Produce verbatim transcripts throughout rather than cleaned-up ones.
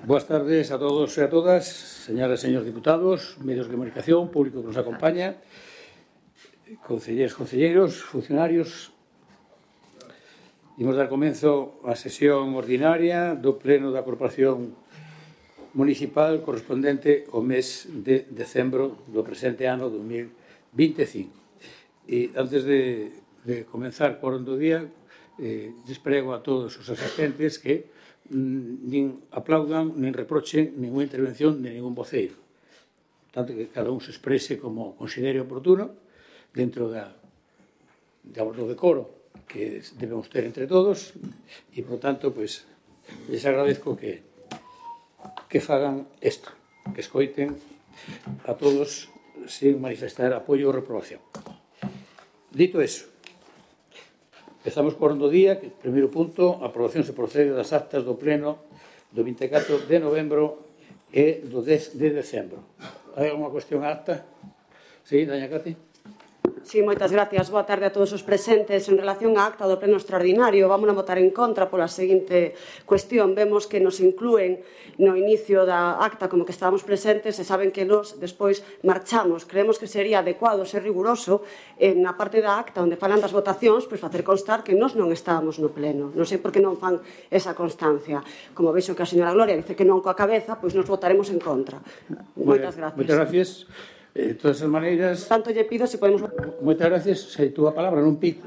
Buenas tardes a todos e a todas, señoras e señores diputados, medios de comunicación, público que nos acompaña, concelleiros, concelleiros, funcionarios. Imos dar comenzo á sesión ordinaria do Pleno da Corporación Municipal correspondente ao mes de decembro do presente ano dos mil vinte e cinco. E antes de, de comenzar por do día, eh, desprego a todos os asistentes que nin aplaudan, nin reprochen ninguna intervención de ningún voceiro. Tanto que cada un se exprese como considere oportuno dentro da, do decoro que debemos ter entre todos e, por tanto, pues, les agradezco que, que fagan isto, que escoiten a todos sin manifestar apoio ou reprobación. Dito eso, empezamos por do día, que primeiro punto, a aprobación se procede das actas do pleno do vinte e catro de novembro e do dez de decembro. Hai alguma cuestión á acta? Sí, daña Cati? Sí, moitas gracias. Boa tarde a todos os presentes. En relación á acta do pleno extraordinario, vamos a votar en contra pola seguinte cuestión. Vemos que nos inclúen no inicio da acta como que estábamos presentes e saben que nos despois marchamos. Creemos que sería adecuado ser riguroso en a parte da acta onde falan das votacións, pois facer constar que nos non estábamos no pleno. Non sei por que non fan esa constancia. Como veixo que a señora Gloria dice que non coa cabeza, pois nos votaremos en contra. Moitas gracias. Moitas gracias. De todas as maneiras... Tanto lle pido se podemos... Moitas gracias. Se tú a palabra non pinche...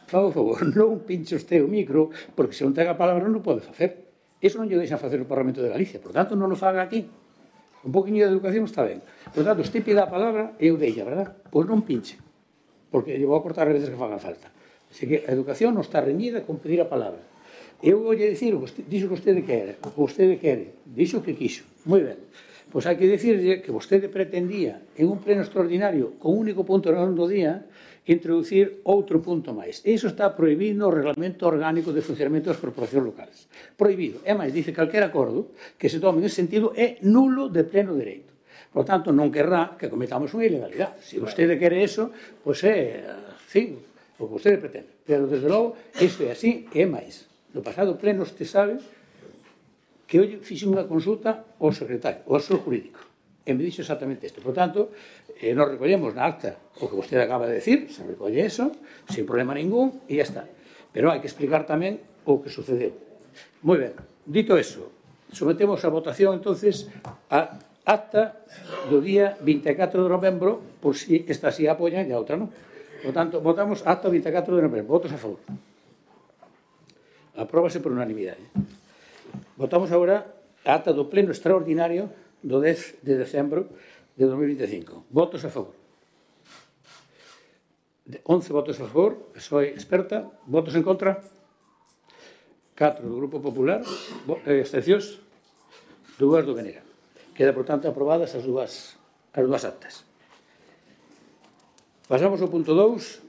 Por favor, non pinche usted o micro, porque se non ten a palabra non pode facer. Iso non lle deixa facer o Parlamento de Galicia. Por tanto, non o faga aquí. Un poquinho de educación está ben. Por tanto, usted pida a palabra e eu deixa, verdad? Pois non pinche. Porque lle vou a cortar as veces que faga falta. Así que a educación non está reñida con pedir a palabra. Eu vou lle dicir o que dixo que vostede quere, o que vostede quere. Dixo que quiso. Moi ben. Pois hai que dicirlle que vostede pretendía en un pleno extraordinario con un único punto no do día introducir outro punto máis. Iso está prohibido no Reglamento Orgánico de Funcionamento das Corporacións Locales. Prohibido. É máis, dice calquer acordo que se tome nesse sentido é nulo de pleno dereito. Por tanto, non querrá que cometamos unha ilegalidade. Se vostede quere eso, pois é así, o que vostede pretende. Pero, desde logo, isto é así e é máis. No pasado pleno, usted sabe que hoxe fixe unha consulta ao secretario, ao asesor jurídico, e me dixo exactamente isto. Por tanto, eh, nos recollemos na acta o que vostede acaba de decir, se recolle eso, sin problema ningún, e ya está. Pero hai que explicar tamén o que sucedeu. Moi ben, dito eso, sometemos a votación, entonces, a acta do día vinte e catro de novembro, por si esta sí apoyan e a outra non. Por tanto, votamos acta vinte e catro de novembro. Votos a favor. Apróbase por unanimidade. Votamos agora a acta do pleno extraordinario do dez de decembro de dos mil vinte e cinco. Votos a favor. once votos a favor, soy experta. Votos en contra. catro do Grupo Popular. Abstencións. dúas do B N G. Queda, por tanto, aprobadas as dúas, as dúas actas. Pasamos ao punto dous,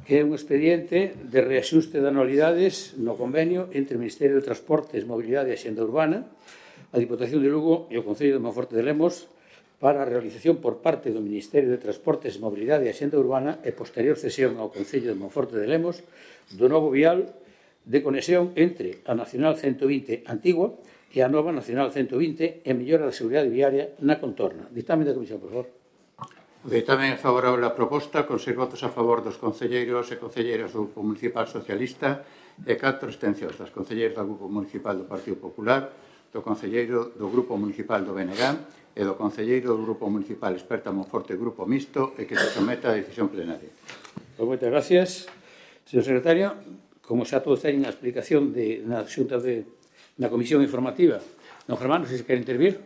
que é un expediente de reaxuste de anualidades no convenio entre o Ministerio de Transportes, Mobilidade e Axenda Urbana, a Diputación de Lugo e o Concello de Monforte de Lemos para a realización por parte do Ministerio de Transportes, Mobilidade e Axenda Urbana e posterior cesión ao Concello de Monforte de Lemos do novo vial de conexión entre a Nacional ciento vinte antigua e a nova Nacional ciento vinte e mellora da seguridade viaria na contorna. Dictamen da Comisión, por favor. O dictamen é favorable á proposta, con seis votos a favor dos concelleiros e concelleiras do Grupo Municipal Socialista e catro abstencións das concelleiras do Grupo Municipal do Partido Popular, do concelleiro do Grupo Municipal do B N G e do concelleiro do Grupo Municipal Experta Monforte Grupo Mixto e que se someta a decisión plenaria. Pois moitas gracias, señor secretario. Como xa todos teñen a explicación de, na xunta de, na comisión informativa, don Germán, non sei se quere intervir.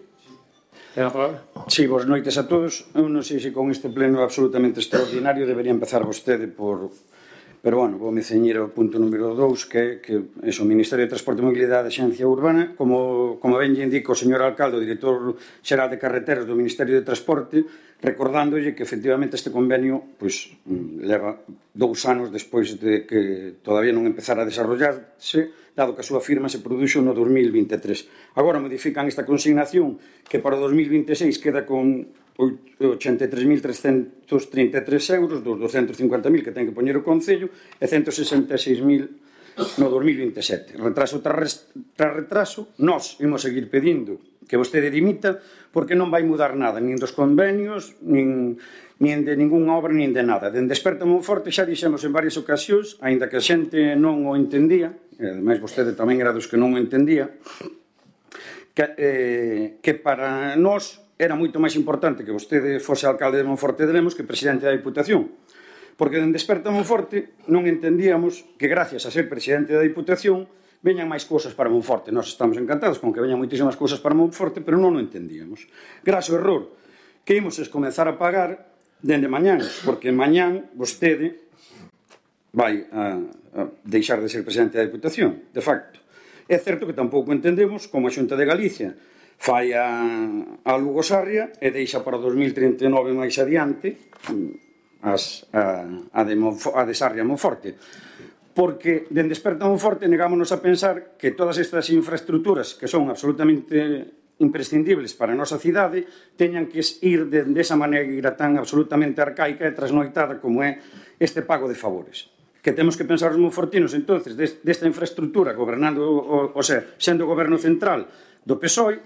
Ten a palabra. Sí, boas noites a todos. Eu non sei se con este pleno absolutamente extraordinario debería empezar vostede por... Pero, bueno, vou me ceñir ao punto número dous, que é o Ministerio de Transporte e Mobilidade e Axencia Urbana. Como, como ben lle indico o señor alcalde, o director xeral de carreteras do Ministerio de Transporte, recordándolle que, efectivamente, este convenio pois, leva dous anos despois de que todavía non empezara a desarrollarse, dado que a súa firma se produxo no dos mil vinte e tres. Agora modifican esta consignación que para o dos mil vinte e seis queda con ochenta e tres mil trescentos trinta e tres euros dos doscentos cincuenta mil que ten que poñer o Concello e ciento sesenta e seis mil no dos mil vinte e sete. Retraso tras retraso, nós imos seguir pedindo que vostede dimita porque non vai mudar nada, nin dos convenios, nin, nin de ninguna obra, nin de nada. Dende Desperta Monforte xa dixemos en varias ocasións, aínda que a xente non o entendía, e ademais vostede tamén era dos que non o entendía, que, eh, que para nós era moito máis importante que vostede fose alcalde de Monforte de Lemos que presidente da Diputación. Porque dende Desperta Monforte non entendíamos que gracias a ser presidente da Diputación veñan máis cousas para Monforte. Nós estamos encantados con que veñan moitísimas cousas para Monforte, pero non o entendíamos. Graso error que imos comenzar a pagar dende mañán, porque mañán vostede vai a, a deixar de ser presidente da Diputación, de facto. É certo que tampouco entendemos como a Xunta de Galicia fai a, a Lugo Sarria e deixa para dos mil trinta e nove máis adiante as, a, a, de Monfo, a de Sarria Monforte. Porque dende Desperta Monforte negámonos a pensar que todas estas infraestructuras que son absolutamente imprescindibles para a nosa cidade teñan que ir de, de esa maneira tan absolutamente arcaica e trasnoitada como é este pago de favores. Que temos que pensar os monfortinos, entonces, desta infraestructura gobernando, o, o sea, sendo o goberno central do P S O E,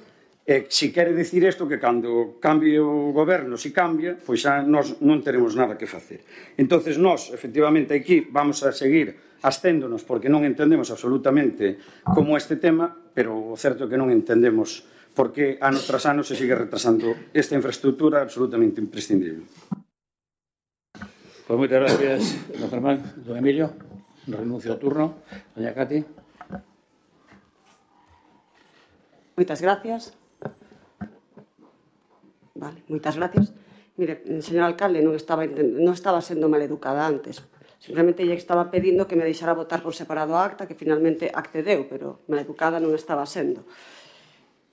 e se quere dicir isto que cando cambie o goberno, se cambia, pois xa nós non teremos nada que facer. Entonces nós, efectivamente, aquí vamos a seguir asténdonos porque non entendemos absolutamente como este tema, pero o certo é que non entendemos por que ano tras ano se sigue retrasando esta infraestructura absolutamente imprescindible. Pues moitas gracias, don Germán. Don Emilio, renuncio ao turno. Doña Cati. Moitas gracias. Vale, moitas gracias. Mire, señor alcalde, non estaba, non estaba sendo maleducada antes. Simplemente lle estaba pedindo que me deixara votar por separado a acta, que finalmente accedeu, pero maleducada non estaba sendo.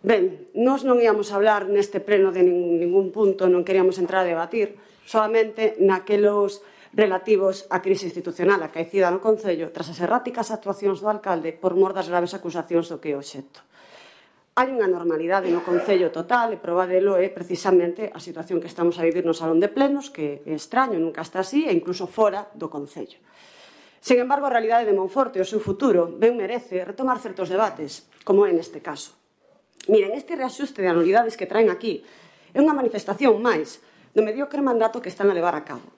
Ben, nós non íamos a hablar neste pleno de ningún, ningún punto, non queríamos entrar a debatir, solamente naquelos relativos á crise institucional acaecida no Concello tras as erráticas actuacións do alcalde por mor das graves acusacións do que é obxecto. Hai unha normalidade no Concello total e proba delo é precisamente a situación que estamos a vivir no Salón de Plenos, que é extraño, nunca está así, e incluso fora do Concello. Sen embargo, a realidade de Monforte e o seu futuro ben merece retomar certos debates, como é neste caso. Miren, este reaxuste de anualidades que traen aquí é unha manifestación máis do mediocre mandato que están a levar a cabo.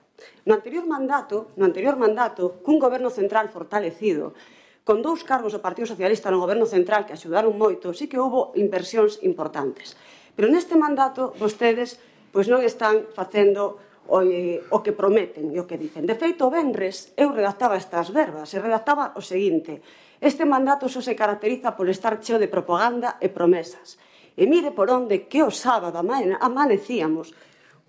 No anterior mandato, no anterior mandato, cun goberno central fortalecido, con dous cargos do Partido Socialista no goberno central que axudaron moito, sí que houbo inversións importantes. Pero neste mandato, vostedes pois non están facendo o, eh, o que prometen e o que dicen. De feito, o venres, eu redactaba estas verbas, e redactaba o seguinte: este mandato só se caracteriza por estar cheo de propaganda e promesas. E mire por onde que o sábado amanecíamos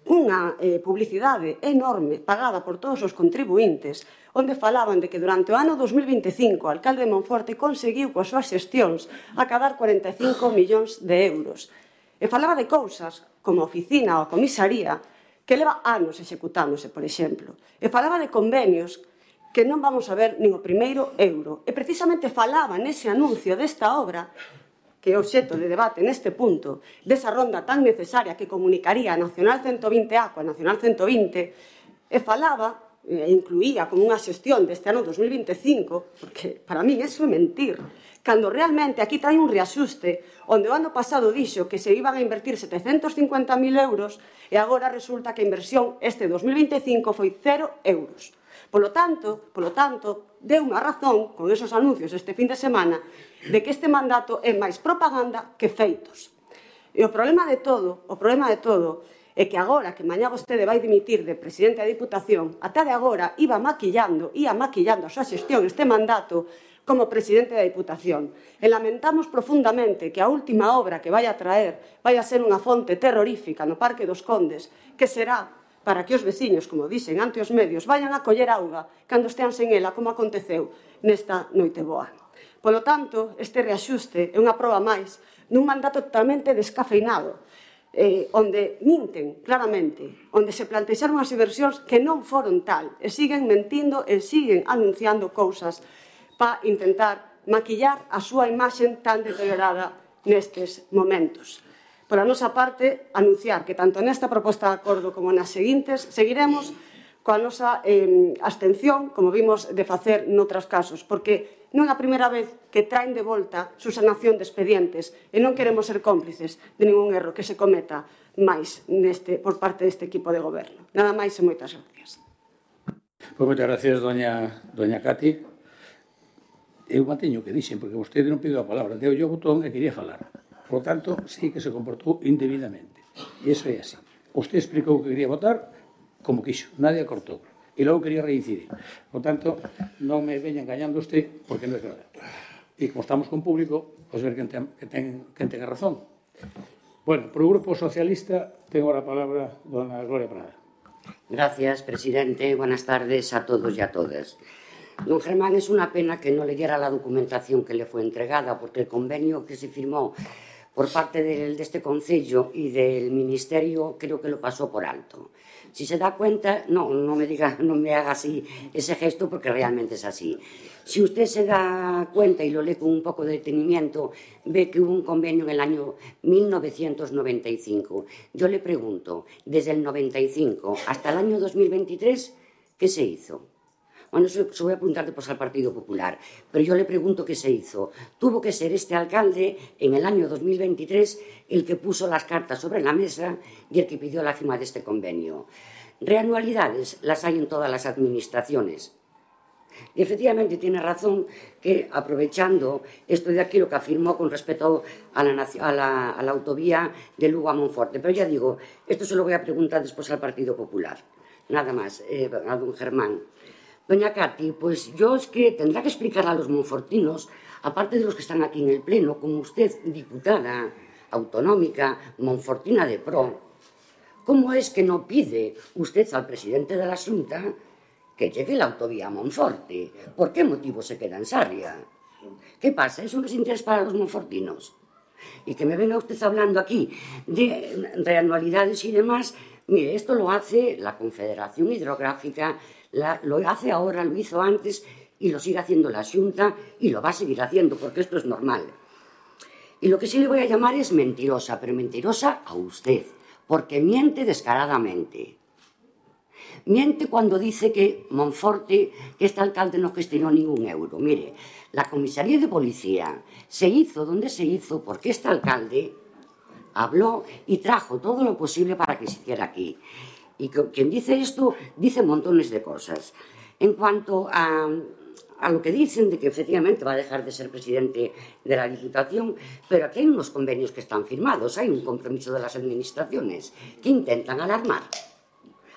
unha eh, publicidade enorme pagada por todos os contribuintes, onde falaban de que durante o ano dos mil vinte e cinco o alcalde de Monforte conseguiu coas súas xestións acadar cuarenta e cinco millóns de euros. E falaba de cousas como a oficina ou a comisaría que leva anos executándose, por exemplo. E falaba de convenios que non vamos a ver nin o primeiro euro. E precisamente falaba nese anuncio desta obra, que é obxecto de debate neste punto, desa ronda tan necesaria que comunicaría a Nacional ciento vinte A coa Nacional ciento vinte, e falaba, e incluía como unha xestión deste ano dos mil vinte e cinco, porque para mí eso é mentir, cando realmente aquí trae un reaxuste onde o ano pasado dixo que se iban a invertir setecentos cincuenta mil euros e agora resulta que a inversión este dos mil vinte e cinco foi cero euros. Polo tanto, polo tanto, deu unha razón con esos anuncios este fin de semana de que este mandato é máis propaganda que feitos. E o problema de todo, o problema de todo, é que agora que mañá vostede vai dimitir de presidente da Diputación, ata de agora iba maquillando, ia maquillando a súa xestión este mandato como presidente da Diputación. E lamentamos profundamente que a última obra que vai a traer vai a ser unha fonte terrorífica no Parque dos Condes, que será para que os veciños, como dixen ante os medios, vayan a coller auga cando estean sen ela, como aconteceu nesta noite boa. Polo tanto, este reaxuste é unha proba máis dun mandato totalmente descafeinado, eh, onde minten claramente, onde se plantexaron as inversións que non foron tal, e siguen mentindo e siguen anunciando cousas para intentar maquillar a súa imaxe tan deteriorada nestes momentos. Por a nosa parte, anunciar que tanto nesta proposta de acordo como nas seguintes seguiremos coa nosa eh, abstención, como vimos de facer noutros casos, porque Non é a primeira vez que traen de volta subsanación de expedientes e non queremos ser cómplices de ningún erro que se cometa máis neste, por parte deste equipo de goberno. Nada máis e moitas gracias. Pois moitas gracias, doña, doña Cati. Eu manteño o que dixen, porque vostede non pediu a palabra, deu yo o botón e quería falar. Por lo tanto, sí que se comportou indebidamente. E iso é así. Usted explicou que quería votar como quixo, nadie cortou. E logo quería reincidir. Por tanto, non me veña engañando usted, porque non é verdade. E como estamos con público, pois ver quen ten, que ten, quen ten a razón. Bueno, por o Grupo Socialista, tengo a palabra dona Gloria Prada. Gracias, presidente. Buenas tardes a todos y a todas. Don Germán, es una pena que no leyera la documentación que le fue entregada, porque el convenio que se firmó por parte del, de este Concello y del Ministerio creo que lo pasó por alto. Si se da cuenta, no, no me diga, no me haga así ese gesto porque realmente es así. Si usted se da cuenta y lo lee con un poco de detenimiento, ve que hubo un convenio en el año mil novecientos noventa y cinco. Yo le pregunto, desde el noventa y cinco hasta el año dos mil veintitrés, ¿qué se hizo? Bueno, eso se voy a apuntar después al Partido Popular, pero yo le pregunto qué se hizo. Tuvo que ser este alcalde en el año dos mil veintitrés el que puso las cartas sobre la mesa y el que pidió la firma de este convenio. Reanualidades las hay en todas las administraciones. Y efectivamente tiene razón que, aprovechando esto de aquí, lo que afirmó con respecto a la, a la, a la autovía de Lugo a Monforte. Pero ya digo, esto se lo voy a preguntar después al Partido Popular. Nada más, eh, a don Germán. Doña Cati, pues yo es que tendrá que explicar a los monfortinos, aparte de los que están aquí en el Pleno, como usted, diputada autonómica, monfortina de pro, ¿cómo es que no pide usted al presidente de la Xunta que llegue la autovía a Monforte? ¿Por qué motivo se queda en Sarria? ¿Qué pasa? ¿Eso no es interés para los monfortinos? Y que me venga usted hablando aquí de reanualidades y demás. Mire, esto lo hace la Confederación Hidrográfica, la, lo hace ahora, lo hizo antes y lo sigue haciendo la Xunta y lo va a seguir haciendo porque esto es normal. Y lo que sí le voy a llamar es mentirosa, pero mentirosa a usted, porque miente descaradamente. Miente cuando dice que Monforte, que este alcalde no gestionó ningún euro. Mire, la comisaría de policía se hizo donde se hizo porque este alcalde habló y trajo todo lo posible para que se hiciera aquí. Y quien dice esto, dice montones de cosas. En cuanto a, a lo que dicen de que efectivamente va a dejar de ser presidente de la Diputación, pero aquí hay unos convenios que están firmados, hay un compromiso de las administraciones que intentan alarmar.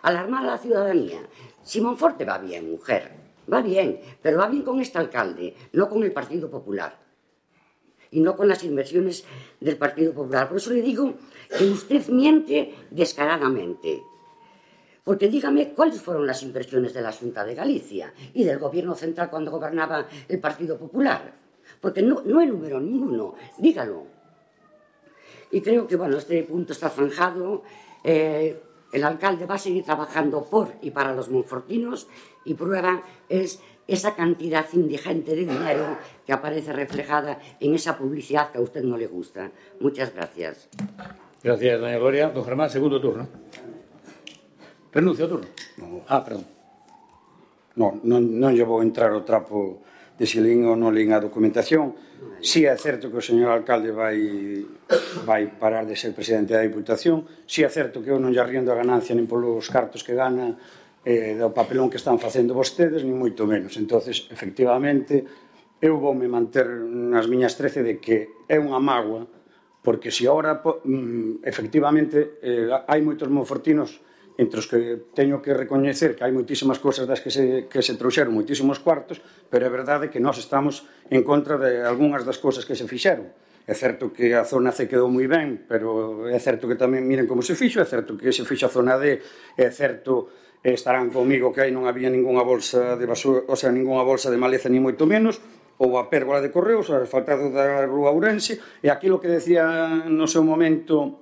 Alarmar a la ciudadanía. Si Monforte va bien, mujer, va bien, pero va bien con este alcalde, no con el Partido Popular. Y no con las inversiones del Partido Popular. Por eso le digo que usted miente descaradamente. Porque dígame cuáles fueron las inversiones de la Xunta de Galicia y del Gobierno central cuando gobernaba el Partido Popular. Porque no, no enumeró ninguno, dígalo. Y creo que, bueno, este punto está zanjado. Eh, el alcalde va a seguir trabajando por y para los monfortinos y prueba es esa cantidad indigente de dinero que aparece reflejada en esa publicidad que a usted no le gusta. Muchas gracias. Gracias, doña Gloria. Don Germán, segundo turno. Renuncia ao turno? No. Ah, perdón. No, non, non lle vou entrar o trapo de se lín ou non lín a documentación. Si é certo que o señor alcalde vai, vai parar de ser presidente da Diputación. Si é certo que eu non lle arriendo a ganancia nin polos cartos que gana eh, do papelón que están facendo vostedes, nin moito menos. Entonces, efectivamente, eu voume manter nas miñas trece de que é unha mágoa, porque se agora, efectivamente, eh, hai moitos monfortinos entre os que teño que recoñecer que hai moitísimas cosas das que se, que se trouxeron moitísimos cuartos, pero é verdade que nós estamos en contra de algunhas das cosas que se fixeron. É certo que a zona C quedou moi ben, pero é certo que tamén miren como se fixo, é certo que se fixo a zona D, é certo, estarán comigo que aí non había ninguna bolsa de basura, o sea, ninguna bolsa de maleza ni moito menos, ou a pérgola de correos, o asfaltado da Rúa Ourense, e aquilo que decía no seu momento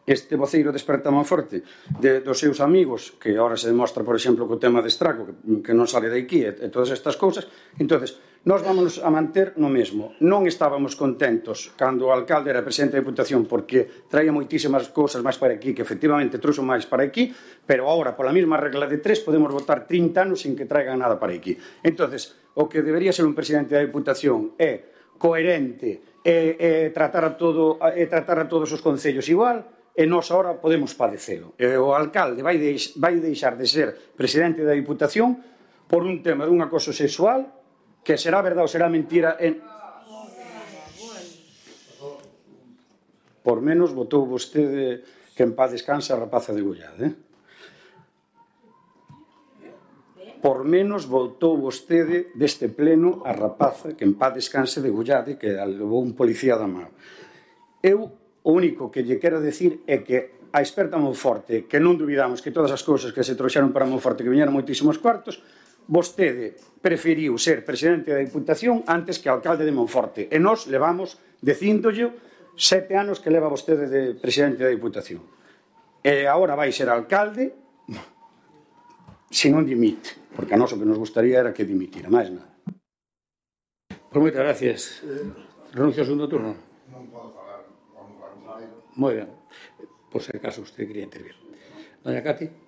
este voceiro de Esperta Monforte de, dos seus amigos, que agora se demostra, por exemplo, co tema de Estraco, que, que non sale de aquí, e, e todas estas cousas. Entonces, Nós vamos a manter no mesmo. Non estábamos contentos cando o alcalde era presidente da Diputación porque traía moitísimas cousas máis para aquí, que efectivamente trouxo máis para aquí, pero agora, pola mesma regla de tres, podemos votar trinta anos sin que traigan nada para aquí. Entonces, o que debería ser un presidente da Diputación é coherente e, e, tratar, a todo, e tratar a todos os concellos igual, e nós agora podemos padecelo. E o alcalde vai, deix, vai deixar de ser presidente da Diputación por un tema dun acoso sexual que será verdade ou será mentira en... Por menos votou vostede que en paz descansa a rapaza de Gollade, eh? Por menos votou vostede deste pleno a rapaza que en paz descanse de Gollade, que levou un policía da mão. Eu o único que lle quero decir é que a experta Monforte, que non dubidamos que todas as cousas que se trouxeron para Monforte que viñeron moitísimos cuartos, vostede preferiu ser presidente da Diputación antes que alcalde de Monforte. E nós levamos, dicíndolle, sete anos que leva vostede de presidente da Diputación. E agora vai ser alcalde se non dimite, porque a nós o que nos gustaría era que dimitira, máis nada. Pues moitas gracias. Renuncio ao segundo turno. Non podo falar, vamos falar un maio. Moi ben. Por se acaso usted quería intervir. Doña Cati.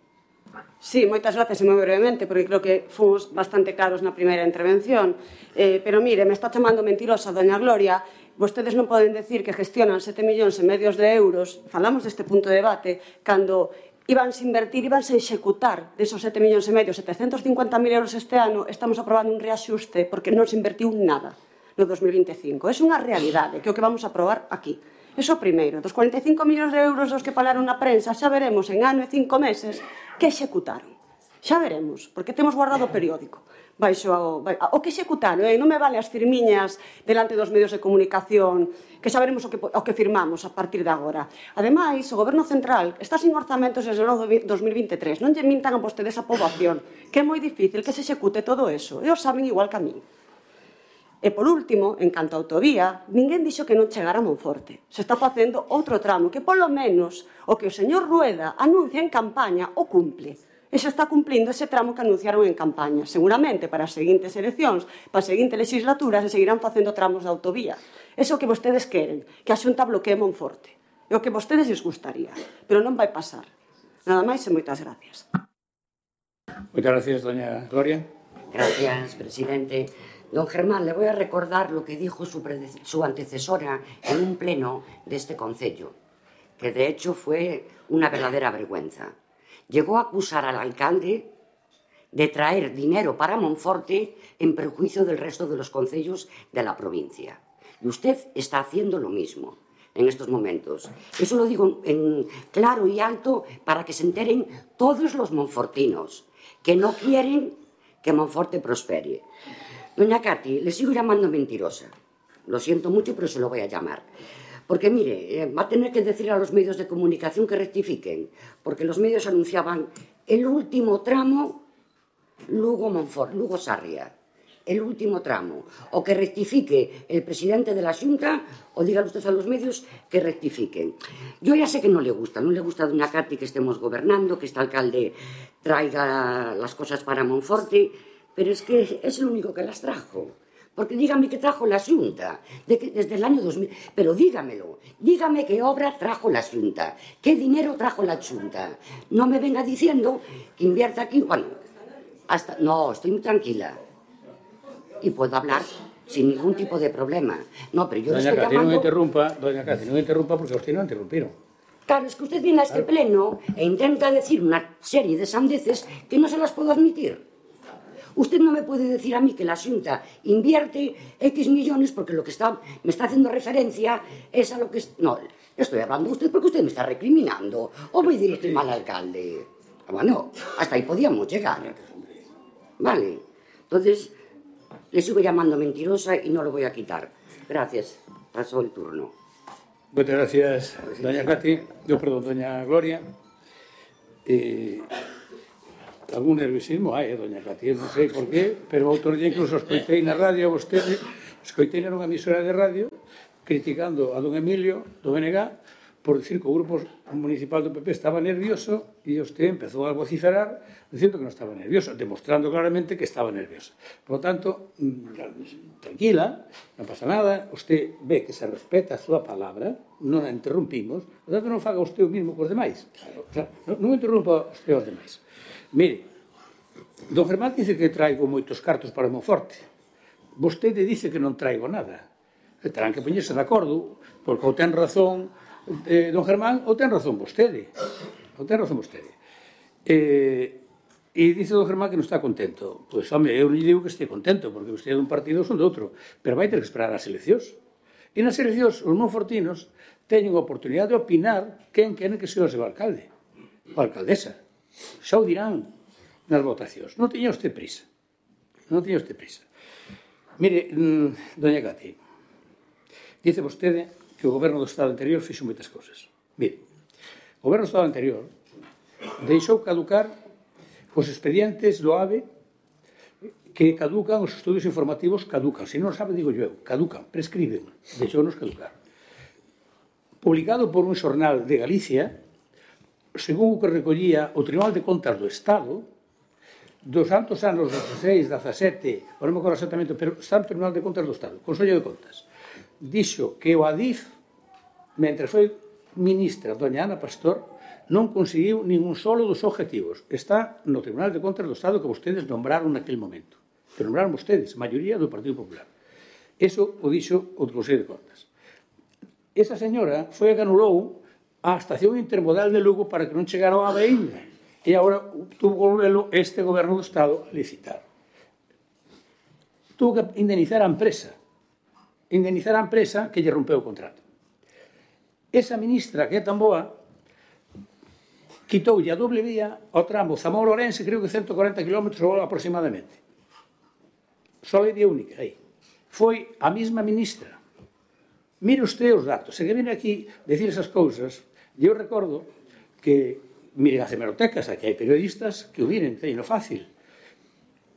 Sí, moitas gracias e moi brevemente, porque creo que fomos bastante claros na primeira intervención. Eh, pero mire, me está chamando mentirosa doña Gloria. Vostedes non poden decir que gestionan sete millóns e medios de euros, falamos deste punto de debate, cando íbanse invertir, íbanse executar desos sete millóns e medio, setecentos cincuenta mil euros este ano, estamos aprobando un reaxuste porque non se invertiu nada no dos mil vinte e cinco. É unha realidade, que é o que vamos a aprobar aquí. Eso primeiro, dos cuarenta e cinco millóns de euros dos que falaron na prensa, xa veremos en ano e cinco meses que executaron. Xa veremos, porque temos guardado o periódico. Baixo ao, o que executaron, eh? Non me vale as firmiñas delante dos medios de comunicación, que xa veremos o que, o que firmamos a partir de agora. Ademais, o Goberno Central está sin orzamentos desde o dos mil vinte e tres. Non lle mintan a vostedes a poboación, que é moi difícil que se execute todo eso. E os saben igual que a mí. E, por último, en canto a autovía, ninguén dixo que non chegara a Monforte. Se está facendo outro tramo que, polo menos, o que o señor Rueda anuncia en campaña o cumple. E se está cumplindo ese tramo que anunciaron en campaña. Seguramente, para as seguintes eleccións, para as seguintes legislaturas, se seguirán facendo tramos de autovía. Eso que vostedes queren, que a Xunta bloquee Monforte. É o que vostedes les gustaría. Pero non vai pasar. Nada máis e moitas gracias. Moitas gracias, doña Gloria. Gracias, presidente. Don Germán, le voy a recordar lo que dijo su, su antecesora en un pleno de este concello, que de hecho fue una verdadera vergüenza. Llegó a acusar al alcalde de traer dinero para Monforte en perjuicio del resto de los concellos de la provincia. Y usted está haciendo lo mismo en estos momentos. Eso lo digo en claro y alto para que se enteren todos los monfortinos que no quieren que Monforte prospere. Doña Cati, le sigo llamando mentirosa. Lo siento mucho, pero se lo voy a llamar. Porque, mire, eh, va a tener que decir a los medios de comunicación que rectifiquen, porque los medios anunciaban el último tramo Lugo-Monfort, Lugo-Sarria. El último tramo. O que rectifique el presidente de la Xunta, o dígale usted a los medios que rectifiquen. Yo ya sé que no le gusta, no le gusta a doña Cati que estemos gobernando, que este alcalde traiga las cosas para Monforte, pero es que es el único que las trajo. Porque dígame que trajo la Xunta, de que, desde el año dos mil... Pero dígamelo, dígame qué obra trajo la Xunta, qué dinero trajo la Xunta. No me venga diciendo que invierta aquí... Bueno, hasta... No, estoy muy tranquila. Y puedo hablar sin ningún tipo de problema. No, pero yo doña le estoy Cati, llamando... non interrumpa, doña Cati, non interrumpa porque usted non interrumpiron. Claro, es que usted viene a este pleno e intenta decir una serie de sandeces que no se las puedo admitir. Usted no me puede decir a mí que la Xunta invierte X millones porque lo que está, me está haciendo referencia es a lo que... Es, no, estoy hablando de usted porque usted me está recriminando. O voy a decir que estoy mal alcalde. Bueno, hasta ahí podíamos llegar. Vale. Entonces, le sigo llamando mentirosa y no lo voy a quitar. Gracias. Pasó el turno. Muchas gracias, doña Cati. Yo, perdón, doña Gloria. Eh... Algún nerviosismo hai, eh, doña Cati, non sei por qué, pero outro día incluso escoitei na radio a vostede, escoitei na unha emisora de radio criticando a don Emilio, do B N G, por decir que o grupo municipal do P P estaba nervioso e usted empezou a vociferar dicindo que non estaba nervioso, demostrando claramente que estaba nerviosa. Por lo tanto, tranquila, non pasa nada, usted ve que se respeta a súa palabra, non a interrumpimos, por tanto non faga usted o mismo cos demais. Claro, claro, non interrumpa usted os demais. Mire, don Germán dice que traigo moitos cartos para Monforte. Vostede dice que non traigo nada. Terán que poñerse de acordo, porque ou ten razón eh, don Germán ou ten razón vostede. Ou ten razón vostede. Eh, e dice don Germán que non está contento. Pois, home, eu non digo que este contento, porque vostede é dun partido ou son de outro, pero vai ter que esperar as eleccións. E nas eleccións, os monfortinos teñen a oportunidade de opinar quen queren que sea o seu alcalde, ou alcaldesa. Xa o dirán nas votacións. Non teña usted prisa. Non teña usted prisa. Mire, doña Cati, dice vostede que o goberno do Estado anterior fixo moitas cousas. Mire, o goberno do Estado anterior deixou caducar os expedientes do A V E que caducan, os estudios informativos caducan. Se non sabe, digo eu, caducan, prescriben, deixounos caducar. Publicado por un xornal de Galicia, según o que recollía o Tribunal de Contas do Estado, dos santos anos dezasseis, dezasete, non me acordo exactamente, pero está no Tribunal de Contas do Estado, Consello de Contas, dixo que o Adif, mentre foi ministra doña Ana Pastor, non conseguiu ningún solo dos objetivos. Está no Tribunal de Contas do Estado que vostedes nombraron naquele momento. Que nombraron vostedes, maioría do Partido Popular. Eso o dixo o Consello de Contas. Esa señora foi a que anulou a estación intermodal de Lugo para que non chegara ao A V E ainda. E agora tuvo que volvelo este goberno do Estado a licitar. Tuvo que indemnizar a empresa. Indemnizar a empresa que lle rompeu o contrato. Esa ministra que é tan boa quitoulle a doble vía ao tramo Zamora-Ourense, creo que ciento cuarenta kilómetros aproximadamente. Só é vía única aí. Foi a mesma ministra. Mire usted os datos. Se que viene aquí decir esas cousas, eu recordo que, mire as hemerotecas, aquí hai periodistas que o miren, teño fácil.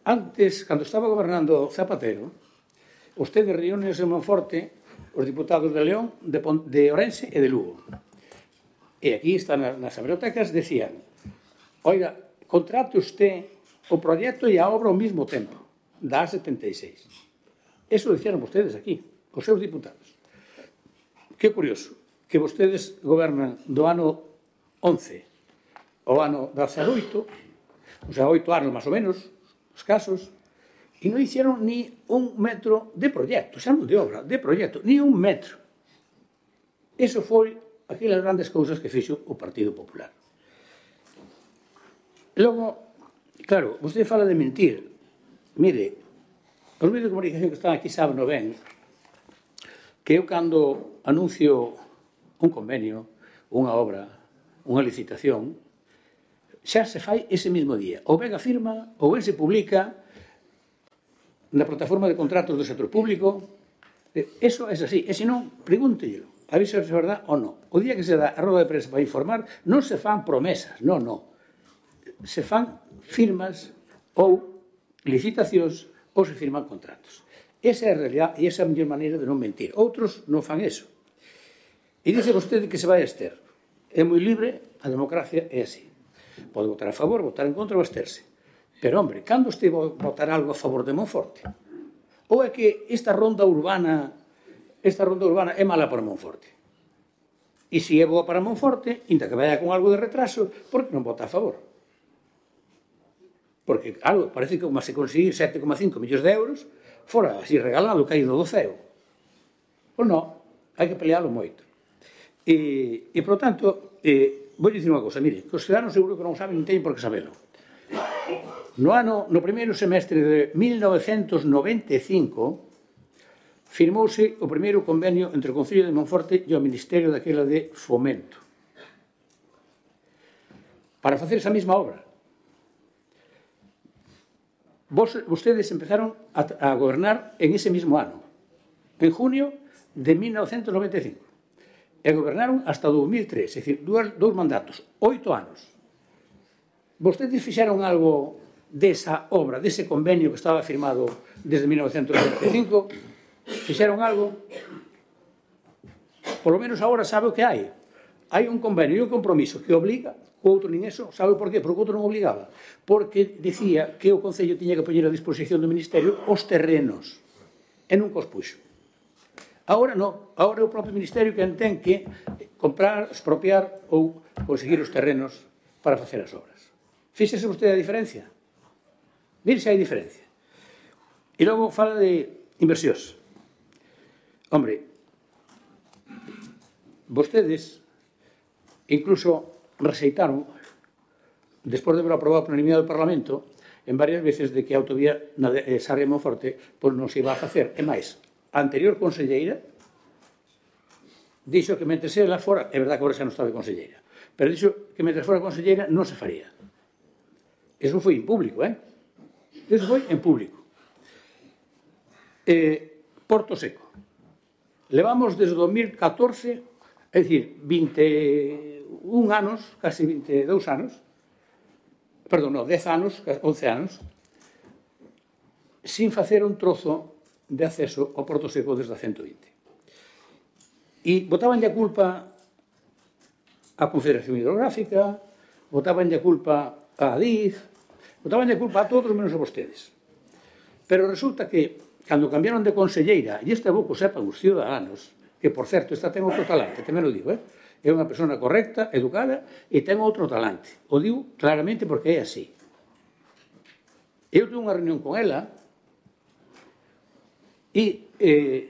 Antes, cando estaba gobernando Zapatero, usted reúnes en Monforte os diputados de León, de, de Ourense e de Lugo. E aquí están nas hemerotecas, decían, oiga, contrate usted o proxecto e a obra ao mesmo tempo, da A setenta e seis. Eso decían vostedes aquí, os seus diputados. Que curioso, que vostedes gobernan do ano once ao ano dezaoito, o sea, oito anos máis ou menos, os casos, e non hicieron ni un metro de proxecto, xa non de obra, de proxecto, ni un metro. Eso foi aquelas grandes cousas que fixo o Partido Popular. Logo, claro, vostede fala de mentir. Mire, os medios de comunicación que están aquí saben o ben que eu cando anuncio un convenio, unha obra, unha licitación, xa se fai ese mesmo día. Ou ben a firma, ou ben se publica na plataforma de contratos do sector público. Eso é así. E se non, pregúntellelo. A ver se é verdade ou non. O día que se dá a roda de prensa para informar, non se fan promesas, non, non. Se fan firmas ou licitacións ou se firman contratos. Esa é a realidad e esa é a mellor maneira de non mentir. Outros non fan eso. E dice vostede que se vai a ester. É moi libre, a democracia é así. Pode votar a favor, votar en contra ou absterse. Pero, hombre, cando este votar algo a favor de Monforte? Ou é que esta ronda urbana esta ronda urbana é mala para Monforte? E se é boa para Monforte, inda que vaya con algo de retraso, por que non vota a favor? Porque, algo, parece que como se conseguir sete coma cinco millóns de euros, fora así regalado, caído do ceo. Pois non, hai que pelealo moito. E, e por tanto, eh, vou dicir unha cosa, mire, que os ciudadanos seguro que non saben, non teñen por que sabelo. No ano, no primeiro semestre de mil novecentos noventa e cinco, firmouse o primeiro convenio entre o Concello de Monforte e o Ministerio daquela de Fomento para facer esa mesma obra. Vos, vostedes empezaron a, a gobernar en ese mismo ano, en junio de mil novecentos noventa e cinco, e gobernaron hasta dos mil tres, é dicir, dous, dous mandatos, oito anos. Vostedes fixeron algo desa obra, dese convenio que estaba firmado desde mil novecentos noventa e cinco? Fixeron algo? Por lo menos agora sabe o que hai. hai un convenio e un compromiso que obliga, o outro nin eso, sabe por qué? Porque o outro non obligaba. Porque dicía que o Concello tiña que poñer a disposición do Ministerio os terrenos, e non cos puxo. Agora non, agora é o propio Ministerio que ten que comprar, expropiar ou conseguir os terrenos para facer as obras. Fíxese vostede a diferencia. Mire se hai diferencia. E logo fala de inversións. Hombre, vostedes incluso rexeitaron, despois de haber aprobado por unanimidade do Parlamento, en varias veces de que a autovía na de Sarria e Monforte pois non se iba a facer. E máis, a anterior conselleira dixo que mentre ela fora, é verdad que agora xa non estaba conselleira, pero dixo que mentre fora conselleira non se faría. Eso foi en público, eh? Eso foi en público. Eh, Porto Seco. Levamos desde o dos mil catorce, é dicir, vinte e un anos, casi vinte e dous anos, perdón, non, dez anos, once anos, sin facer un trozo de acceso ao Porto Seco desde a ciento vinte. E botabanlle a culpa á Confederación Hidrográfica, botabanlle a culpa á Adif, botabanlle a culpa a todos menos a vostedes. Pero resulta que, cando cambiaron de conselleira, e este aboco sepan os ciudadanos, que, por certo, esta ten outro talante, tamén o digo, eh? É unha persona correcta, educada, e ten outro talante. O digo claramente porque é así. Eu tuve unha reunión con ela e eh,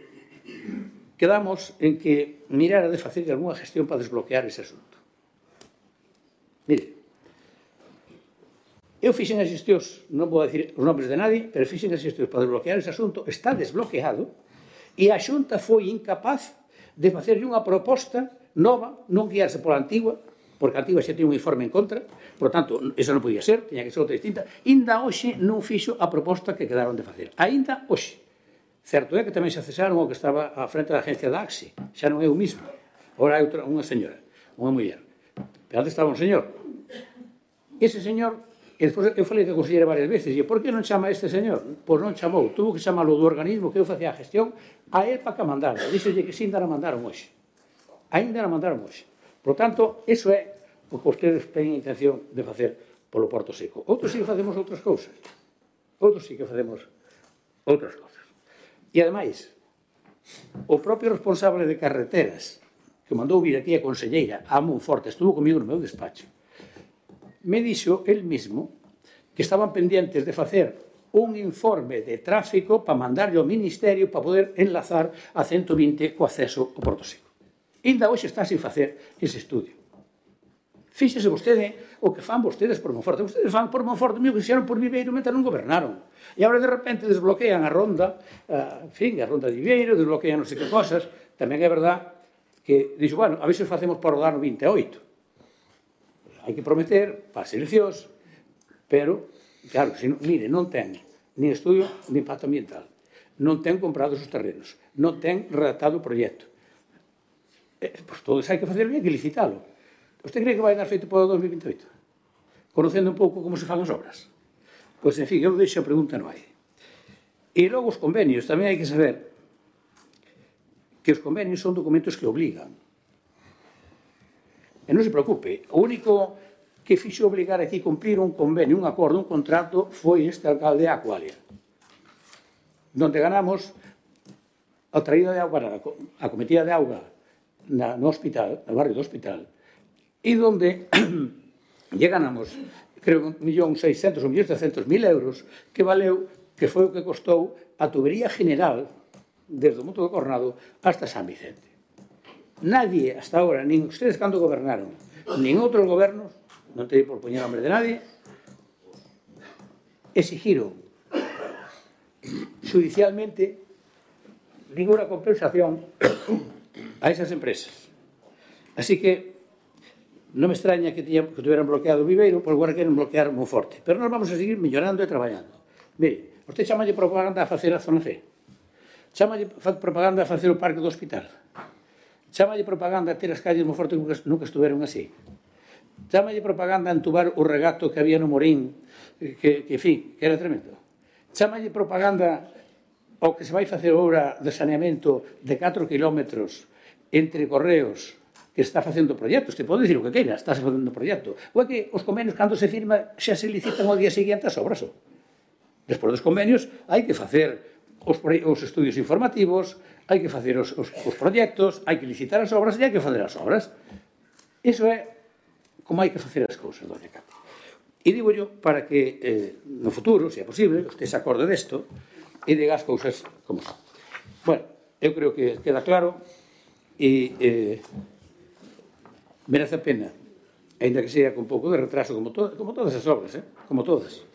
quedamos en que mirara de facer algunha gestión para desbloquear ese asunto. Mire, eu fixen as xestións, non vou dicir os nombres de nadie, pero fixen as xestións para desbloquear ese asunto, está desbloqueado, e a Xunta foi incapaz de facerlle unha proposta nova, non guiarse pola antigua, porque a antigua xa tiña un informe en contra, por tanto, eso non podía ser, tiña que ser outra distinta. Inda hoxe non fixo a proposta que quedaron de facer. Ainda hoxe. Certo é que tamén se cesaron o que estaba á frente da agencia da A X I, xa non é o mismo. Ora é outra, unha señora, unha muller. Pero antes estaba un señor. Ese señor, e despois eu falei que a consellera varias veces, e por que non chama a este señor? Pois non chamou, tuvo que chamalo do organismo que eu facía a gestión a él para que a mandara. Díxolle que sin dar a mandaron hoxe. Ainda non mandaron hoxe. Por tanto, iso é o que vostedes teñen intención de facer polo Porto Seco. Outros sí que facemos outras cousas. Outros sí que facemos outras cousas. E, ademais, o propio responsable de carreteras que mandou vir aquí a conselleira a Monforte, estuvo comigo no meu despacho, me dixo el mismo que estaban pendientes de facer un informe de tráfico para mandarlle ao Ministerio para poder enlazar a ciento vinte co acceso ao Porto Seco. Ainda hoxe está sin facer ese estudio. Fíxese vostede o que fan vostedes por Monforte. Vostedes fan por Monforte, mío, que fixeron por Viveiro mentre non gobernaron. E agora de repente desbloquean a ronda, a, en fin, a ronda de Viveiro, desbloquean non sei que cosas. Tamén é verdad que, dixo, bueno, a ver se facemos para o ano vinte e oito. Hai que prometer para as eleccións, pero, claro, se non, mire, non ten ni estudio de impacto ambiental, non ten comprado os terrenos, non ten redactado o proxecto. Eh, pois todo iso hai que facer bien, que licitalo. Você cree que vai dar feito para o dos mil vinte e oito? Conocendo un pouco como se fan as obras? Pois, en fin, eu deixo a pregunta no aire. E logo os convenios, tamén hai que saber que os convenios son documentos que obligan. E non se preocupe, o único que fixo obligar aquí cumprir un convenio, un acordo, un contrato, foi este alcalde de Acualia, donde ganamos a traída de auga, a cometida de auga na, no hospital, no barrio do hospital, e donde lle ganamos, creo, un millón seiscentos ou un millón seiscentos mil euros, que valeu, que foi o que costou a tubería general desde o Monte do Cornado hasta San Vicente. Nadie, hasta ahora, nin ustedes cando gobernaron, nin outros gobernos, non teño por poñer nombre de nadie, exigiron judicialmente ninguna compensación a esas empresas. Así que non me extraña que, tiña, que tuvieran bloqueado o Viveiro, por agora queren bloquear Monforte. Pero nós vamos a seguir mellorando e traballando. Mire, usted chamalle propaganda a facer a zona C. Chamalle propaganda a facer o parque do hospital. Chamalle propaganda a ter as calles de Monforte que nunca estuveron así. Chamalle propaganda a entubar o regato que había no Morín, que, que en fin, que era tremendo. Chamalle propaganda ao que se vai facer obra de saneamento de catro kilómetros entre Correos que está facendo proxectos, te pode dicir o que queira, está facendo proxecto. Ou é que os convenios, cando se firma, xa se licitan ao día seguinte as obras. Despois dos convenios, hai que facer os, os estudios informativos, hai que facer os, os, os proxectos, hai que licitar as obras e hai que facer as obras. Iso é como hai que facer as cousas, doña Cati. E digo yo para que eh, no futuro, se é posible, usted se acorde desto e diga as cousas como son. Bueno, eu creo que queda claro e eh, merece a pena, ainda que sea con pouco de retraso, como, to como todas as obras, eh? como todas,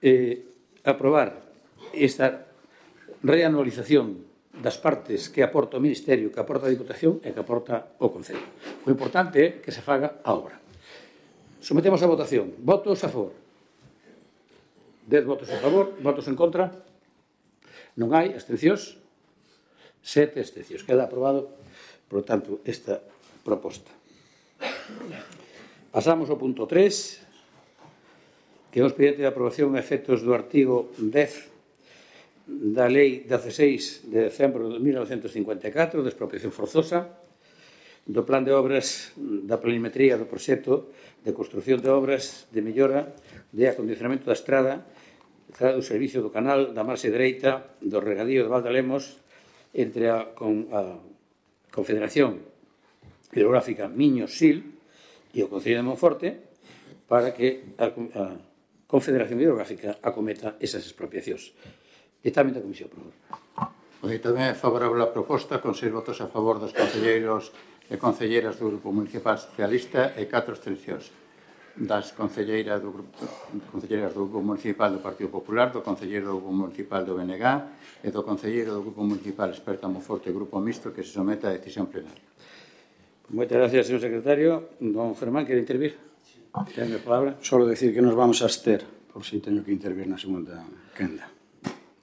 eh, aprobar esta reanualización das partes que aporta o Ministerio, que aporta a Diputación e que aporta o Concello. O importante é que se faga a obra. Sometemos a votación. Votos a favor. Dez votos a favor, votos en contra. Non hai abstencións. Sete abstencións. Queda aprobado, por lo tanto, esta proposta. Pasamos ao punto tres, que é o expediente de aprobación a efectos do artigo dez da Lei dezasseis de decembro de mil novecentos cincuenta e catro de expropiación forzosa, do plan de obras da planimetría do proxecto de construción de obras de mellora de acondicionamento da estrada do servicio do canal da marxe dereita do regadío de Valdalemos entre a, con, a Confederación Hidrográfica Miño-Sil e o Concello de Monforte para que a, a Confederación Hidrográfica acometa esas expropiacións. Dictamen da Comisión, por favor. Pois tamén é favorable a proposta, con seis votos a favor dos concelleiros e concelleiras do Grupo Municipal Socialista e catro abstencións das concelleiras do Grupo, concelleiras do Grupo Municipal do Partido Popular, do concelleiro do Grupo Municipal do B N G e do concelleiro do Grupo Municipal Experta Monforte e Grupo Mixto que se someta a decisión plenaria. Moitas gracias, señor secretario. Don Germán, quere intervir? Ten a palabra. Solo decir que nos vamos a abster, por si teño que intervir na segunda quenda.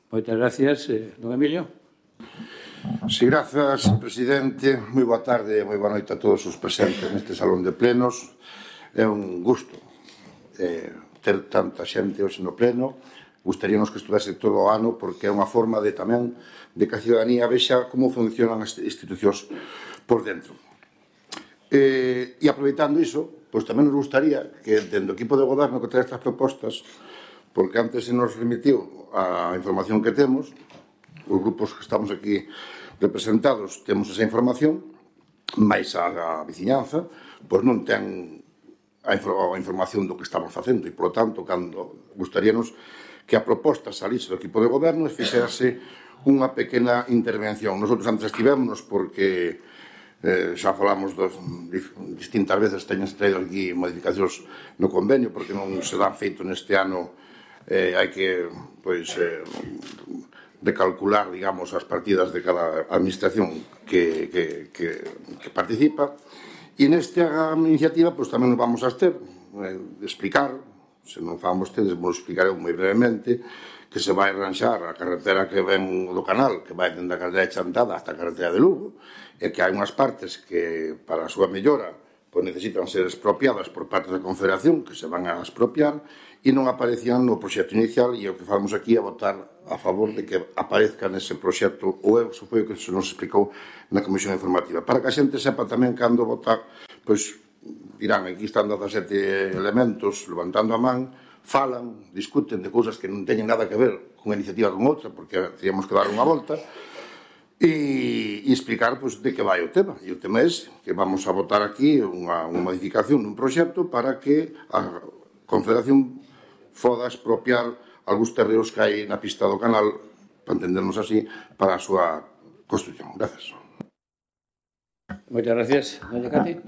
Moitas gracias, eh, don Emilio. Si, grazas, presidente. Moi boa tarde e moi boa noite a todos os presentes neste salón de plenos. É un gusto eh, ter tanta xente hoxe no pleno. Gustaríamos que estuvese todo o ano porque é unha forma de tamén de que a ciudadanía vexa como funcionan as institucións por dentro. Eh, e aproveitando iso, pois tamén nos gustaría que dentro do equipo de goberno que trae estas propostas, porque antes se nos remitiu a información que temos, os grupos que estamos aquí representados temos esa información, máis a, a veciñanza, pois non ten a, a información do que estamos facendo e, por lo tanto, cando gustaríanos que a proposta salise do equipo de goberno e fixerase unha pequena intervención. Nosotros antes estivémonos porque eh, xa falamos dos, distintas veces teñen traído aquí modificacións no convenio porque non se dan feito neste ano, eh, hai que, pois, eh, de calcular, digamos, as partidas de cada administración que, que, que, que participa. E nesta iniciativa, pois, tamén nos vamos a ter, eh, explicar, se non fan vostedes, vos explicareu moi brevemente, que se vai arranxar a carretera que ven do canal, que vai dende a carretera de Chantada hasta a carretera de Lugo, e que hai unhas partes que, para a súa mellora, pois necesitan ser expropiadas por parte da Confederación, que se van a expropiar, e non aparecían no proxecto inicial, e o que falamos aquí é votar a favor de que aparezca nese proxecto, ou eso foi o que se nos explicou na Comisión Informativa. Para que a xente sepa tamén cando votar, pois dirán, aquí están dezasete elementos levantando a man, falan, discuten de cousas que non teñen nada que ver con unha iniciativa con outra, porque teríamos que dar unha volta, e, e explicar pois, de que vai o tema. E o tema é que vamos a votar aquí unha, unha modificación dun proxecto para que a Confederación foda expropiar algúns terreos que hai na pista do canal, para entendernos así, para a súa construcción. Gracias. Moitas gracias. Doña Cati.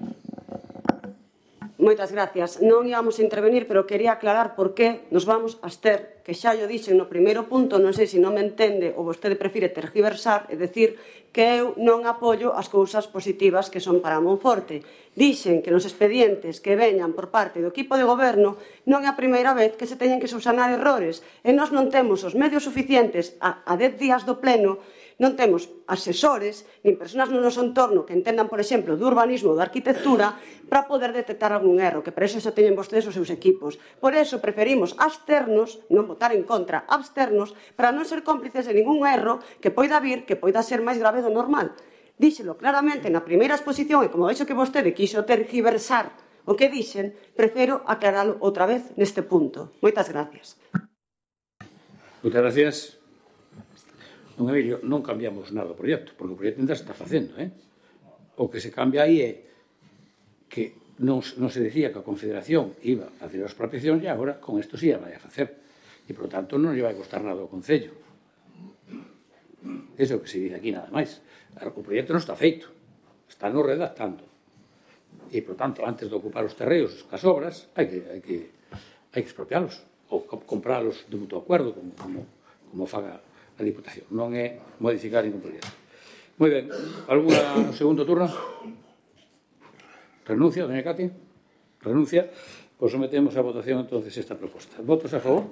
Moitas gracias. Non íbamos a intervenir, pero quería aclarar por que nos vamos a abster, que xa yo dixen no primeiro punto, non sei se non me entende ou vostede prefire tergiversar, é dicir, que eu non apoio as cousas positivas que son para Monforte. Dixen que nos expedientes que veñan por parte do equipo de goberno non é a primeira vez que se teñen que subsanar errores e nós non temos os medios suficientes a, a dez días do pleno, non temos asesores nin persoas no noso entorno que entendan, por exemplo, do urbanismo ou da arquitectura para poder detectar algún erro, que para eso xa teñen vostedes os seus equipos. Por eso preferimos absternos, non votar en contra, absternos, para non ser cómplices de ningún erro que poida vir, que poida ser máis grave do normal. díxelo claramente na primeira exposición e como vexo que vostede quixo tergiversar o que dixen, prefiro aclaralo outra vez neste punto. Moitas gracias. Moitas gracias. Non, Emilio, non cambiamos nada do proxecto, porque o proxecto ainda se está facendo, eh? O que se cambia aí é que non, non se decía que a Confederación iba a facer as expropiacións e agora con isto sí a vai a facer. E, por tanto, non lle vai costar nada ao Concello. Eso é o que se dice aquí, nada máis. O proxecto non está feito, está no redactando. E, por tanto, antes de ocupar os terreos as obras, hai que, hai que, hai que expropialos ou compralos de mutuo acuerdo, como, como, como faga a Diputación. Non é modificar ningún proxecto. Moi ben, alguna no segundo turno? Renuncia, doña Cati? Renuncia? Pois sometemos a votación entonces esta proposta. Votos a favor?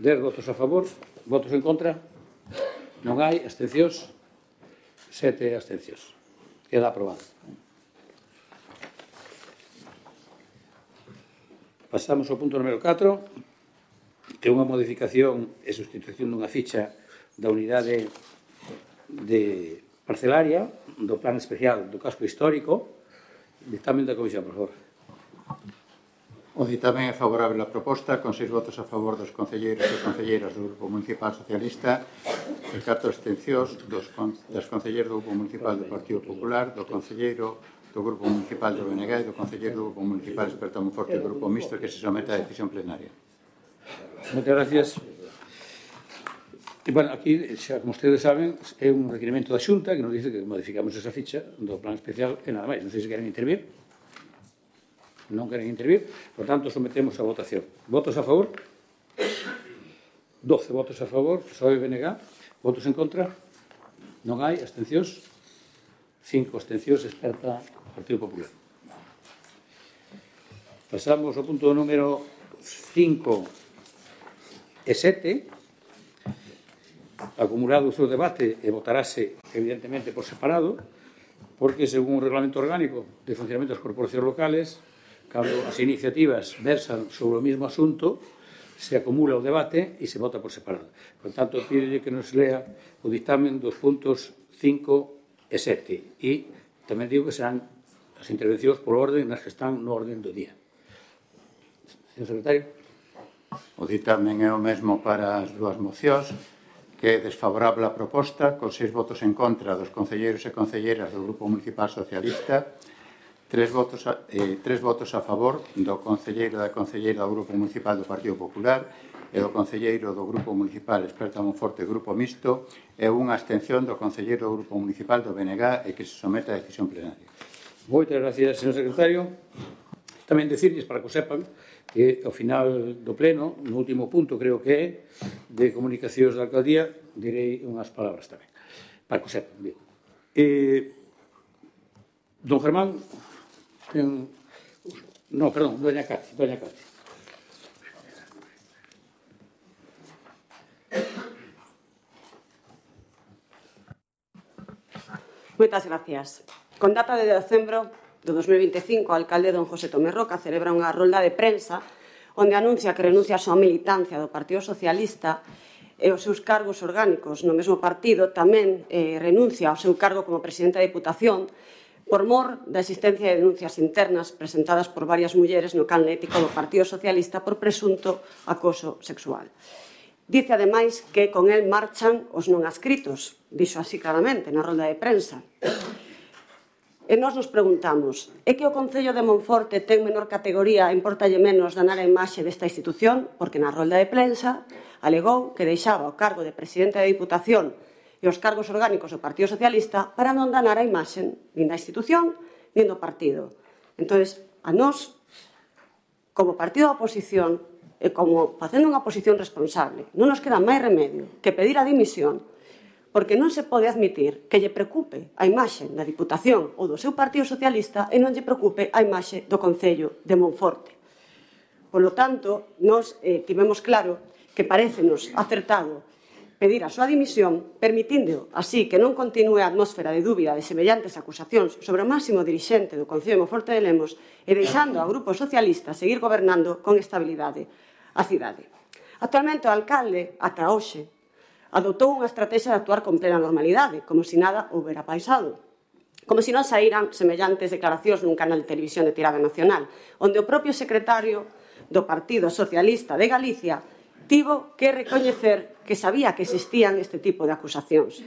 Dez votos a favor. Votos en contra? Non hai. Abstencións? Sete abstencións. Queda aprobado. Pasamos ao punto número catro, que é unha modificación e sustitución dunha ficha da unidade de parcelaria do plan especial do casco histórico. Dictamen da Comisión, por favor. O dictamen é favorable á proposta, con seis votos a favor dos concelleiros e concelleiras do Grupo Municipal Socialista e catro abstencións dos, das concelleiras do Grupo Municipal do Partido Popular, do concelleiro do Grupo Municipal do B N G e do concelleiro do Grupo Municipal Experto Monforte do Grupo Mixto que se somete á decisión plenaria. Moitas gracias. E, bueno, aquí, xa, como ustedes saben, é un requerimento da Xunta que nos dice que modificamos esa ficha do plan especial e nada máis. Non sei se queren intervir. Non queren intervir. Por tanto, sometemos a votación. Votos a favor? doce votos a favor. P S O E e B N G. Votos en contra? Non hai. Abstencións? cinco abstencións. Experta Partido Popular. Pasamos ao punto número cinco e sete. Acumulado o seu debate e votarase evidentemente por separado, porque según o reglamento orgánico de funcionamento das corporacións locales, cando as iniciativas versan sobre o mesmo asunto, se acumula o debate e se vota por separado. Por tanto, pídele que nos lea o dictamen dos puntos cinco e sete. E tamén digo que serán as intervencións por orden nas que están no orden do día. Señor Secretario. O dictamen é o mesmo para as dúas mocións, que é desfavorable a proposta, con seis votos en contra dos concelleiros e concelleiras do Grupo Municipal Socialista, tres votos a, eh, tres votos a favor do concelleiro e da concelleira do Grupo Municipal do Partido Popular e do concelleiro do Grupo Municipal Experto Monforte Grupo Mixto e unha abstención do concelleiro do Grupo Municipal do B N G e que se somete á decisión plenaria. Moitas gracias, señor secretario. Tamén decirles, para que o sepan, que ao final do pleno, no último punto, creo que é, de comunicacións da alcaldía, direi unhas palabras tamén, para que o sepan. Bien. Eh, don Germán, ten... No, perdón, doña Cati, doña Cati. Moitas gracias. Con data de decembro do dos mil vinte e cinco, o alcalde don José Tomé Roca celebra unha rolda de prensa onde anuncia que renuncia a súa militancia do Partido Socialista e os seus cargos orgánicos no mesmo partido, tamén eh, renuncia ao seu cargo como presidente da Diputación por mor da existencia de denuncias internas presentadas por varias mulleres no canle ético do Partido Socialista por presunto acoso sexual. Dice, ademais, que con el marchan os non adscritos, dixo así claramente na rolda de prensa. E nós nos preguntamos, é que o Concello de Monforte ten menor categoría e importalle menos danar a imaxe desta institución? Porque na rolda de prensa alegou que deixaba o cargo de presidente da Diputación e os cargos orgánicos do Partido Socialista para non danar a imaxe nin da institución nin do partido. Entón, a nós, como partido da oposición, e como facendo unha oposición responsable, non nos queda máis remedio que pedir a dimisión, porque non se pode admitir que lle preocupe a imaxe da Diputación ou do seu Partido Socialista e non lle preocupe a imaxe do Concello de Monforte. Polo tanto, nós eh, tivemos claro que parécenos acertado pedir a súa dimisión, permitindo así que non continue a atmósfera de dúbida de semellantes acusacións sobre o máximo dirixente do Concello de Monforte de Lemos e deixando ao Grupo Socialista seguir gobernando con estabilidade a cidade. Actualmente o alcalde, ata hoxe, adoptou unha estrategia de actuar con plena normalidade, como se nada houbera pasado. Como se non saíran semellantes declaracións nun canal de televisión de tirada nacional, onde o propio secretario do Partido Socialista de Galicia tivo que recoñecer que sabía que existían este tipo de acusacións.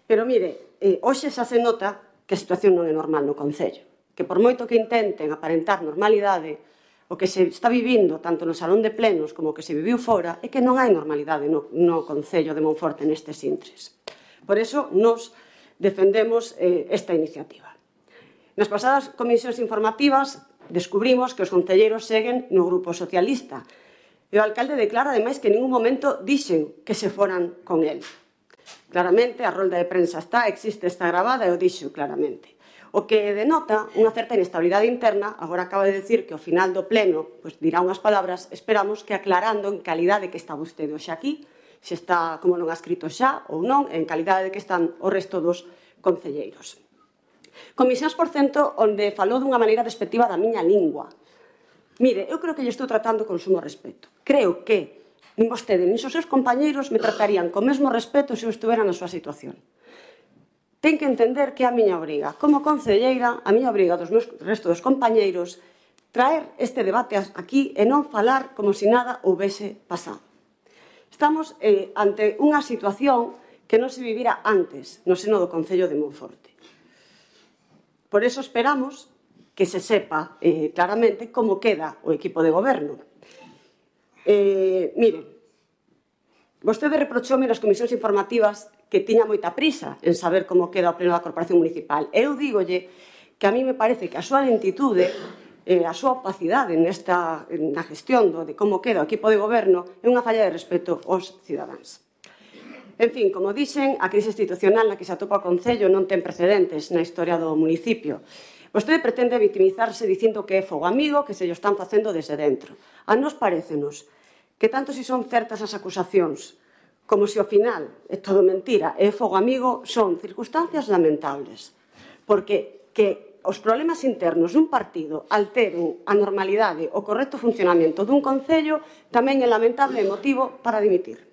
Pero mire, eh, hoxe xa se nota que a situación non é normal no Concello, que por moito que intenten aparentar normalidade, o que se está vivindo tanto no salón de plenos como o que se viviu fora é que non hai normalidade no, no Concello de Monforte nestes intres. Por iso, nos defendemos eh, esta iniciativa. Nas pasadas comisións informativas descubrimos que os concelleiros seguen no Grupo Socialista e o alcalde declara, ademais, que en ningún momento dixen que se foran con el. Claramente, a rolda de prensa está, existe, está grabada e o dixo claramente. O que denota unha certa inestabilidade interna, agora acaba de decir que ao final do pleno pues, dirá unhas palabras, esperamos que aclarando en calidade que está vostede hoxe aquí, se está, como non ha escrito xa ou non, en calidade de que están o resto dos concelleiros. Comisións, por cento, onde falou dunha maneira despectiva da miña lingua. Mire, eu creo que lle estou tratando con sumo respeto. Creo que nin vostede nin os seus compañeiros me tratarían con mesmo respeto se eu estuvera na súa situación. Ten que entender que é a miña obriga. Como concelleira, a miña obriga dos meus resto dos compañeiros traer este debate aquí e non falar como se nada houvese pasado. Estamos eh, ante unha situación que non se vivira antes no seno do Concello de Monforte. Por eso esperamos que se sepa eh, claramente como queda o equipo de goberno. Eh, miren, vostede reprochoume nas comisións informativas que tiña moita prisa en saber como queda o pleno da Corporación Municipal. Eu dígolle que a mí me parece que a súa lentitude, eh, a súa opacidade nesta, na gestión do, de como queda o equipo de goberno é unha falla de respeto aos cidadáns. En fin, como dixen, a crise institucional na que se atopa o Concello non ten precedentes na historia do municipio. Vostede pretende victimizarse dicindo que é fogo amigo, que se lo están facendo desde dentro. A nos parécenos que tanto si son certas as acusacións como se ao final é todo mentira e é fogo amigo, son circunstancias lamentables. Porque que os problemas internos dun partido alteren a normalidade, o correcto funcionamento dun concello, tamén é lamentable e motivo para dimitir.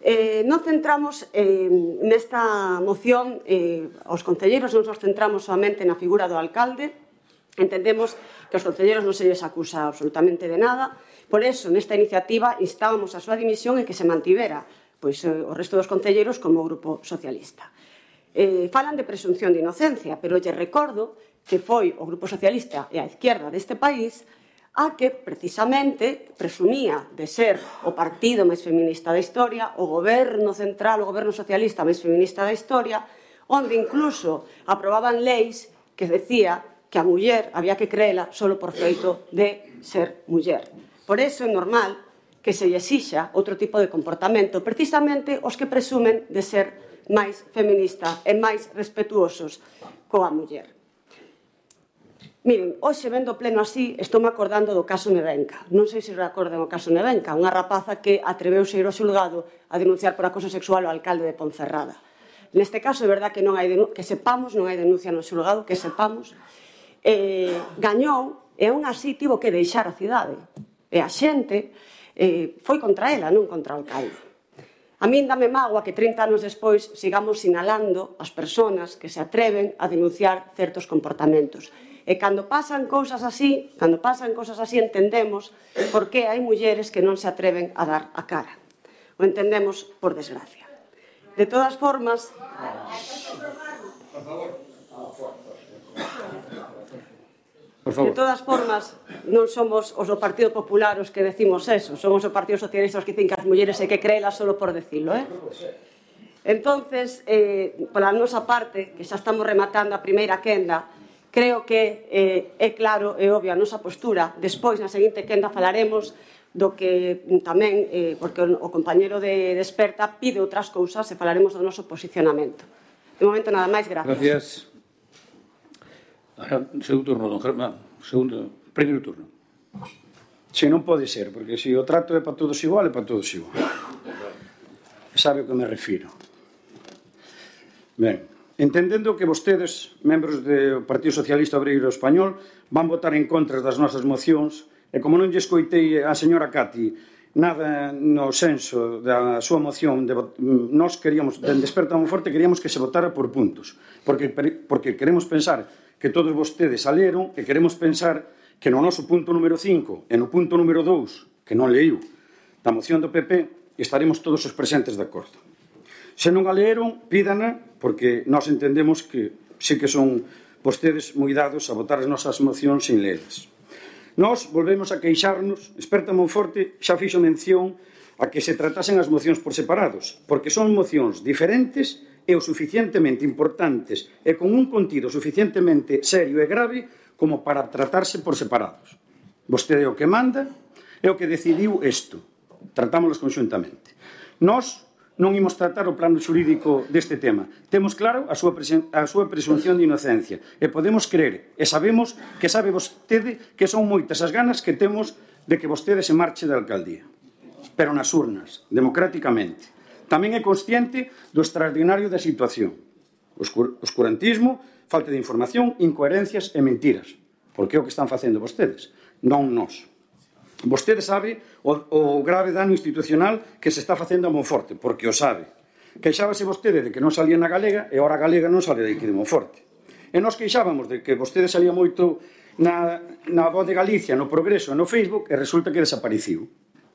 Eh, non centramos eh, nesta moción eh, os concelleiros, non nos centramos somente na figura do alcalde. Entendemos que os concelleiros non se lles acusa absolutamente de nada. Por eso, nesta iniciativa, instábamos a súa dimisión e que se mantivera pois, o resto dos concelleiros como Grupo Socialista. Eh, falan de presunción de inocencia, pero lle recordo que foi o Grupo Socialista e a izquierda deste país a que, precisamente, presumía de ser o partido máis feminista da historia, o goberno central, o goberno socialista máis feminista da historia, onde incluso aprobaban leis que decía que a muller había que creela solo por feito de ser muller. Por iso é normal que se lle exixa outro tipo de comportamento, precisamente os que presumen de ser máis feminista e máis respetuosos coa muller. Miren, hoxe vendo pleno así, estou me acordando do caso Nevenka. Non sei se recordan o caso Nevenka, unha rapaza que atreveuse a ir ao xulgado a denunciar por acoso sexual ao alcalde de Ponferrada. Neste caso, é verdad que non hai que sepamos, non hai denuncia no xulgado, que sepamos, eh, gañou e aún así tivo que deixar a cidade. E a xente eh, foi contra ela, non contra o alcalde. A min dame mágoa que trinta anos despois sigamos sinalando as persoas que se atreven a denunciar certos comportamentos. E cando pasan cousas así, cando pasan cousas así entendemos por que hai mulleres que non se atreven a dar a cara. O entendemos por desgracia. De todas formas... Por favor. De todas formas, non somos os do Partido Popular os que decimos eso, somos o Partido Socialista os que dicen que as mulleres hai que creelas solo por decirlo, eh? Entonces, eh, pola nosa parte, que xa estamos rematando a primeira quenda, creo que eh, é claro e obvia a nosa postura. Despois, na seguinte quenda, falaremos do que tamén, eh, porque o, o compañero de, de experta pide outras cousas e falaremos do noso posicionamento. De momento, nada máis, gracias. Gracias. Ahora, segundo turno, don Germán. Segundo, primeiro turno. Se non pode ser, porque se o trato é para todos igual, é para todos igual. Sabe o que me refiro. Ben, entendendo que vostedes, membros do Partido Socialista Obreiro Español, van votar en contra das nosas mocións, e como non lle escoitei a señora Cati nada no senso da súa moción. De, nós queríamos, de Desperta Monforte, queríamos que se votara por puntos, porque, porque queremos pensar que todos vostedes a leron, e queremos pensar que no noso punto número cinco e no punto número dous, que non leiu, da moción do P P, estaremos todos os presentes de acordo. Se non a leeron, pídana, porque nós entendemos que sí que son vostedes moi dados a votar as nosas mocións sin leelas. Nós volvemos a queixarnos, Desperta Monforte xa fixo mención a que se tratasen as mocións por separados, porque son mocións diferentes e o suficientemente importantes e con un contido suficientemente serio e grave como para tratarse por separados. Vostede é o que manda, é o que decidiu isto. Tratámoslos conxuntamente. Nós non imos tratar o plano xurídico deste tema. Temos claro a súa, a súa presunción de inocencia e podemos crer e sabemos que sabe vostede que son moitas as ganas que temos de que vostede se marche da alcaldía. Pero nas urnas, democráticamente. Tamén é consciente do extraordinario da situación. Oscurantismo, falta de información, incoherencias e mentiras. Porque é o que están facendo vostedes, non nós. Vostede sabe o, o grave dano institucional que se está facendo a Monforte, porque o sabe. Queixábase vostede de que non salía na Galega e ora a Galega non sale de aquí de Monforte. E nós queixábamos de que vostede salía moito na, na Voz de Galicia, no Progreso e no Facebook, e resulta que desapareciu.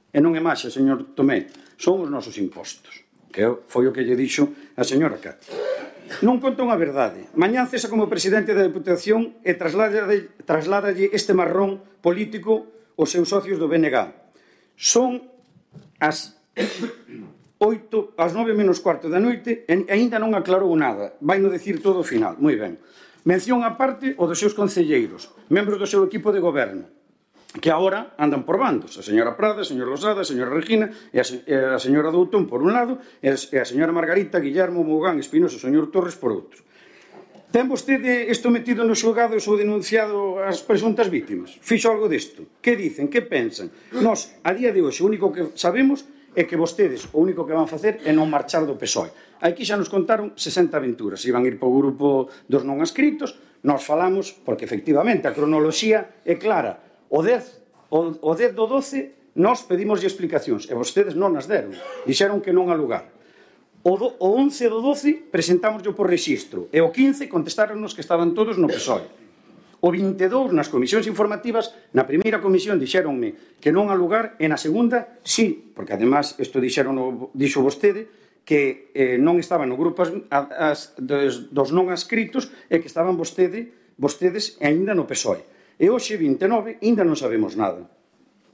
E non é máis, señor Tomé, son os nosos impostos, que foi o que lle dixo a señora Cati. Non conta unha verdade. Mañán cesa como presidente da Deputación e trasládalle este marrón político os seus socios do B N G. Son as oito, as nove menos cuarto da noite e aínda non aclarou nada. Vai no decir todo o final. Moi ben. Mención á parte o dos seus concelleiros, membros do seu equipo de goberno, que agora andan por bandos. A señora Prada, a señora Losada, a señora Regina e a, se, e a señora Doutón por un lado e a señora Margarita, Guillermo, Mogán, Espinoso e o señor Torres por outro. Ten vostede isto metido nos xulgados ou denunciado as presuntas vítimas? Fixo algo disto? Que dicen? Que pensan? Nós, a día de hoxe, o único que sabemos é que vostedes o único que van facer é non marchar do P S O E. Aquí xa nos contaron sesenta aventuras. Iban ir para o grupo dos non adscritos. Nós falamos, porque efectivamente a cronoloxía é clara. O dez, o, o dez do doce nós pedimos explicacións e vostedes non as deron. Dixeron que non a lugar. O, do, o once do doce presentámoslo por rexistro e o quince contestaronnos que estaban todos no P S O E. O vinte e dous nas comisións informativas, na primeira comisión dixéronme que non a lugar e na segunda sí, porque además isto dixeron, dixo vostede que eh, non estaban no grupo as, as, dos, dos non adscritos e que estaban vostede, vostedes aínda no P S O E. E hoxe, vinte e nove, aínda non sabemos nada.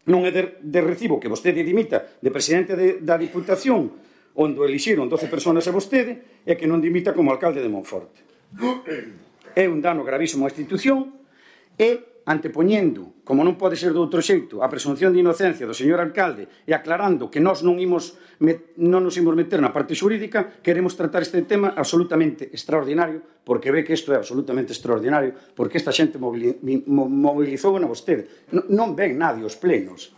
Non é de, de recibo que vostede dimita de presidente de, da Diputación, onde elixiron doce personas a vostede, e que non dimita como alcalde de Monforte. É un dano gravísimo á institución e antepoñendo, como non pode ser de outro xeito, a presunción de inocencia do señor alcalde e aclarando que nós non, imos, non nos imos meter na parte xurídica, queremos tratar este tema absolutamente extraordinario, porque ve que isto é absolutamente extraordinario, porque esta xente mobilizou na vostede. Non, non ven nadie os plenos.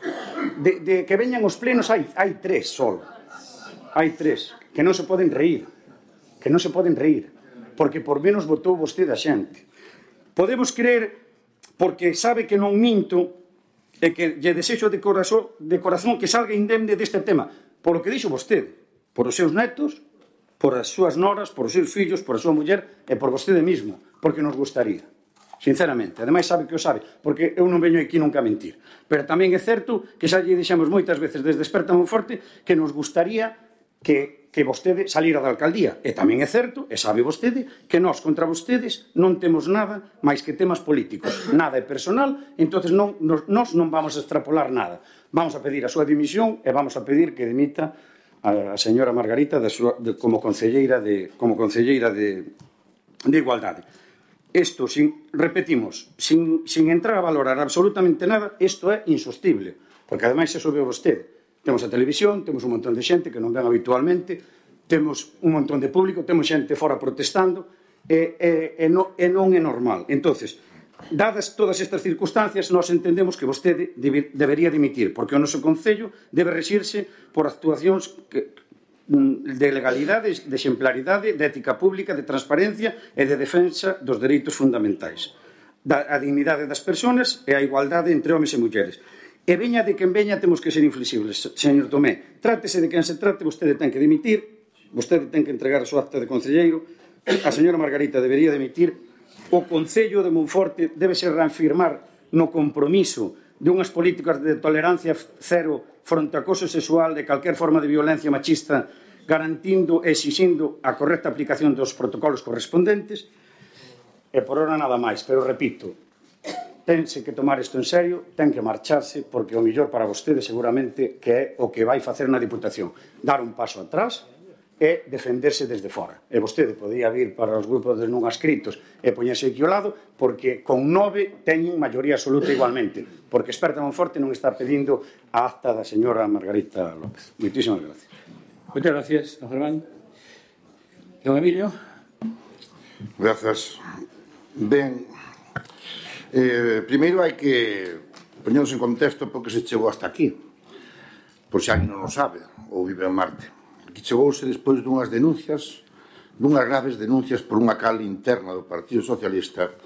De, de que veñan os plenos hai, hai tres solo. Hai tres, que non se poden reír, que non se poden reír, porque por menos votou vostede a xente. Podemos creer, porque sabe que non minto, e que lle desexo de corazón, de corazón que salga indemne deste tema, por o que dixo vostede, por os seus netos, por as súas noras, por os seus fillos, por a súa muller e por vostede mismo, porque nos gustaría. Sinceramente, ademais sabe que o sabe, porque eu non veño aquí nunca a mentir. Pero tamén é certo que xa lle dixemos moitas veces desde Desperta Monforte que nos gustaría que, que vostede salira da alcaldía. E tamén é certo, e sabe vostede, que nós contra vostedes non temos nada máis que temas políticos. Nada é personal, entonces non, nos, nós non vamos a extrapolar nada. Vamos a pedir a súa dimisión e vamos a pedir que dimita a, a señora Margarita de súa, de, como concelleira de, como concelleira de, de Igualdade. Isto, sin, repetimos, sin, sin entrar a valorar absolutamente nada, isto é insostible, porque ademais se sobe vostede. Temos a televisión, temos un montón de xente que non ven habitualmente, temos un montón de público, temos xente fora protestando, e, e, e, no, e non é normal. Entonces, dadas todas estas circunstancias, nós entendemos que vostede debe, debería dimitir, porque o noso Concello debe rexirse por actuacións que, de legalidade, de exemplaridade, de ética pública, de transparencia e de defensa dos dereitos fundamentais, da, a dignidade das persoas e a igualdade entre homes e mulleres. E veña de quen veña, temos que ser inflexibles, señor Tomé. Trátese de quen se trate, vostede ten que dimitir, vostede ten que entregar a súa acta de concelleiro, a señora Margarita debería dimitir, o Concello de Monforte debe ser reafirmar no compromiso de unhas políticas de tolerancia cero fronte ao acoso sexual de calquer forma de violencia machista, garantindo e exixindo a correcta aplicación dos protocolos correspondentes. E por hora nada máis, pero repito, tense que tomar isto en serio, ten que marcharse, porque o mellor para vostede seguramente que é o que vai facer na Diputación, dar un paso atrás e defenderse desde fora. E vostede podía vir para os grupos de non adscritos e poñerse aquí ao lado, porque con nove teñen maioría absoluta igualmente, porque Experta Monforte non está pedindo a acta da señora Margarita López. Moitísimas gracias. Moitas gracias, don Germán. Don Emilio. Grazas. Ben, eh, primeiro hai que poñernos en contexto porque se chegou hasta aquí, por se alguén non o sabe ou vive en Marte. Aquí chegouse despois dunhas denuncias, dunhas graves denuncias por unha cal interna do Partido Socialista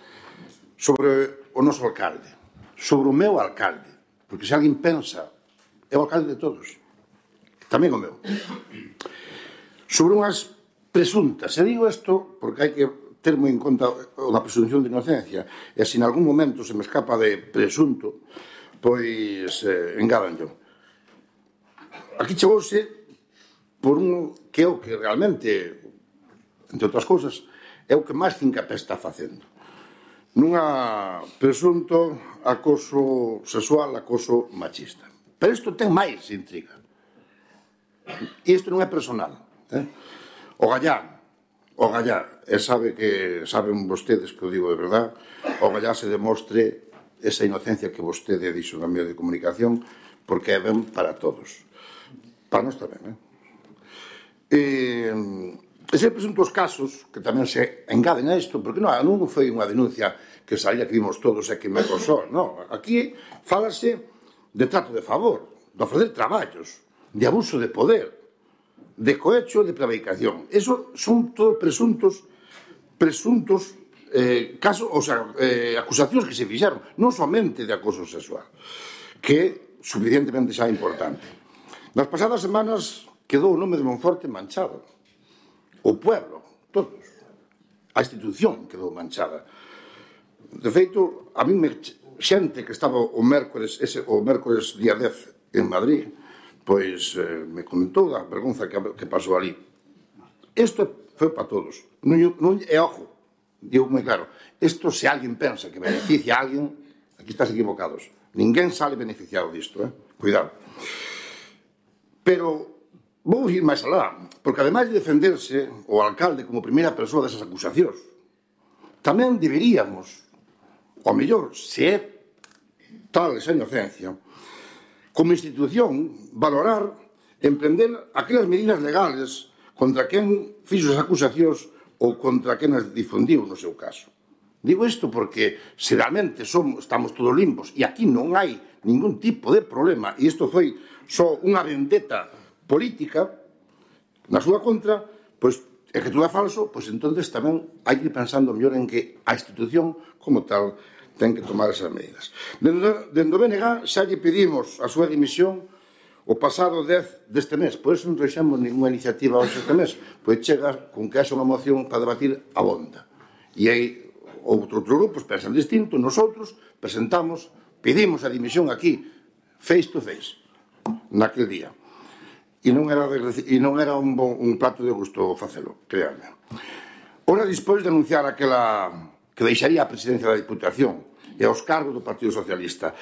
sobre o noso alcalde, sobre o meu alcalde, porque se alguén pensa, é o alcalde de todos, tamén o meu, sobre unhas presuntas, e digo isto porque hai que ter moi en conta a presunción de inocencia, e se en algún momento se me escapa de presunto, pois eh, engádanllo. Aquí chegouse por un que é o que realmente, entre outras cousas, é o que máis fincapé está facendo. Nunha presunto acoso sexual, acoso machista. Pero isto ten máis intriga. E isto non é personal. Eh? O Gallá, o Gallá, e sabe que saben vostedes que o digo de verdad, o Gallá se demostre esa inocencia que vostede dixo no medio de comunicación, porque é ben para todos. Para nós tamén, eh? E, ese presuntos casos que tamén se engaden a isto, porque non, non foi unha denuncia que salía que vimos todos e que me acosou, non, aquí fálase de trato de favor, de ofrecer traballos, de abuso de poder, de cohecho, de prevaricación. Eso son todos presuntos presuntos eh, casos, o sea, eh, acusacións que se fixeron, non somente de acoso sexual, que é suficientemente xa importante. Nas pasadas semanas quedou o nome de Monforte manchado. O pueblo, todos. A institución quedou manchada. De feito, a mí me xente que estaba o mércores, ese, o mércores día dez en Madrid, pois eh, me comentou da vergonza que, que pasou ali. Isto foi para todos. Non, non, e ojo, digo moi claro, isto se alguén pensa que beneficia a alguén, aquí estás equivocados. Ninguén sale beneficiado disto, eh? Cuidado. Pero vou ir máis alá, porque ademais de defenderse o alcalde como primeira persoa desas acusacións, tamén deberíamos, ao mellor, se é tal esa inocencia, como institución, valorar, emprender aquelas medidas legales contra quen fixo as acusacións ou contra quen as difundiu no seu caso. Digo isto porque se realmente somos, estamos todos limpos e aquí non hai ningún tipo de problema e isto foi só unha vendetta política na súa contra, pois é que todo é falso, pois entonces tamén hai que ir pensando mellor en que a institución como tal ten que tomar esas medidas. Dende, dende o B N G xa lle pedimos a súa dimisión o pasado dez deste mes, por eso non trouxemos ninguna iniciativa hoxe este mes, pois chega con que haxa unha moción para debatir a bonda. E aí outros grupos pensan distinto, nosotros presentamos, pedimos a dimisión aquí, face to face, naquel día. E non era, de, e non era un, bon, un plato de gusto facelo, créanme. Ora, despois de anunciar aquela que deixaría a presidencia da Diputación e aos cargos do Partido Socialista,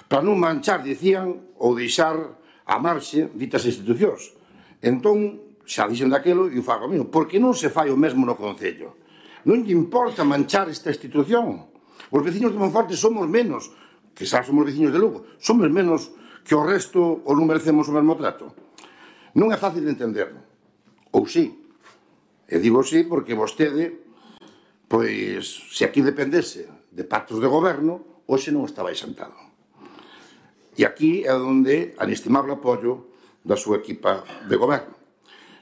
para non manchar, dicían, ou deixar a marxe ditas institucións. Entón, xa dixen daquelo e o fago a mí, porque non se fai o mesmo no Concello. Non lle importa manchar esta institución. Os veciños de Monforte somos menos, que xa somos veciños de Lugo, somos menos que o resto ou non merecemos o mesmo trato. Non é fácil de entender. Ou sí. E digo sí porque vostede, pois, se aquí dependese de pactos de goberno, hoxe non estaba sentado. E aquí é onde a inestimable apoio da súa equipa de goberno.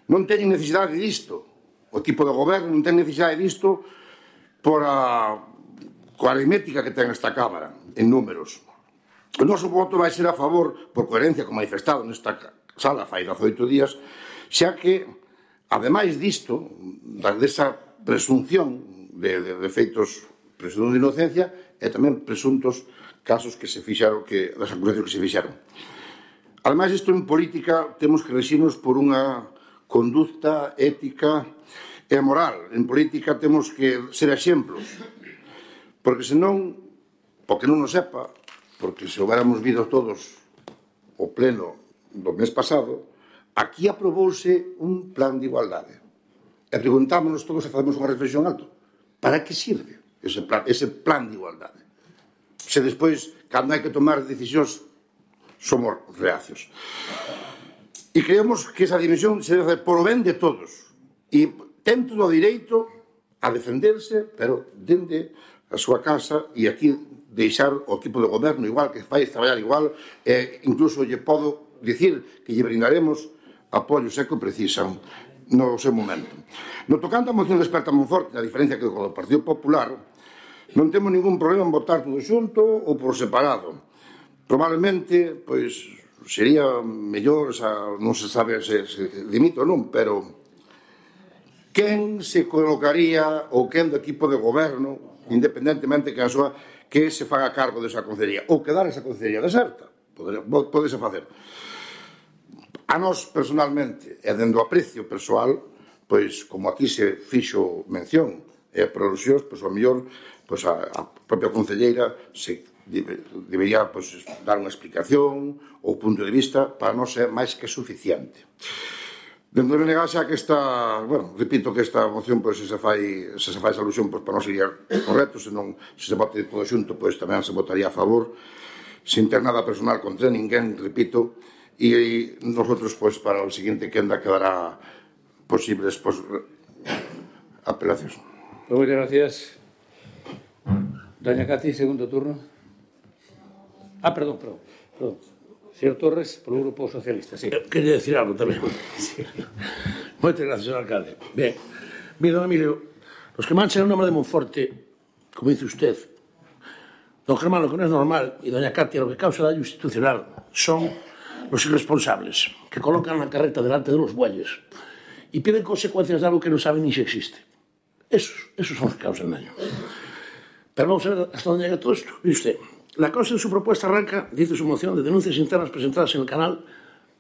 Non teñen necesidade disto. O equipo de goberno non ten necesidade disto por a coa aritmética que ten esta Cámara, en números. O noso voto vai ser a favor, por coherencia con manifestado nesta sala fai dezoito días, xa que, ademais disto, desa presunción de, de, de feitos, presunción de inocencia, e tamén presuntos casos que se fixaron, que, das acusacións que se fixaron. Ademais, isto en política temos que regirnos por unha conducta ética e moral. En política temos que ser exemplos, porque senón, porque non nos sepa, porque se houbéramos vido todos o pleno do mes pasado, aquí aprobouse un plan de igualdade. E preguntámonos todos e facemos unha reflexión alto. Para que sirve ese plan, ese plan de igualdade? Se despois, cando hai que tomar decisións, somos reacios. E creemos que esa dimensión se debe hacer por o ben de todos. E ten todo o direito a defenderse, pero dende a súa casa, e aquí deixar o equipo de goberno igual, que fai traballar igual, e incluso lle podo dicir que lle brindaremos apoio se que precisan no seu momento. No tocante a moción de Esperta Monforte, a diferencia que co do Partido Popular, non temos ningún problema en votar todo xunto ou por separado. Probablemente, pois, sería mellor, xa, non se sabe se, se dimito ou non, pero quen se colocaría ou quen do equipo de goberno, independentemente que a súa que se faga cargo desa concellería ou quedar esa concellería deserta, podese facer. A nós, personalmente, e dendo aprecio persoal, pois, como aquí se fixo mención e por alusións, pois, ao mellor, pois, a, a propia concelleira se debería, pois, dar unha explicación ou punto de vista, para nós é máis que suficiente. Dentro de negase a que esta, bueno, repito que esta moción, pois, se se fai, se se fai esa alusión, pois, para non sería correcto, senón, se se vote todo xunto, pois, tamén se votaría a favor, sin ter nada personal contra ninguén, repito, e nosotros, pois, para o seguinte quenda quedará posibles, pois, apelacións. Moitas gracias. Doña Cati, segundo turno. Ah, perdón, perdón. perdón. Señor Torres, polo Grupo Socialista, sí. Quería decir algo tamén. Sí. Moitas gracias, señor alcalde. Ben, mire, don Emilio, los que manchan o nome de Monforte, como dice usted, don Germán, lo que non é normal, e doña Katia, lo que causa daño institucional, son los irresponsables, que colocan la carreta delante de los bueyes y piden consecuencias de algo que no saben ni si existe. Esos, esos son los que causan daño. Pero vamos a ver hasta dónde llega todo esto. Mire usted, la causa de su propuesta arranca, dice su moción, de denuncias internas presentadas en el canal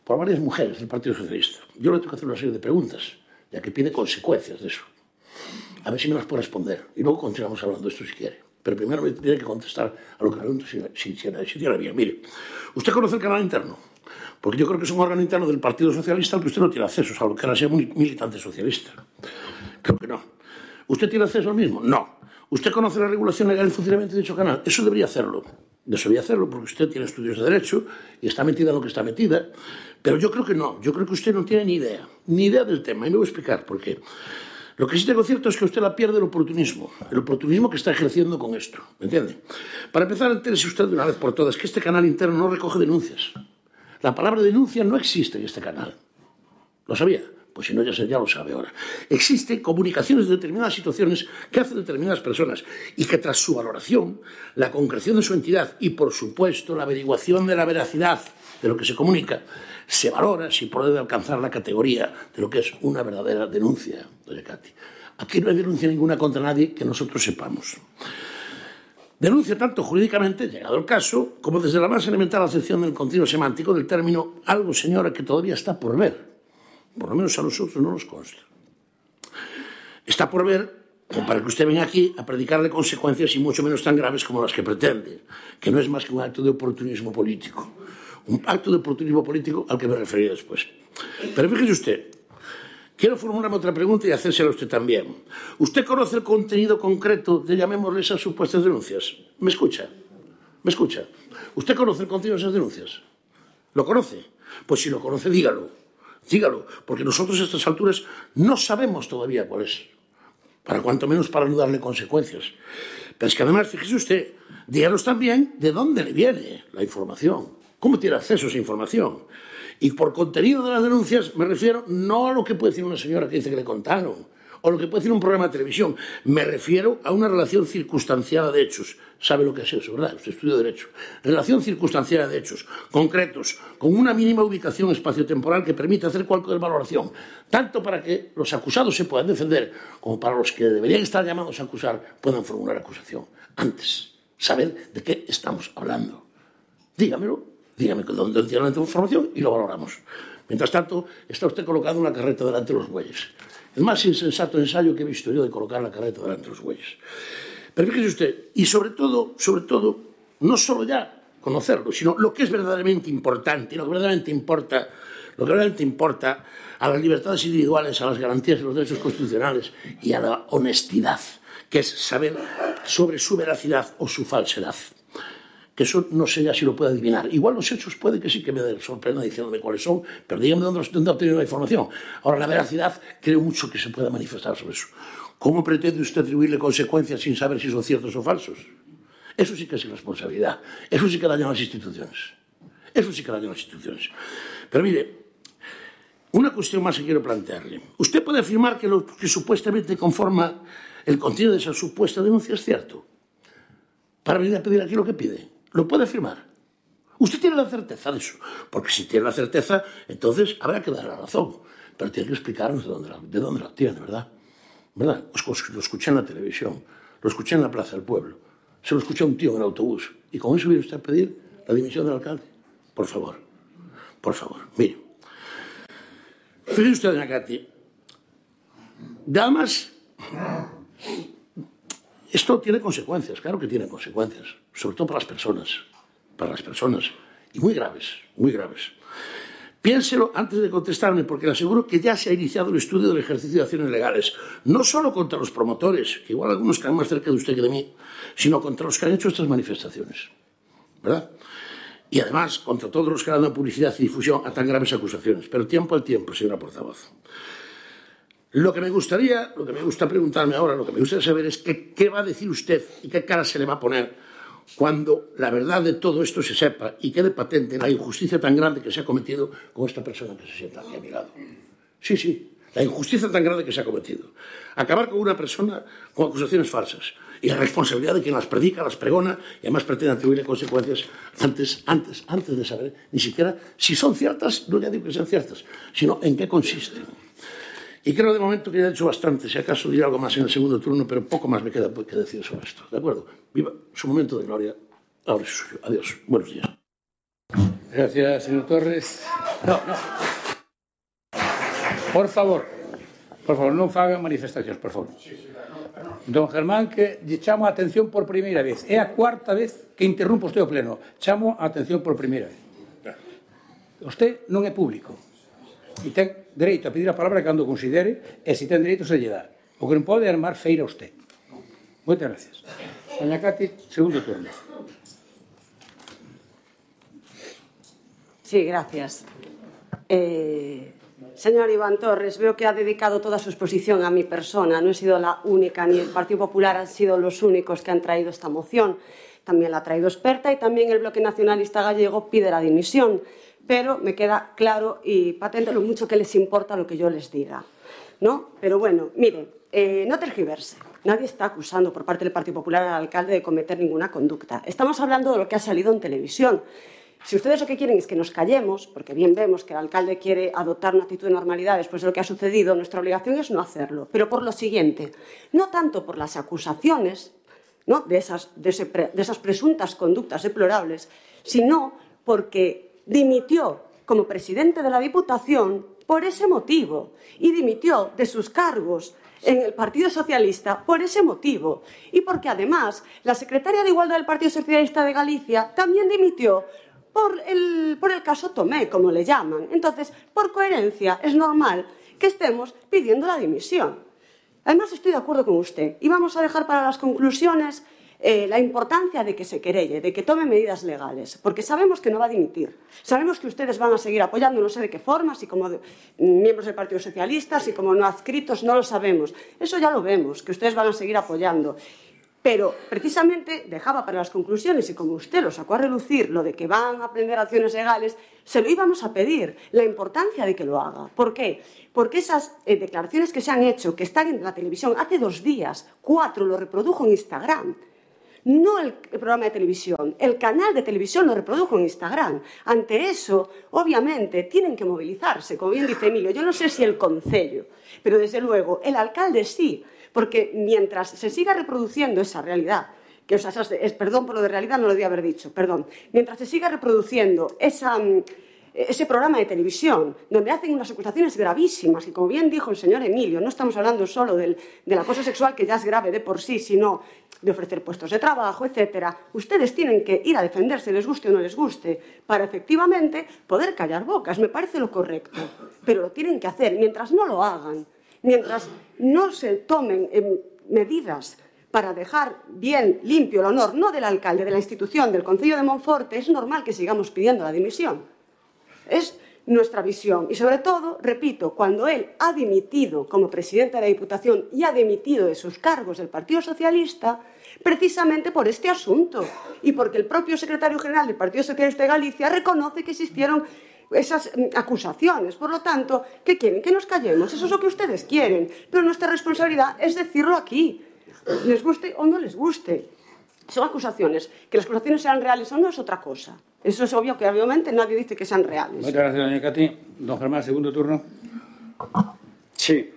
por varias mujeres del Partido Socialista. Yo le tengo que hacer una serie de preguntas, ya que pide consecuencias de eso. A ver si me las puede responder. Y luego continuamos hablando de esto si quiere. Pero primero me tiene que contestar a lo que pregunto si, si, si, si tiene bien. Mire, ¿usted conoce el canal interno? Porque yo creo que es un órgano interno del Partido Socialista al que usted no tiene acceso, salvo que ahora sea un militante socialista. Creo que no. ¿Usted tiene acceso al mismo? No. ¿Usted conoce la regulación legal y funcionamiento de dicho canal? Eso debería hacerlo. Debería hacerlo porque usted tiene estudios de Derecho y está metida en lo que está metida. Pero yo creo que no. Yo creo que usted no tiene ni idea. Ni idea del tema. Y me voy a explicar por qué. Lo que sí tengo cierto es que usted la pierde el oportunismo. El oportunismo que está ejerciendo con esto. ¿Me entiende? Para empezar, entérese usted de una vez por todas que este canal interno no recoge denuncias. La palabra denuncia no existe en este canal. ¿Lo sabía? Pues si no, ya, ya lo sabe ahora. Existen comunicaciones de determinadas situaciones que hacen determinadas personas y que tras su valoración, la concreción de su entidad y, por supuesto, la averiguación de la veracidad de lo que se comunica, se valora si puede alcanzar la categoría de lo que es una verdadera denuncia, doña Katy. Aquí no hay denuncia ninguna contra nadie que nosotros sepamos. Denuncia tanto jurídicamente, llegado el caso, como desde la más elemental acepción del continuo semántico del término algo, señora, que todavía está por ver. Por lo menos a nosotros no nos consta. Está por ver, como para que usted venga aquí a predicarle consecuencias y mucho menos tan graves como las que pretende, que no es más que un acto de oportunismo político. Un acto de oportunismo político al que me referiré después. Pero fíjese usted, quiero formularme otra pregunta y hacérsela a usted también. ¿Usted conoce el contenido concreto de, llamémosle, esas supuestas denuncias? ¿Me escucha? ¿Me escucha? ¿Usted conoce el contenido de esas denuncias? ¿Lo conoce? Pues si lo conoce, dígalo. Dígalo, porque nosotros a estas alturas no sabemos todavía cuál es. Para cuanto menos para no darle consecuencias. Pero es que además, fíjese usted, díganos también de dónde le viene la información. ¿Cómo tiene acceso a esa información? Y por contenido de las denuncias me refiero no a lo que puede decir una señora que dice que le contaron, o lo que puede decir un programa de televisión. Me refiero a una relación circunstanciada de hechos. ¿Sabe lo que es eso, verdad? Usted estudia Derecho. Relación circunstanciada de hechos, concretos, con una mínima ubicación espaciotemporal que permite hacer cualquier valoración, tanto para que los acusados se puedan defender, como para los que deberían estar llamados a acusar puedan formular acusación. Antes, saber de qué estamos hablando. Dígamelo, dígame dónde tiene la información y lo valoramos. Mientras tanto, está usted colocando una carreta delante de los bueyes. El más insensato ensayo que he visto yo de colocar la carreta delante de los bueyes. Pero fíjese usted, y sobre todo, sobre todo, no solo ya conocerlo, sino lo que es verdaderamente importante, lo que verdaderamente importa, lo que verdaderamente importa a las libertades individuales, a las garantías de los derechos constitucionales y a la honestidad, que es saber sobre su veracidad o su falsedad. Que eso no sé ya si lo puede adivinar. Igual los hechos puede que sí que me sorprenda diciéndome cuáles son, pero dígame dónde, dónde ha obtenido la información. Ahora, la veracidad creo mucho que se pueda manifestar sobre eso. ¿Cómo pretende usted atribuirle consecuencias sin saber si son ciertos o falsos? Eso sí que es irresponsabilidad. Eso sí que daña a las instituciones. Eso sí que daña a las instituciones. Pero mire, una cuestión más que quiero plantearle. Usted puede afirmar que lo que supuestamente conforma el contenido de esa supuesta denuncia es cierto. Para venir a pedir aquí lo que pide. ¿Lo puede afirmar? Usted tiene la certeza de eso. Porque si tiene la certeza, entonces habrá que dar la razón. Pero tiene que explicarnos de dónde la, de dónde la tiene, ¿verdad? ¿Verdad? Lo escuché en la televisión, lo escuché en la Plaza del Pueblo, se lo escuché a un tío en el autobús. ¿Y con eso viene usted a pedir la dimisión del alcalde? Por favor, por favor, mire. Fíjese usted, doña Katy, además, esto tiene consecuencias, claro que tiene consecuencias, sobre todo para las personas, para las personas, y muy graves, muy graves. Piénselo antes de contestarme, porque le aseguro que ya se ha iniciado el estudio del ejercicio de acciones legales, no solo contra los promotores, que igual algunos están más cerca de usted que de mí, sino contra los que han hecho estas manifestaciones, ¿verdad? Y además contra todos los que han dado publicidad y difusión a tan graves acusaciones. Pero tiempo al tiempo, señora portavoz. Lo que me gustaría, lo que me gusta preguntarme ahora, lo que me gustaría saber es que, qué va a decir usted y qué cara se le va a poner cuando la verdad de todo esto se sepa y quede patente la injusticia tan grande que se ha cometido con esta persona que se sienta aquí a mi lado. Sí, sí, la injusticia tan grande que se ha cometido. Acabar con una persona con acusaciones falsas y la responsabilidad de quien las predica, las pregona y además pretende atribuirle consecuencias antes, antes, antes de saber ni siquiera si son ciertas, no ya digo que sean ciertas, sino en qué consisten. Y creo de momento que ya he dicho bastante, si acaso diré algo más en el segundo turno, pero poco más me queda que decir sobre esto. ¿De acuerdo? Viva su momento de gloria. Ahora es suyo. Adiós. Buenos días. Gracias, señor Torres. No, no. Por favor, por favor, non fagan manifestacións, por favor. Don Germán, que lle chamo a atención por primeira vez. É a cuarta vez que interrumpo usted o pleno. Chamo a atención por primeira vez. Usted non é público. E ten dereito a pedir a palabra cando considere, e se ten dereito se lle dá. O que non pode é armar feira a usted. Moitas gracias. Doña Katy, segundo turno. Sí, gracias. Eh, señor Iván Torres, veo que ha dedicado toda su exposición a mi persona. No he sido la única, ni el Partido Popular han sido los únicos que han traído esta moción. También la ha traído Experta y también el Bloque Nacionalista Gallego pide la dimisión. Pero me queda claro y patente lo mucho que les importa lo que yo les diga, ¿no? Pero bueno, miren, eh, no tergiverse. Nadie está acusando por parte del Partido Popular al alcalde de cometer ninguna conducta. Estamos hablando de lo que ha salido en televisión. Si ustedes lo que quieren es que nos callemos, porque bien vemos que el alcalde quiere adoptar una actitud de normalidad después de lo que ha sucedido, nuestra obligación es no hacerlo. Pero por lo siguiente, no tanto por las acusaciones, ¿no?, de esas, de ese, de esas presuntas conductas deplorables, sino porque dimitió como presidente de la Diputación por ese motivo y dimitió de sus cargos en el Partido Socialista por ese motivo y porque además la secretaria de Igualdad del Partido Socialista de Galicia también dimitió por el, por el caso Tomé, como le llaman. Entonces, por coherencia, es normal que estemos pidiendo la dimisión. Además, estoy de acuerdo con usted y vamos a dejar para las conclusiones Eh, la importancia de que se querelle, de que tome medidas legales, porque sabemos que no va a dimitir. Sabemos que ustedes van a seguir apoyando, no sé de qué forma, si como de, miembros del Partido Socialista, si como no adscritos, no lo sabemos. Eso ya lo vemos, que ustedes van a seguir apoyando. Pero, precisamente, dejaba para las conclusiones, y como usted lo sacó a relucir, lo de que van a aprender acciones legales, se lo íbamos a pedir, la importancia de que lo haga. ¿Por qué? Porque esas eh, declaraciones que se han hecho, que están en la televisión, hace dos días, cuatro, lo reprodujo en Instagram. No el, el programa de televisión, el canal de televisión lo reprodujo en Instagram. Ante eso, obviamente, tienen que movilizarse, como bien dice Emilio. Yo no sé si el concello, pero desde luego el alcalde sí, porque mientras se siga reproduciendo esa realidad, que o sea, es, perdón por lo de realidad, no lo debía haber dicho, perdón, mientras se siga reproduciendo esa, ese programa de televisión, donde hacen unas acusaciones gravísimas, y como bien dijo el señor Emilio, no estamos hablando solo del, del acoso sexual, que ya es grave de por sí, sino de ofrecer puestos de trabajo, etcétera. Ustedes tienen que ir a defenderse, les guste o no les guste, para efectivamente poder callar bocas. Me parece lo correcto, pero lo tienen que hacer. Mientras no lo hagan, mientras no se tomen eh, medidas para dejar bien limpio el honor, no del alcalde, de la institución, del Concello de Monforte, es normal que sigamos pidiendo la dimisión. Es nuestra visión. Y sobre todo, repito, cuando él ha dimitido como presidente de la Diputación y ha dimitido de sus cargos del Partido Socialista, precisamente por este asunto y porque el propio secretario general del Partido Socialista de Galicia reconoce que existieron esas acusaciones. Por lo tanto, ¿qué quieren? Que nos callemos. Eso es lo que ustedes quieren. Pero nuestra responsabilidad es decirlo aquí, les guste o no les guste. Son acusaciones. Que las acusaciones sean reales o no es otra cosa. Eso es obvio que obviamente nadie dice que sean reales. Muchas gracias, doña Cati. Don Germán, segundo turno. Sí.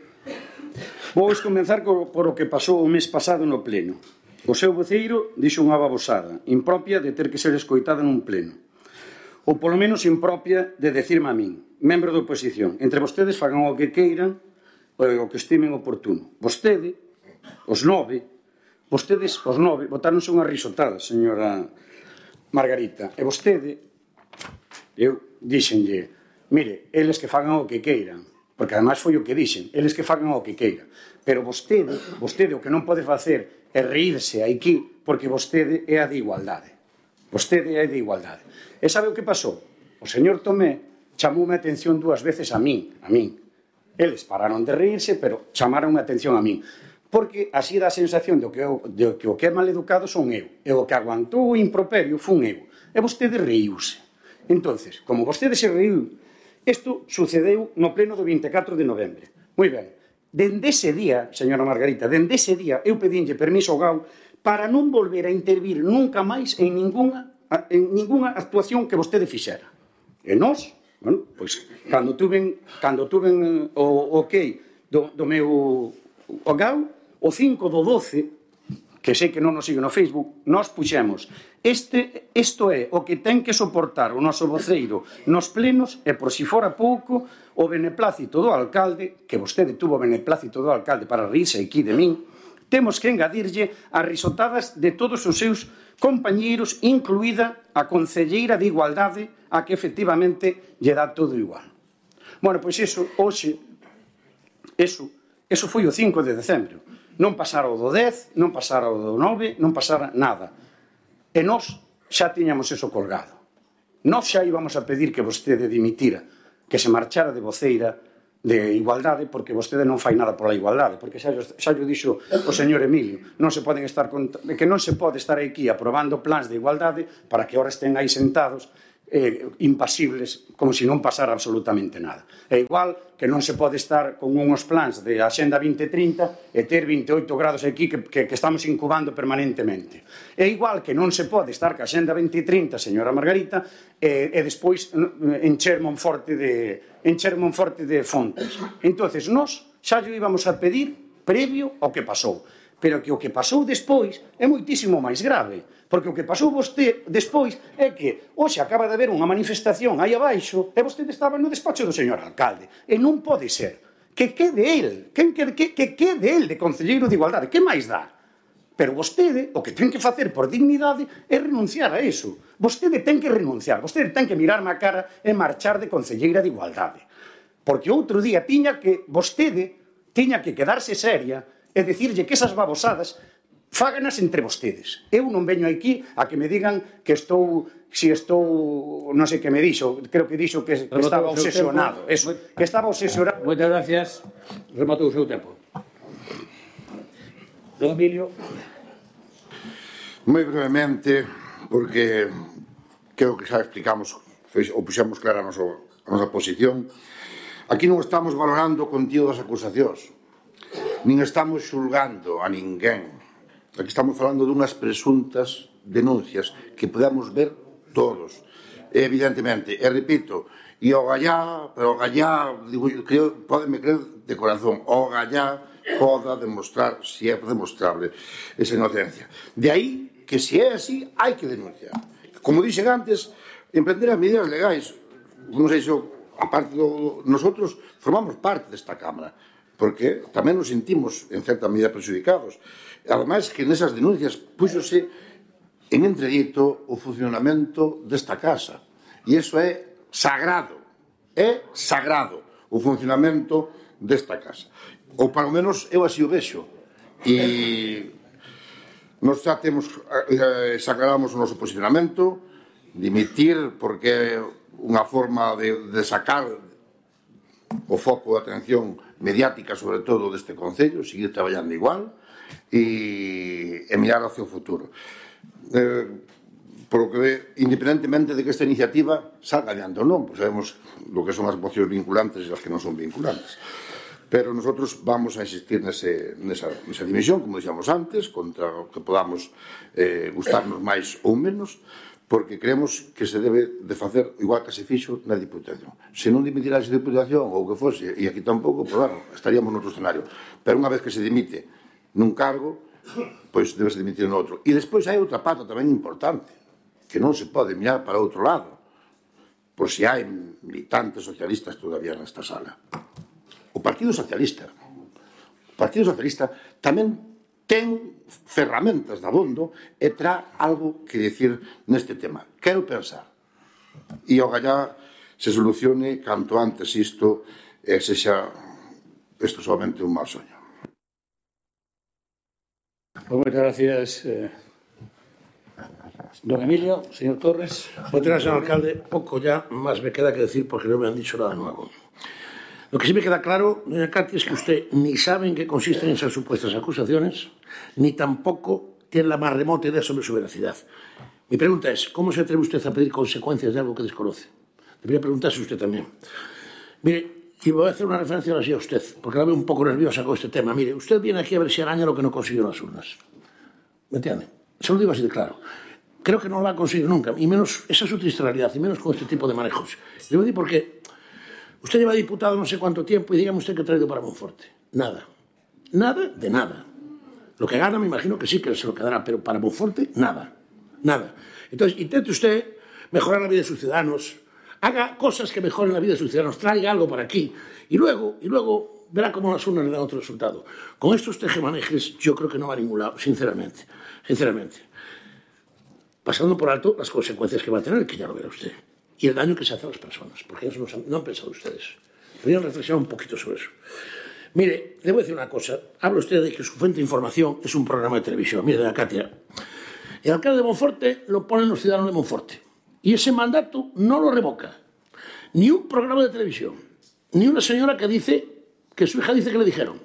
Vou comenzar por o que pasou o mes pasado no pleno. O seu voceiro dixo unha babosada impropia de ter que ser escoitada nun pleno. Ou polo menos impropia de decirme a min, membro da oposición, entre vostedes fagan o que queiran ou o que estimen oportuno. Vostede, os nove, vostedes, os nove, botáronse unha risotada, señora Margarita, e vostede, eu dixenlle, mire, eles que fagan o que queiran, porque ademais foi o que dixen, eles que fagan o que queiran, pero vostede, vostede o que non pode facer é reírse aquí, porque vostede é a de igualdade. Vostede é a de igualdade. E sabe o que pasou? O señor Tomé chamoume a atención dúas veces a min, a min. Eles pararon de reírse, pero chamaron a atención a min. Porque así dá a sensación de que, o, de que o que é maleducado son eu. E o que aguantou o improperio fun eu. E vostede reiuse. Entonces, como vostede se reiu, isto sucedeu no pleno do vinte e catro de novembro. Moi ben. Dende ese día, señora Margarita, dende ese día eu pedinlle permiso ao G A U para non volver a intervir nunca máis en ninguna, en ninguna actuación que vostede fixera. E nós, bueno, pois, cando tuven, cando tuven o, o ok do, do meu o G A U, o cinco do doce, que sei que non nos sigue no Facebook, nós puxemos este, isto é o que ten que soportar o noso voceiro nos plenos e por si fora pouco o beneplácito do alcalde, que vostede tuvo o beneplácito do alcalde para rirse aquí de min, temos que engadirlle as risotadas de todos os seus compañeiros, incluída a concelleira de Igualdade, a que efectivamente lle dá todo igual. Bueno, pois iso, hoxe, iso, iso foi o cinco de decembro. Non pasara o do dez, non pasara o do nove, non pasara nada. E nós xa tiñamos eso colgado. Nós xa íbamos a pedir que vostede dimitira, que se marchara de voceira de Igualdade, porque vostede non fai nada pola igualdade, porque xa, xa lle dixo o señor Emilio, non se poden estar que non se pode estar aquí aprobando plans de igualdade para que ahora estén aí sentados eh, impasibles, como se non pasara absolutamente nada. É igual que non se pode estar con unhos plans de Axenda vinte trinta e ter vinte e oito grados aquí que, que, que estamos incubando permanentemente. É igual que non se pode estar ca Axenda vinte trinta, señora Margarita, e, e despois encher Monforte de, encher Monforte de fontes. Entonces, nós xa lle íbamos a pedir previo ao que pasou. Pero que o que pasou despois é moitísimo máis grave, porque o que pasou vostede despois é que hoxe acaba de haber unha manifestación aí abaixo e vostede estaba no despacho do señor alcalde, e non pode ser que quede el, que, que, que, que quede el de concelleiro de Igualdade, que máis dá? Pero vostede o que ten que facer por dignidade é renunciar a eso. Vostede ten que renunciar, vostede ten que mirarme a cara e marchar de concelleira de Igualdade, porque outro día tiña que vostede tiña que quedarse seria e dicirlle que esas babosadas fáganas entre vostedes. Eu non veño aquí a que me digan que estou, si estou, non sei que me dixo, creo que dixo que, que estaba obsesionado, eso, que estaba obsesionado. Moitas gracias. Rematou o seu tempo. Don Emilio. Moi brevemente, porque creo que xa explicamos ou puxemos clara a nosa, a nosa posición. Aquí non estamos valorando o contido das acusacións, nin estamos xulgando a ninguén. Aquí estamos falando dunhas presuntas denuncias que podemos ver todos, evidentemente. E repito, e o gallá, pero o gallá, digo, creo, podeme creer de corazón, o gallá poda demostrar, se é demostrable, esa inocencia. De aí que se é así, hai que denunciar. Como dixen antes, emprender as medidas legais, non sei se, aparte do, nosotros formamos parte desta Cámara, porque tamén nos sentimos en certa medida perjudicados. Ademais que nesas denuncias puxose en entredito o funcionamento desta casa. E iso é sagrado, é sagrado o funcionamento desta casa. Ou, palo menos, eu así o vexo. E nos xa temos, xa aclaramos o noso posicionamento, dimitir, porque é unha forma de, de sacar o foco de atención mediática, sobre todo, deste Concello, seguir traballando igual e, e mirar hacia o futuro. Eh, por lo que, independentemente de que esta iniciativa salga adiante ou non, pues sabemos lo que son as mocións vinculantes e as que non son vinculantes. Pero nosotros vamos a insistir nese, nesa, nesa dimisión, como dixamos antes, contra o que podamos eh, gustarnos máis ou menos, porque creemos que se debe de facer igual que se fixo na Diputación. Se non dimitirá esa Diputación ou que fose, e aquí tampouco, pues, bueno, estaríamos noutro escenario. Pero unha vez que se dimite nun cargo, pois debe se dimitir no outro. E despois hai outra pata tamén importante, que non se pode mirar para outro lado, por se hai militantes socialistas todavía nesta sala. O Partido Socialista, o Partido Socialista tamén ten ferramentas de abondo e tra algo que decir neste tema. Quero pensar. E o gallá se solucione canto antes isto e sexa isto somente un mal soño. Moitas gracias, eh, don Emilio, señor Torres. Moitas gracias, señor alcalde. Pouco ya máis me queda que decir porque non me han dicho nada nuevo. Lo que sí me queda claro, doña Katy, es que usted ni sabe en qué consisten esas supuestas acusaciones, ni tampoco tiene la más remota idea sobre su veracidad. Mi pregunta es, ¿cómo se atreve usted a pedir consecuencias de algo que desconoce? Debería preguntarse usted también. Mire, y voy a hacer una referencia ahora sí a usted, porque la veo un poco nerviosa con este tema. Mire, usted viene aquí a ver si araña lo que no consiguió en las urnas. ¿Me entiende? Se lo digo así de claro. Creo que no lo va a conseguir nunca, y menos, esa es su triste realidad, y menos con este tipo de manejos. Le voy a decir porque usted lleva diputado no sé cuánto tiempo y dígame usted que ha traído para Monforte. Nada. Nada de nada. Lo que gana me imagino que sí que se lo quedará, pero para Monforte, nada. Nada. Entonces, intente usted mejorar la vida de sus ciudadanos, haga cosas que mejoren la vida de sus ciudadanos, traiga algo para aquí y luego, y luego verá cómo las urnas le dan otro resultado. Con estos tejemanejes yo creo que no va a ningún lado, sinceramente. Sinceramente. Pasando por alto las consecuencias que va a tener, que ya lo verá usted. Y el daño que se hace a las personas, porque eso no han, no han pensado ustedes. Podrían reflexionar un poquito sobre eso. Mire, le voy a decir una cosa. Habla usted de que su fuente de información es un programa de televisión. Mire, doña Katia, el alcalde de Monforte lo ponen los ciudadanos de Monforte. Y ese mandato no lo revoca. Ni un programa de televisión, ni una señora que dice, que su hija dice que le dijeron,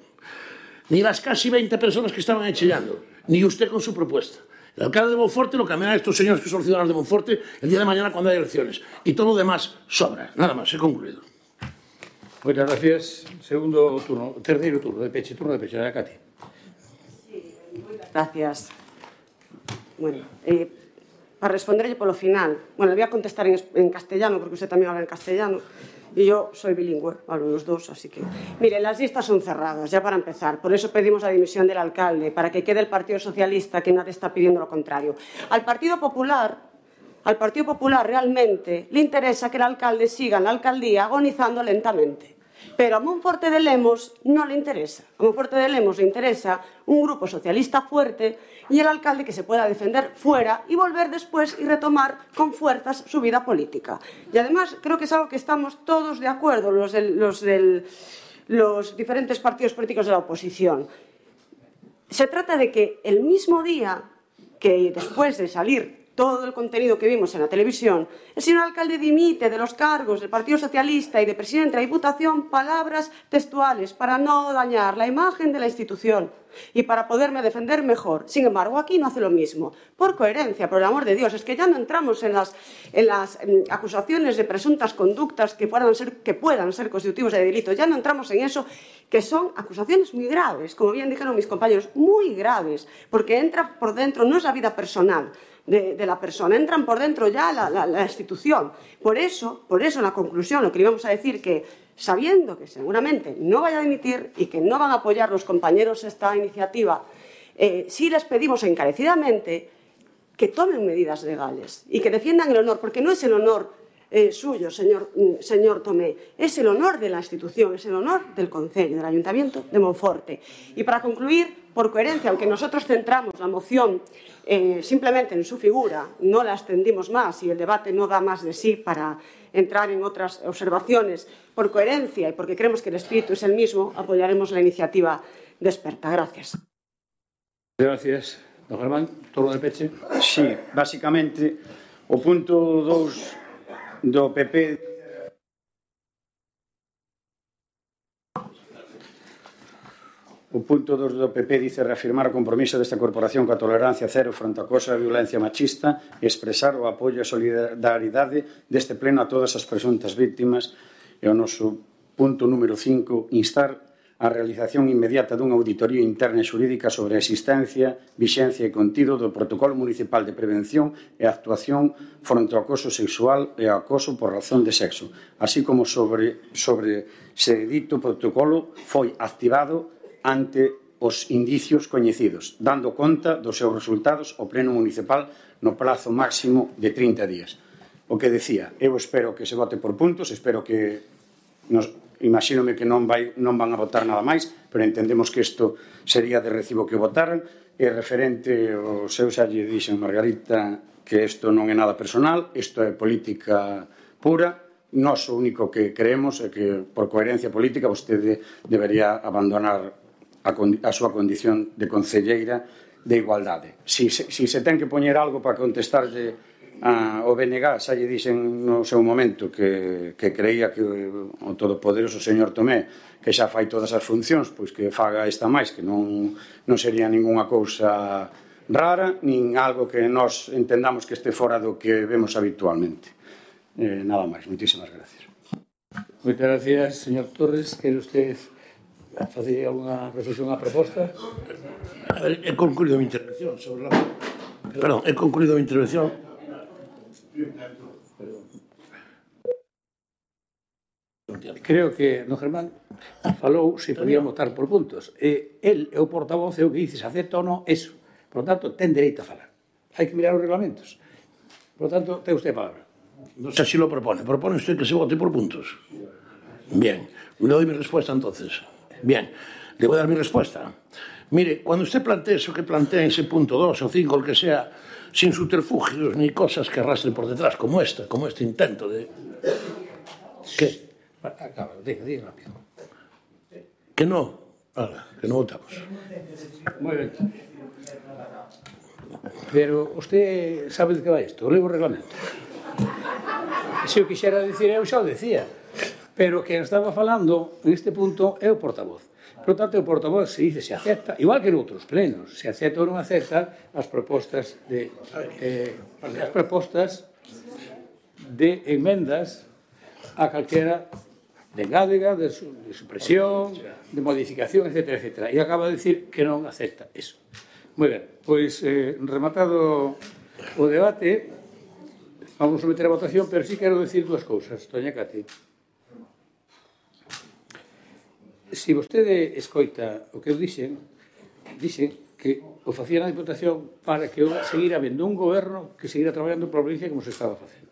ni las casi veinte personas que estaban chillando, ni usted con su propuesta. El alcalde de Monforte lo cambiará a estos señores que son ciudadanos de Monforte el día de mañana cuando haya elecciones. Y todo lo demás sobra. Nada más, he concluido. Muchas gracias. Segundo turno, terceiro turno de peche, turno de peche, a Katy. Sí, gracias. Bueno, eh, para responderle polo final, bueno, le voy a contestar en, en castellano, porque usted también habla en castellano, y yo soy bilingüe, hablo los dos, así que... Mire, las listas son cerradas, ya para empezar. Por eso pedimos la dimisión del alcalde, para que quede el Partido Socialista, que nadie está pidiendo lo contrario. Al Partido Popular, al Partido Popular realmente le interesa que el alcalde siga en la alcaldía agonizando lentamente. Pero a Monforte de Lemos no le interesa. A Monforte de Lemos le interesa un grupo socialista fuerte y el alcalde que se pueda defender fuera y volver después y retomar con fuerzas su vida política. Y además creo que es algo que estamos todos de acuerdo, los, del, los, del, los diferentes partidos políticos de la oposición. Se trata de que el mismo día que después de salir todo el contenido que vimos en la televisión, el señor alcalde dimite de los cargos del Partido Socialista y de presidente de la Diputación, palabras textuales, para no dañar la imagen de la institución y para poderme defender mejor. Sin embargo, aquí no hace lo mismo. Por coherencia, por el amor de Dios, es que ya no entramos en las, en las en acusaciones de presuntas conductas que puedan, ser, que puedan ser constitutivos de delito. Ya no entramos en eso, que son acusaciones muy graves, como bien dijeron mis compañeros, muy graves, porque entra por dentro, no es la vida personal de, de la persona, entran por dentro ya la, la, la institución. Por eso, por eso, en la conclusión, lo que le íbamos a decir que sabiendo que seguramente no vaya a dimitir y que no van a apoyar los compañeros esta iniciativa, eh, sí les pedimos encarecidamente que tomen medidas legales y que defiendan el honor, porque no es el honor eh, suyo, señor, señor Tomé, es el honor de la institución, es el honor del Concello, del Ayuntamiento de Monforte. Y para concluir, por coherencia, aunque nosotros centramos la moción eh, simplemente en su figura, no la extendimos más y el debate no da más de sí para entrar en otras observaciones, por coherencia y porque creemos que el espíritu es el mismo, apoyaremos la iniciativa de Experta. Gracias. Gracias. Don Germán, turno de peche. Sí, basicamente, o punto dous do P P... O punto dos do P P dice reafirmar o compromiso desta corporación coa tolerancia cero fronte ao acoso e a violencia machista e expresar o apoio e solidaridade deste pleno a todas as presuntas víctimas e o noso punto número cinco, instar a realización inmediata dunha auditoría interna e xurídica sobre a existencia, vixencia e contido do Protocolo Municipal de Prevención e Actuación fronte ao acoso sexual e ao acoso por razón de sexo, así como sobre, sobre se dito protocolo foi activado ante os indicios coñecidos, dando conta dos seus resultados ao Pleno Municipal no prazo máximo de trinta días. O que decía, eu espero que se vote por puntos, espero que, nos, imagínome que non, vai, non van a votar nada máis, pero entendemos que isto sería de recibo que votaran, e referente ao seu xa lle dixen Margarita que isto non é nada personal, isto é política pura. Nós o único que creemos é que, por coherencia política, vostede debería abandonar a, a súa condición de concelleira de igualdade. Si, si, si se ten que poñer algo para contestarlle a, o B N G, xa lle dixen no seu momento que, que creía que o todopoderoso señor Tomé, que xa fai todas as funcións, pois que faga esta máis, que non, non sería ninguna cousa rara, nin algo que nós entendamos que este fora do que vemos habitualmente. Eh, nada máis, moitísimas gracias. Moitas gracias, señor Torres. Quere usted facer alguna reflexión á proposta? A ver, he concluído a mi intervención sobre la... Perdón, he concluído a mi intervención. Creo que don Germán falou se podía votar por puntos. E el é o portavoz e o que dice se acepta ou non eso. Por lo tanto, ten dereito a falar. Hai que mirar os reglamentos. Por lo tanto, ten usted a palabra. No sé si lo propone. ¿Propone usted que se vote por puntos? Bien. Le doy mi respuesta entonces. Bien. Le voy a dar mi respuesta. Mire, cuando usted plantea eso que plantea en ese punto dos o cinco, el que sea, sin subterfugios ni cosas que arrastren por detrás, como esta, como este intento de... ¿Qué? Acaba, diga, diga rápido. Que no. Ahora, que no votamos. Muy bien. Pero usted sabe de que va isto. Leo o reglamento. Se eu quixera dicir, eu xa o decía. Pero que estaba falando neste punto é o portavoz. Por tanto, o portavoz se dice se acepta, igual que en outros plenos, se acepta ou non acepta as propostas de eh, as propostas de enmendas a calquera de engádega, de, su, de supresión, de modificación, etcétera, etcétera. E acaba de decir que non acepta eso. Moi ben, pois eh, rematado o debate, vamos a meter a votación, pero sí quero decir dúas cousas, doña Cati. Se vostede escoita o que eu dixen, dixen que o facía na Diputación para que seguir habendo un goberno que seguira traballando por provincia como se estaba facendo.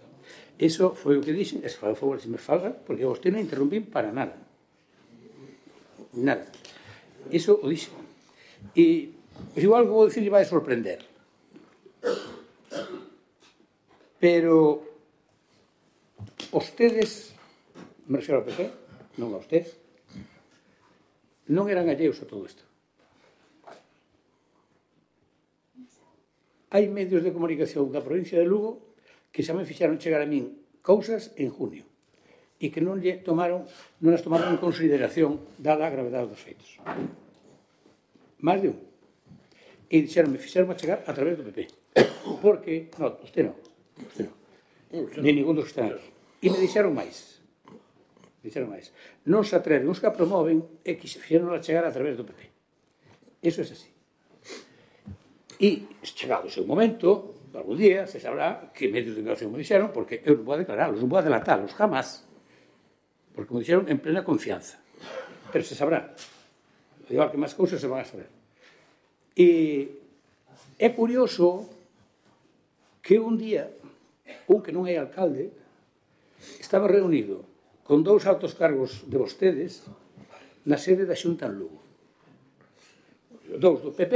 Eso foi o que dixen, e se fai o favor se me falga, porque vostede non interrumpín para nada. Nada. Eso o dixen. E pois igual que vou dicir, vai a sorprender. Pero vostedes, me refiero ao P P, non a usted, non eran alleos a todo isto. hai medios de comunicación da provincia de Lugo que xa me fixaron chegar a min cousas en junio e que non lle tomaron, non as tomaron en consideración dada a gravedade dos feitos. Más de un. E dixeronme, fixeron a chegar a través do P P. Porque, non, usted non, usted non, ni ningún dos que están aquí. E me dixeron máis. Dixeron máis. Non se atreven, os que a promoven e que fixeron a chegar a través do P P. Eso é así. E, chegado o seu momento, algún día, se sabrá que medios de comunicación me dixeron, porque eu non vou a declararlos, non vou a delatarlos, jamás. Porque me dixeron en plena confianza. Pero se sabrá. Igual que máis cousas se van a saber. E é curioso que un día, un que non é alcalde, estaba reunido con dous altos cargos de vostedes na sede da Xunta en Lugo. Dous do P P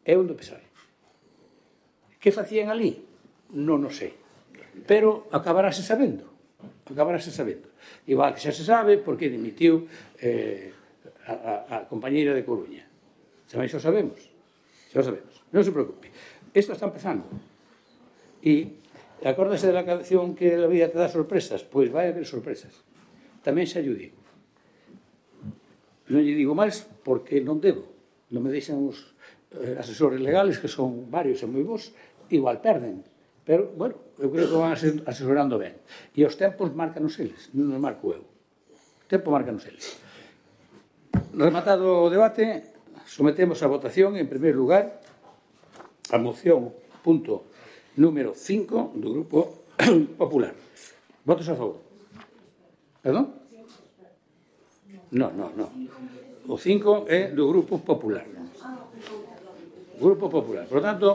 e un do P S O E. Que facían ali? Non o sei. Pero acabarase sabendo. Acabarase sabendo. Igual que xa se sabe porque dimitiu eh, a, a, a compañeira de Coruña. Xa máis o sabemos. Xa o sabemos. Non se preocupe. Isto está empezando. E acórdase da canción que a vida te dá sorpresas? Pois vai haber sorpresas. Tamén xa lle digo. Non lle digo máis porque non debo. Non me deixan os eh, asesores legales, que son varios e moi bons, igual perden. Pero, bueno, eu creo que van asesorando ben. E os tempos marcanos eles, non os marco eu. O tempo marcanos eles. Rematado o debate, sometemos a votación, en primeiro lugar, a moción punto número cinco do Grupo Popular. Votos a favor. Perdón? Non, non, non. O cinco é do Grupo Popular. Grupo Popular. Por lo tanto,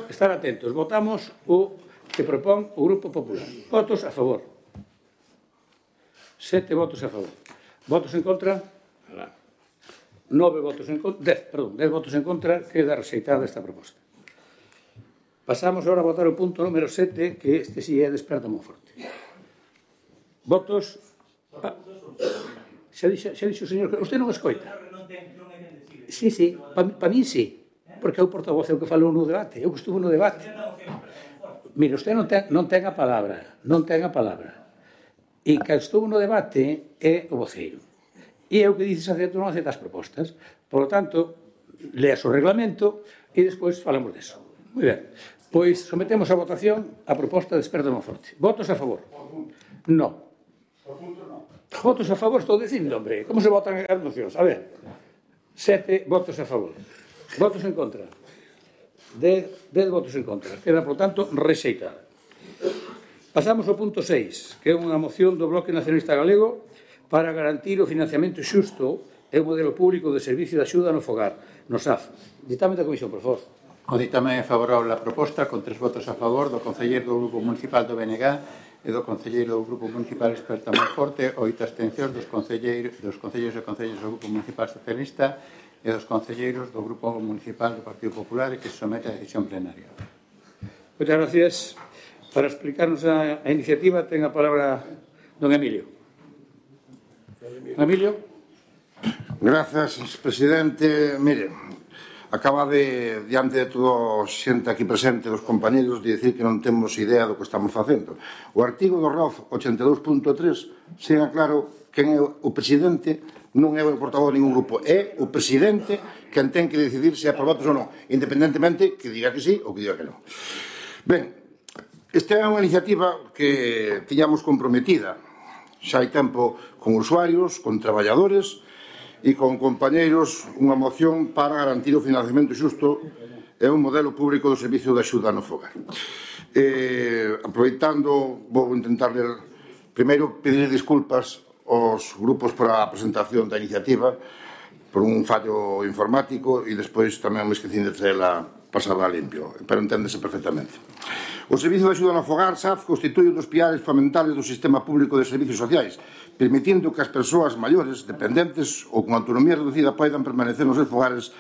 estar atentos. Votamos o que propón o Grupo Popular. Votos a favor. Sete votos a favor. Votos en contra? Nove votos en contra. Dez, perdón, dez votos en contra. Queda rexeitada esta proposta. Pasamos agora a votar o punto número sete, que este sí é Desperta Monforte. Votos... Ah, xa dixo, xa dixo o señor... Usted non escoita? Sí, sí, para pa mí sí. Porque é o portavoz que falou no debate. Eu que estuve no debate. Mire, usted non ten, non ten a palabra. Non ten a palabra. E que estuvo no debate é o voceiro. E é o que dices acepto ou non acepta as propostas. Por lo tanto, leas o reglamento e despois falamos deso. Moi ben. Pois sometemos a votación a proposta de Desperta Monforte. Votos a favor? Non. Votos a favor, estou dicindo, hombre. Como se votan as mocións? A ver. Sete votos a favor. Votos en contra. Dez, dez votos en contra. Queda, por tanto, rexeitada. Pasamos ao punto seis, que é unha moción do Bloque Nacionalista Galego para garantir o financiamento xusto e o modelo público de servicio de axuda no fogar, no S A F. Ditame da Comisión, por favor. O ditame é favorable a proposta, con tres votos a favor do concelleiro do Grupo Municipal do B N G e do concelleiro do Grupo Municipal Desperta Monforte, oito abstencións dos concelleiros dos concelleiros e concelleiros do Grupo Municipal Socialista e dos concelleiros do Grupo Municipal do Partido Popular e que se somete a decisión plenaria. Moitas gracias. Para explicarnos a, a iniciativa ten a palabra don Emilio. Emilio. Grazas, presidente. Mire, acaba de, diante de todo xente aquí presente dos compañeros, de decir que non temos idea do que estamos facendo. O artigo do R O F ochenta e dous punto tres segue claro quen é o presidente, non é o portavoz de ningún grupo, é o presidente quen ten que decidir se é por votos ou non, independentemente que diga que sí ou que diga que non. Ben, esta é unha iniciativa que tiñamos comprometida xa hai tempo con usuarios, con traballadores e con compañeiros, unha moción para garantir o financiamento xusto e un modelo público do servicio de axuda no fogar. Eh, aproveitando, vou intentar ler, primeiro pedir disculpas aos grupos por a presentación da iniciativa por un fallo informático e despois tamén me esquecín de traela pasada limpio, pero enténdese perfectamente. O Servicio de Axuda no Fogar, S A F, constitui un dos pilares fundamentales do sistema público de servicios sociais, permitindo que as persoas maiores, dependentes ou con autonomía reducida poidan permanecer nos seus fogares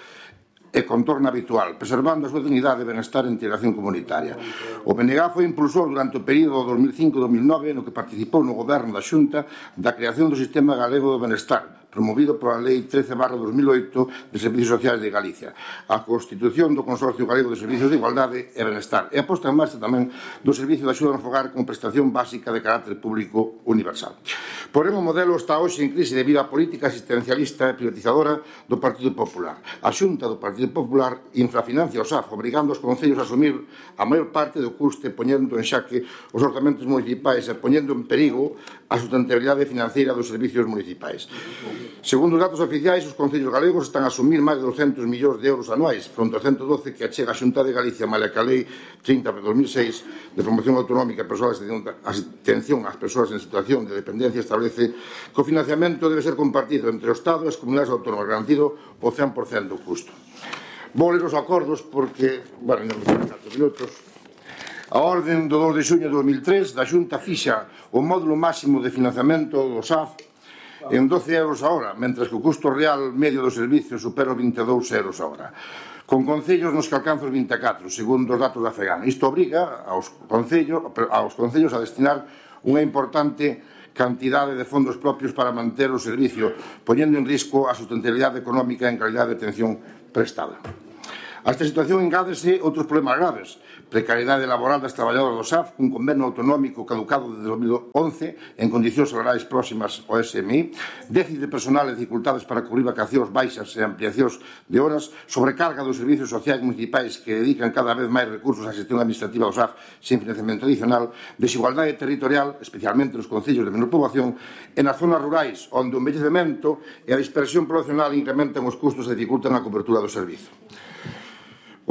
e contorno habitual, preservando a súa dignidade, benestar e integración comunitaria. O B N G foi impulsor durante o período dos mil cinco a dos mil nove no que participou no goberno da Xunta da creación do Sistema Galego do Benestar, promovido pola Lei trece barra dos mil oito de Servicios Sociais de Galicia, a constitución do Consorcio Galego de Servicios de Igualdade e Benestar e a posta en marcha tamén do Servicio de Axuda no Fogar como prestación básica de carácter público universal. Porén, o modelo está hoxe en crise debido á política asistencialista e privatizadora do Partido Popular. A Xunta do Partido Popular infrafinancia o S A F, obrigando os concellos a asumir a maior parte do custe, poñendo en xaque os orzamentos municipais e poñendo en perigo a sustentabilidade financiera dos servicios municipais. Segundo os datos oficiais, os concellos galegos están a asumir máis de doscentos millóns de euros anuais, fronte aos ciento doce que achega a Xunta de Galicia, malia que a Lei trinta barra dos mil seis de promoción autonómica e persoal atención ás persoas en situación de dependencia establece que o financiamento debe ser compartido entre o Estado e as comunidades autónomas, garantido o cen por cento do custo. Vou ler os acordos porque, bueno, non me quedan catro minutos. A orden do dos de xuño de dos mil tres da Xunta fixa o módulo máximo de financiamento do S A F en doce euros a hora, mentre que o custo real medio do servicio supera os vinte e dous euros a hora, con concellos nos que alcanza os vinte e catro, segundo os datos da FEGAN. Isto obriga aos concellos, aos concellos a destinar unha importante cantidade de fondos propios para manter o servicio, poñendo en risco a sustentabilidade económica en calidade de atención prestada. A esta situación engádese outros problemas graves: precariedade laboral das traballadoras do S A F, un convenio autonómico caducado desde dos mil once en condicións salariais próximas ao S M I, déficit de personal e dificultades para cubrir vacacións baixas e ampliacións de horas, sobrecarga dos servicios sociais municipais que dedican cada vez máis recursos á xestión administrativa do S A F sin financiamento adicional, desigualdade territorial, especialmente nos concellos de menor poboación, e nas zonas rurais, onde o envellecemento e a dispersión poblacional incrementan os custos e dificultan a cobertura do servizo.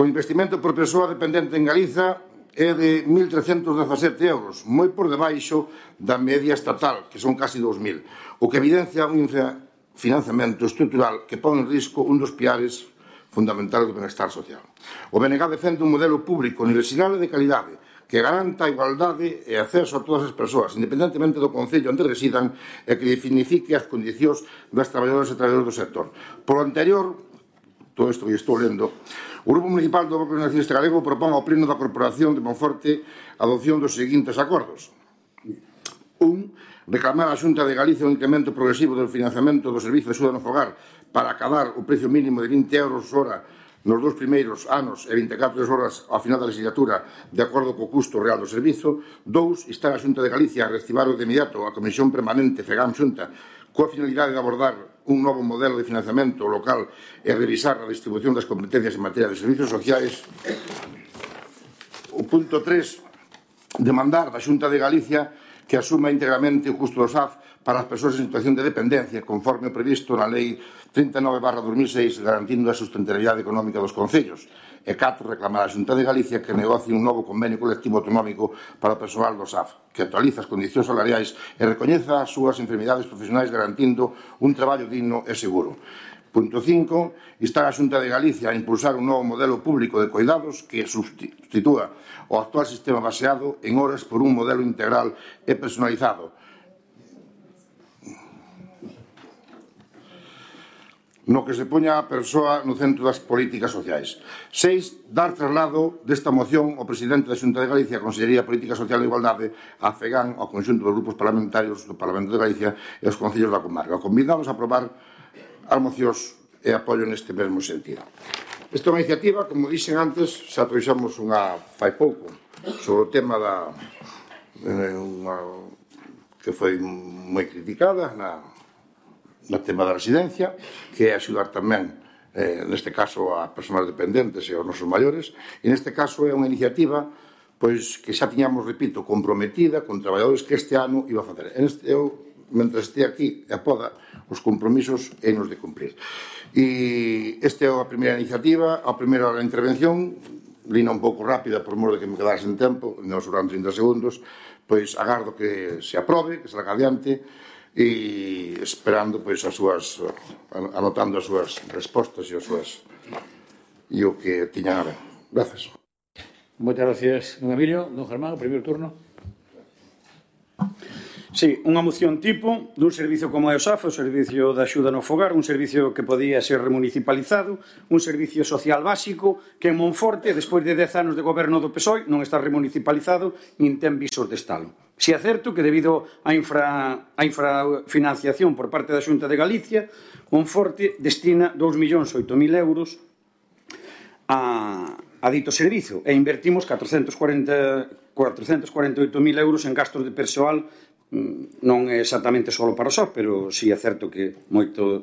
O investimento por persoa dependente en Galiza é de mil trescentos dezasete euros, moi por debaixo da media estatal, que son casi dous mil, o que evidencia un infrafinanciamento estrutural que pon en risco un dos piares fundamentales do benestar social. O B N G defende un modelo público universal e de calidade que garanta a igualdade e acceso a todas as persoas, independentemente do concello onde residan, e que definifique as condicións das traballadoras e traballadores do sector. Por lo anterior, todo isto que estou lendo, o Grupo Municipal do Bloque Nacionalista Galego propón ao Pleno da Corporación de Monforte a adopción dos seguintes acordos. Un, reclamar á Xunta de Galicia un incremento progresivo do financiamento do Servicio de Axuda no Fogar para acadar o precio mínimo de vinte euros hora nos dous primeiros anos e vinte e catro horas ao final da legislatura de acordo co custo real do servizo. Dous, instar a Xunta de Galicia a reactivar de inmediato a Comisión Permanente FEGAM-Xunta coa finalidade de abordar un novo modelo de financiamento local e revisar a distribución das competencias en materia de servicios sociais. O punto tres, demandar da Xunta de Galicia que asuma íntegramente o custo do S A F para as persoas en situación de dependencia, conforme o previsto na Lei trinta e nove barra dos mil seis, garantindo a sustentabilidade económica dos concellos. E catro, reclamar a Xunta de Galicia que negocie un novo convenio colectivo autonómico para o persoal do S A F, que actualiza as condicións salariais e recoñeza as súas enfermidades profesionais, garantindo un traballo digno e seguro. Punto cinco, instar a Xunta de Galicia a impulsar un novo modelo público de cuidados que substitúa o actual sistema baseado en horas por un modelo integral e personalizado, no que se poña a persoa no centro das políticas sociais. Seis, dar traslado desta moción ao presidente da Xunta de Galicia, a Consellería de Política Social e Igualdade, a FEGAN, ao conxunto dos grupos parlamentarios do Parlamento de Galicia e aos concellos da comarca. Convidamos a aprobar as mocións e apoio neste mesmo sentido. Esta é unha iniciativa, como dixen antes, xa trouxamos unha fai pouco sobre o tema da unha, que foi moi criticada na no tema da residencia, que é axudar tamén, eh, neste caso, a persoas dependentes e aos nosos maiores, e neste caso é unha iniciativa pois que xa tiñamos, repito, comprometida con traballadores que este ano iba a facer. Este, eu, mentre este aquí e a poda, os compromisos é nos de cumprir. E esta é a primeira iniciativa, a primeira intervención, lina un pouco rápida por mor de que me quedase en tempo, non sobran trinta segundos, pois agardo que se aprobe, que salga adiante, e esperando pois as súas, anotando as súas respostas e as súas e o que tiñan a ver. Grazas. Moitas gracias, don Emilio. Don Germán, o primeiro turno. Sí, unha moción tipo dun servicio como é o S A F, o Servicio de Axuda no Fogar, un servicio que podía ser remunicipalizado, un servicio social básico que en Monforte, despois de dez anos de goberno do P S O E, non está remunicipalizado nin ten visos de estalo. Si é certo que debido á infra, a infrafinanciación por parte da Xunta de Galicia, Monforte destina dous millóns oito mil euros a, a dito servicio e invertimos catrocentos cuarenta, cuatrocentos cuarenta e oito mil euros en gastos de persoal, non é exactamente só para o S A F, pero si é certo que moito,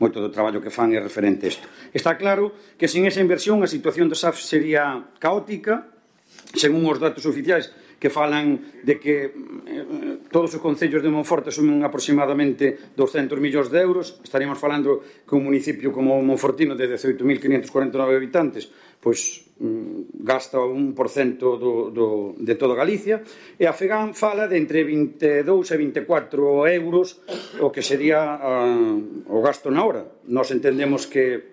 moito do traballo que fan é referente a isto. Está claro que sin esa inversión a situación do S A F sería caótica, según os datos oficiais que falan de que eh, todos os concellos de Monforte sumen aproximadamente doscientos millóns de euros. Estaríamos falando que un municipio como Monfortino de dezoito mil quinhentos cuarenta e nove habitantes pois mm, gasta un por cento do, do, de toda Galicia, e a FEGAN fala de entre vinte e dous e vinte e catro euros o que sería uh, o gasto na hora. Nós entendemos que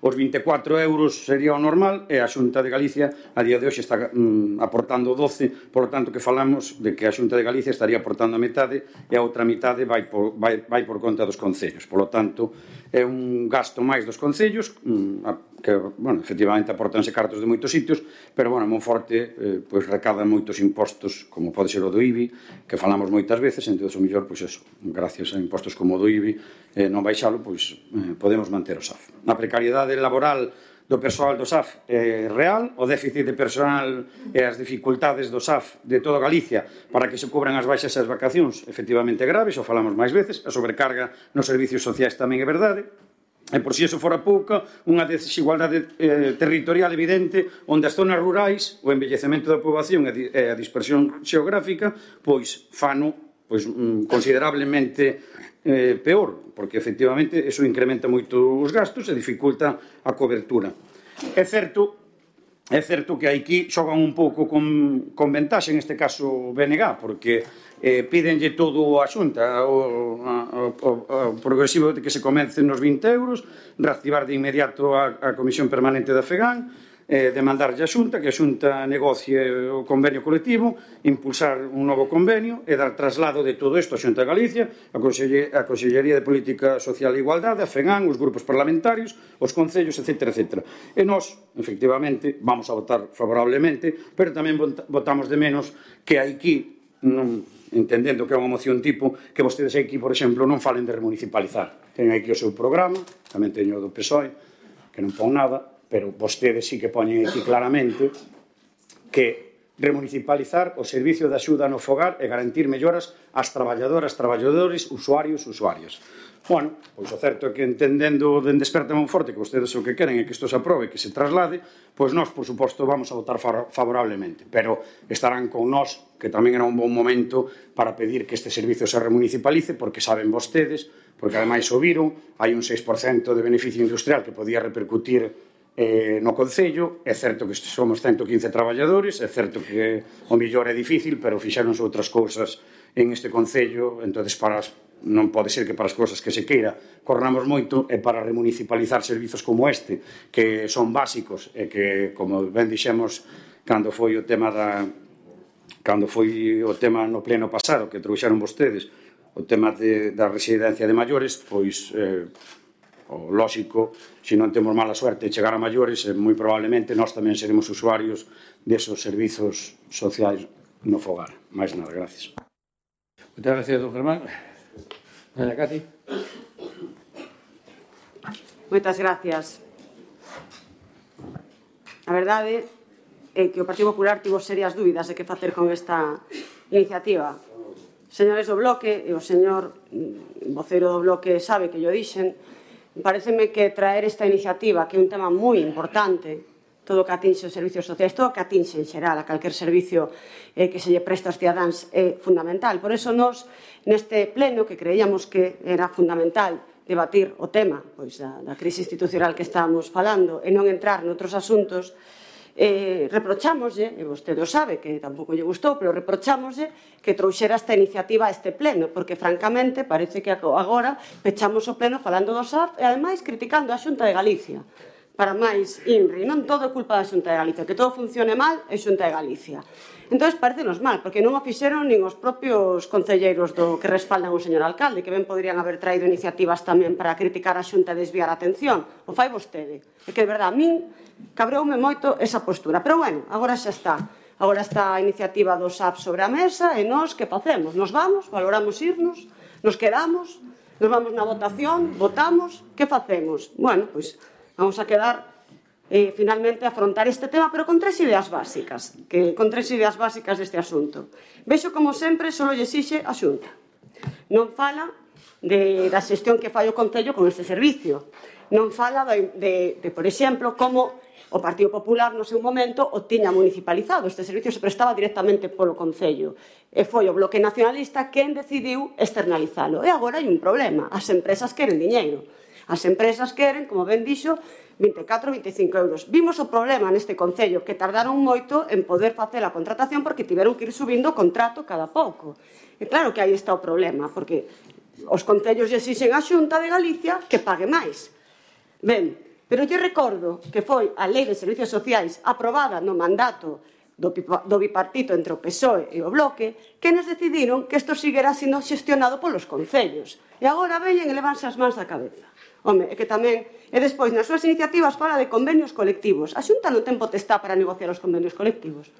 os vinte e catro euros sería o normal e a Xunta de Galicia a día de hoxe está mm, aportando doce, por lo tanto que falamos de que a Xunta de Galicia estaría aportando a metade e a outra metade vai por, vai, vai por conta dos concellos. Por lo tanto, é un gasto máis dos concellos, mm, que, bueno, efectivamente aportanse cartos de moitos sitios, pero, bueno, Monforte eh, pois recada moitos impostos, como pode ser o do I B I, que falamos moitas veces, entón, o mellor, pois eso, gracias a impostos como o do I B I, eh, non baixalo, pois eh, podemos manter o S A F. A precariedade laboral do persoal do S A F é real, o déficit de personal e as dificultades do S A F de toda Galicia para que se cubran as baixas e as vacacións efectivamente graves, o falamos máis veces, a sobrecarga nos servicios sociais tamén é verdade, e por si eso fora pouca, unha desigualdade eh, territorial evidente onde as zonas rurais, o envellecemento da poboación e a dispersión xeográfica, pois fano pois, mm, considerablemente eh, peor, porque efectivamente eso incrementa moito os gastos e dificulta a cobertura. É certo, é certo que aquí xogan un pouco con, con ventaxe, en este caso B N G, porque eh, pídenlle todo a Xunta, o, o, o, o progresivo de que se comece nos vinte euros, reactivar de inmediato a, a Comisión Permanente da FEGAN, eh, demandarlle a Xunta, que a Xunta negocie o convenio colectivo, impulsar un novo convenio e dar traslado de todo isto a Xunta de Galicia, a, Conselle, a Consellería de Política Social e Igualdade, a FEGAN, os grupos parlamentarios, os concellos, etcétera, etcétera. E nós, efectivamente, vamos a votar favorablemente, pero tamén votamos de menos que aquí, non, entendendo que é unha moción tipo, que vostedes aquí, por exemplo, non falen de remunicipalizar. Ten aquí o seu programa, tamén teño o do P S O E, que non pon nada, pero vostedes sí que poñen aquí claramente que remunicipalizar o servicio de axuda no fogar e garantir melloras ás traballadoras, traballadores, usuarios, usuarias. Bueno, pois o certo é que entendendo dende Desperta Monforte que vostedes o que queren é que isto se aprobe, que se traslade, pois nós, por suposto, vamos a votar favorablemente, pero estarán con nós, que tamén era un bon momento para pedir que este servicio se remunicipalice, porque saben vostedes, porque ademais o viron, hai un seis por cento de beneficio industrial que podía repercutir eh, no Concello. É certo que somos ciento quince traballadores, é certo que o millor é difícil, pero fixeronse outras cousas en este Concello, entonces para as, non pode ser que para as cousas que se queira corramos moito e para remunicipalizar servizos como este, que son básicos e que, como ben dixemos cando foi o tema da cando foi o tema no pleno pasado que trouxeron vostedes, o tema de, da residencia de maiores, pois eh, o lóxico, se non temos mala suerte de chegar a maiores, eh, moi probablemente nós tamén seremos usuarios desos servizos sociais no fogar. Mais nada, gracias. Moitas gracias, don Germán. Doña Cati. Moitas gracias. A verdade é que o Partido Popular tivo serias dúbidas de que facer con esta iniciativa. Señores do Bloque, e o señor voceiro do Bloque sabe que yo dixen, pareceme que traer esta iniciativa, que é un tema moi importante, todo o que atinxe os servicios sociais, todo o que atinxe en xeral a calquer servicio eh, que se lle presta aos cidadáns é fundamental. Por eso nós, neste pleno, que creíamos que era fundamental debatir o tema pois, da, da crise institucional que estábamos falando e non entrar noutros asuntos, eh, reprochámoslle, e vostede o sabe que tampouco lle gustou, pero reprochámoslle que trouxera esta iniciativa a este pleno, porque francamente parece que agora pechamos o pleno falando do S A F e ademais criticando a Xunta de Galicia. para máis I N R I. Non todo é culpa da Xunta de Galicia, que todo funcione mal é Xunta de Galicia. Entón, parecenos mal, porque non o fixeron nin os propios concelleiros do que respaldan o señor alcalde, que ben poderían haber traído iniciativas tamén para criticar a Xunta e desviar a atención. O fai vostede. É que, de verdade, a min cabreoume moito esa postura. Pero, bueno, agora xa está. Agora está a iniciativa do S A P sobre a mesa e nós, que facemos? Nos vamos, valoramos irnos, nos quedamos, nos vamos na votación, votamos, que facemos? Bueno, pois vamos a quedar eh, finalmente a afrontar este tema, pero con tres ideas básicas, que con tres ideas básicas deste asunto. Vexo, como sempre, só lle exixe a Xunta. Non fala de, da xestión que fai o Concello con este servicio. Non fala de, de, de por exemplo, como o Partido Popular no seu momento o tiña municipalizado. Este servicio se prestaba directamente polo Concello. E foi o Bloque Nacionalista quen decidiu externalizalo. E agora hai un problema. As empresas queren diñeiro. As empresas queren, como ben dixo, vinte e catro, vinte e cinco euros. Vimos o problema neste Concello, que tardaron moito en poder facer a contratación porque tiveron que ir subindo o contrato cada pouco. E claro que aí está o problema, porque os concellos lle exixen á Xunta de Galicia que pague máis. Ben, pero lle recordo que foi a Lei de Servicios Sociais aprobada no mandato do, do bipartito entre o P S O E e o Bloque, que nos decidiron que isto seguirá sendo xestionado polos concellos. E agora veñen e levanse as mans da cabeza. Home, é que tamén... E despois, nas súas iniciativas, fala de convenios colectivos. A Xunta non ten potestad para negociar os convenios colectivos.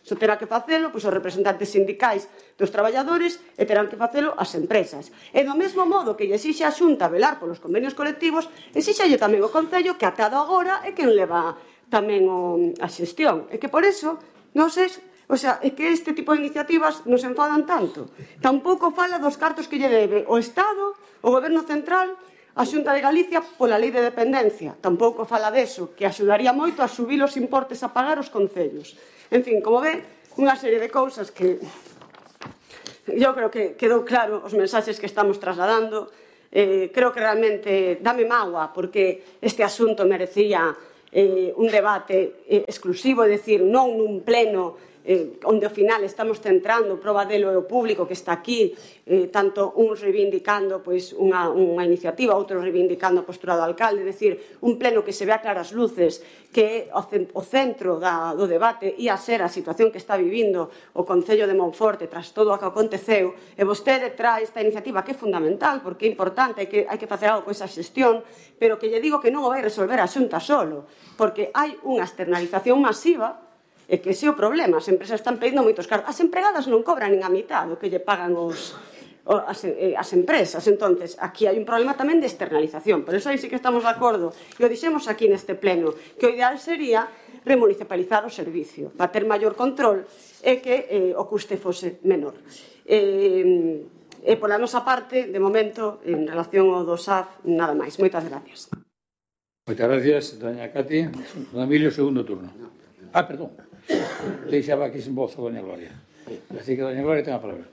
Iso terá que facelo pois, os representantes sindicais dos traballadores e terán que facelo as empresas. E do mesmo modo que lle exixe a Xunta velar polos convenios colectivos, exíxelle tamén o Concello que atado agora é quen leva tamén o, a xestión. E que por eso, non sei, o sea, é que este tipo de iniciativas nos enfadan tanto. Tampouco fala dos cartos que lle debe o Estado, o Goberno Central, a Xunta de Galicia pola Lei de Dependencia. Tampouco fala deso, que axudaría moito a subir os importes a pagar os concellos. En fin, como ve, unha serie de cousas que eu creo que quedou claro os mensaxes que estamos trasladando. Eh, creo que realmente dame mágoa porque este asunto merecía eh, un debate eh, exclusivo, é dicir, non nun pleno eh, onde ao final estamos centrando, proba delo é o público que está aquí, eh, tanto uns reivindicando pois, unha, unha iniciativa, outros reivindicando a postura do alcalde, é dicir, un pleno que se vea claras luces, que o centro da, do debate ia ser a situación que está vivindo o Concello de Monforte tras todo o que aconteceu, e vostede trae esta iniciativa que é fundamental, porque é importante, hai que, hai que facer algo con esa xestión, pero que lle digo que non o vai resolver a Xunta solo, porque hai unha externalización masiva. É que ese é o problema, as empresas están pedindo moitos cartos. As empregadas non cobran nin a mitad do que lle pagan os, as, eh, as empresas. Entonces, aquí hai un problema tamén de externalización. Por eso aí sí que estamos de acordo, e o dixemos aquí neste pleno, que o ideal sería remunicipalizar o servicio, para ter maior control e que eh, o custe fose menor. Eh, e pola nosa parte, de momento, en relación ao do S A F, nada máis. Moitas gracias. Moitas gracias, doña Cati. Don Emilio, segundo turno. Ah, perdón. Deixaba aquí sin voz a doña Gloria. Así que doña Gloria ten a palabra.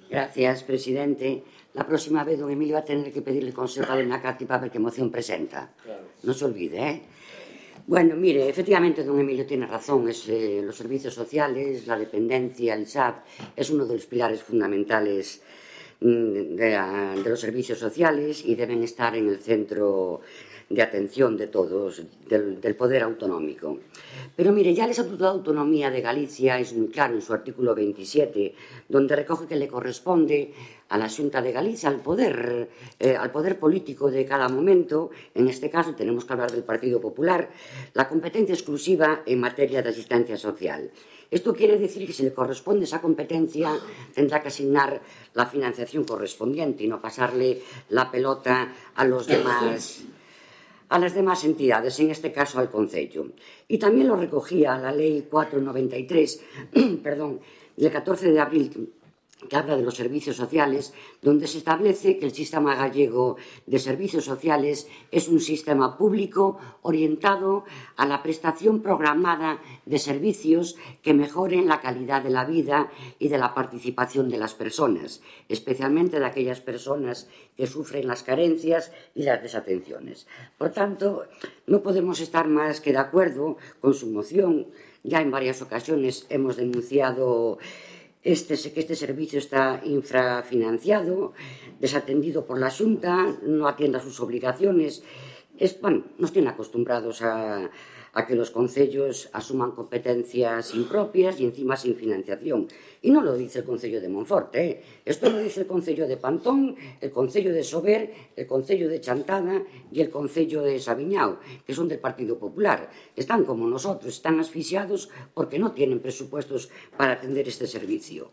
Gracias, presidente. La próxima vez don Emilio va a tener que pedirle consejo a doña Cati para ver qué moción presenta. Claro. No se olvide, ¿eh? Bueno, mire, efectivamente don Emilio tiene razón. Es, eh, los servicios sociales, la dependencia, el S A P, es uno de los pilares fundamentales mm, de, la, de los servicios sociales y deben estar en el centro de atención de todos, del, del poder autonómico. Pero mire, ya el Estatuto de Autonomía de Galicia es muy claro en su artículo veintisiete, donde recoge que le corresponde a la Xunta de Galicia, al poder, eh, al poder político de cada momento, en este caso tenemos que hablar del Partido Popular, la competencia exclusiva en materia de asistencia social. Esto quiere decir que si le corresponde esa competencia, tendrá que asignar la financiación correspondiente y no pasarle la pelota a los demás a las demás entidades, en este caso al Concello. Y también lo recogía la Ley cuatrocientos noventa y tres, perdón, del catorce de abril, que habla de los servicios sociales, donde se establece que el sistema gallego de servicios sociales es un sistema público orientado a la prestación programada de servicios que mejoren la calidad de la vida y de la participación de las personas, especialmente de aquellas personas que sufren las carencias y las desatenciones. Por tanto, no podemos estar más que de acuerdo con su moción. Ya en varias ocasiones hemos denunciado Este, que este servicio está infrafinanciado, desatendido por la Xunta, no atiende a sus obligaciones es, bueno, nos tienen acostumbrados a, a que los concellos asuman competencias impropias y encima sin financiación. Y no lo dice el Concello de Monforte, ¿eh? Esto lo dice el Concello de Pantón, el Concello de Sober, el Concello de Chantada y el Concello de Sabiñao, que son del Partido Popular. Están como nosotros, están asfixiados porque no tienen presupuestos para atender este servicio.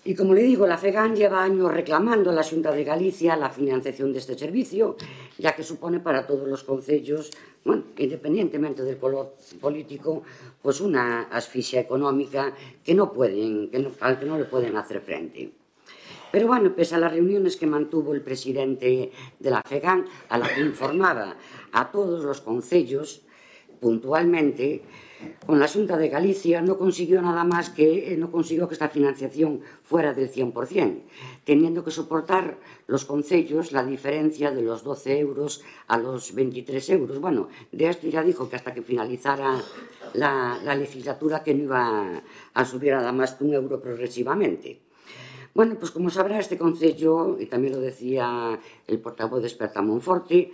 Y como le digo, la FEGAN lleva años reclamando a la Xunta de Galicia la financiación de este servicio, ya que supone para todos los concellos, bueno, independientemente del color político, pues una asfixia económica que no pueden, que no, al que no le pueden hacer frente. Pero bueno, pese a las reuniones que mantuvo el presidente de la FEGAN, a la que informaba a todos los concellos puntualmente, con la Xunta de Galicia no consiguió nada más que, no consiguió que esta financiación fuera del cien por cien, teniendo que soportar los concellos la diferencia de los doce euros a los veintitrés euros. Bueno, de esto ya dijo que hasta que finalizara la, la legislatura que no iba a subir nada más que un euro progresivamente. Bueno, pues como sabrá, este concello, y también lo decía el portavoz de Esperta Monforte,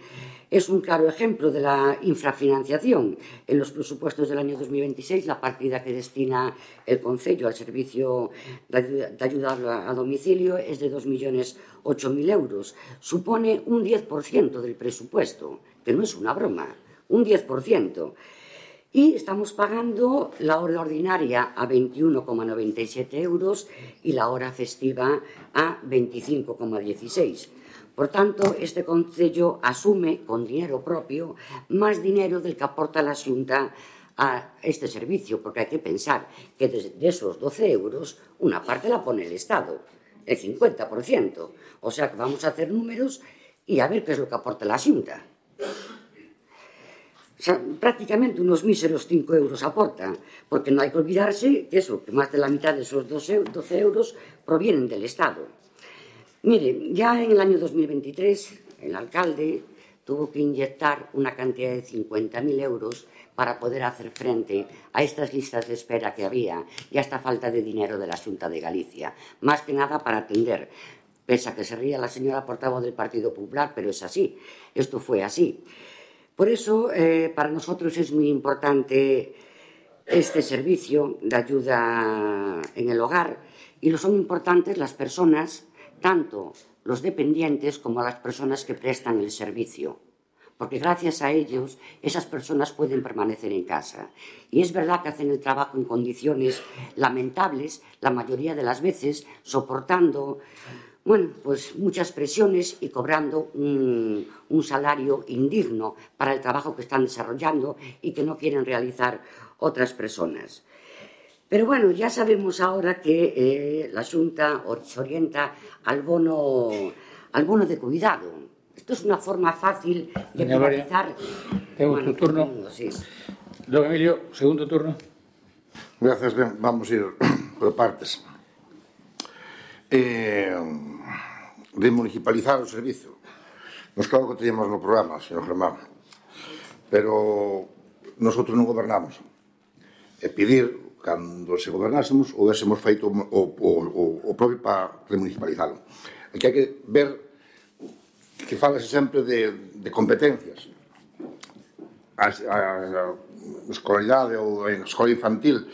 es un claro ejemplo de la infrafinanciación. En los presupuestos del año dos mil veintiséis, la partida que destina el concello al servicio de ayuda a domicilio es de dos millones ocho mil euros. Supone un diez por ciento del presupuesto, que no es una broma, un diez por ciento. Y estamos pagando la hora ordinaria a veintiuno coma noventa y siete euros y la hora festiva a veinticinco coma dieciséis. Por tanto, este concello asume con dinero propio más dinero del que aporta la Xunta a este servicio, porque hay que pensar que de esos doce euros una parte la pone el Estado, el cincuenta por ciento. O sea que vamos a hacer números y a ver qué es lo que aporta la Xunta. O sea, prácticamente unos míseros cinco euros aporta, porque no hay que olvidarse que eso, que más de la mitad de esos doce euros provienen del Estado. Mire, ya en el año dos mil veintitrés el alcalde tuvo que inyectar una cantidad de cincuenta mil euros para poder hacer frente a estas listas de espera que había y a esta falta de dinero de la Xunta de Galicia, más que nada para atender, pese a que se ría la señora portavoz del Partido Popular, pero es así, esto fue así. Por eso, eh, para nosotros es muy importante este servicio de ayuda en el hogar y lo son importantes las personas, tanto los dependientes como las personas que prestan el servicio, porque gracias a ellos esas personas pueden permanecer en casa. Y es verdad que hacen el trabajo en condiciones lamentables, la mayoría de las veces soportando bueno, pues muchas presiones y cobrando un, un salario indigno para el trabajo que están desarrollando y que no quieren realizar otras personas. Pero bueno, ya sabemos ahora que eh, la Xunta se orienta al bono, al bono de cuidado. Esto es una forma fácil de Doña privatizar. Tengo bueno, tu turno. Mundo, sí. Don Emilio, segundo turno. Gracias, ben, vamos a ir por partes. Eh, de municipalizar o servizo. Nos claro que teníamos no programa, señor Germán, pero nosotros non gobernamos. E pedir cando se gobernásemos ou hésemos feito o, o, o, o propio para remunicipalizarlo. Aquí hai que ver que falase sempre de, de competencias. A, a, a escolaridade ou a escola infantil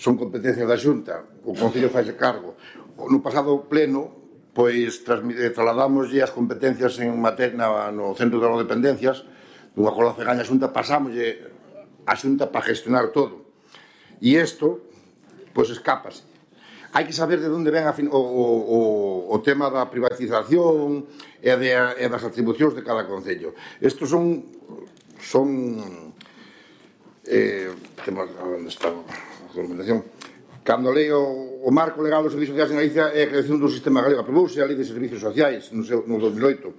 son competencias da Xunta, o Concello faixe cargo. No pasado pleno, pois trasladamoslle as competencias en materia no Centro de Dependencias, dunha acordo a FEGAN a Xunta, pasámoslle a Xunta para gestionar todo. E isto, pois, escápase. Hai que saber de onde ven a fin, o, o, o tema da privatización e, de, e das atribucións de cada concello. Estos son... son eh, temos, onde está a documentación? Cando leo o marco legal dos servizos sociais en Galicia é a creación dun sistema galego. Aprobouse a Lei de Servizos Sociais no, seu, no dos mil oito.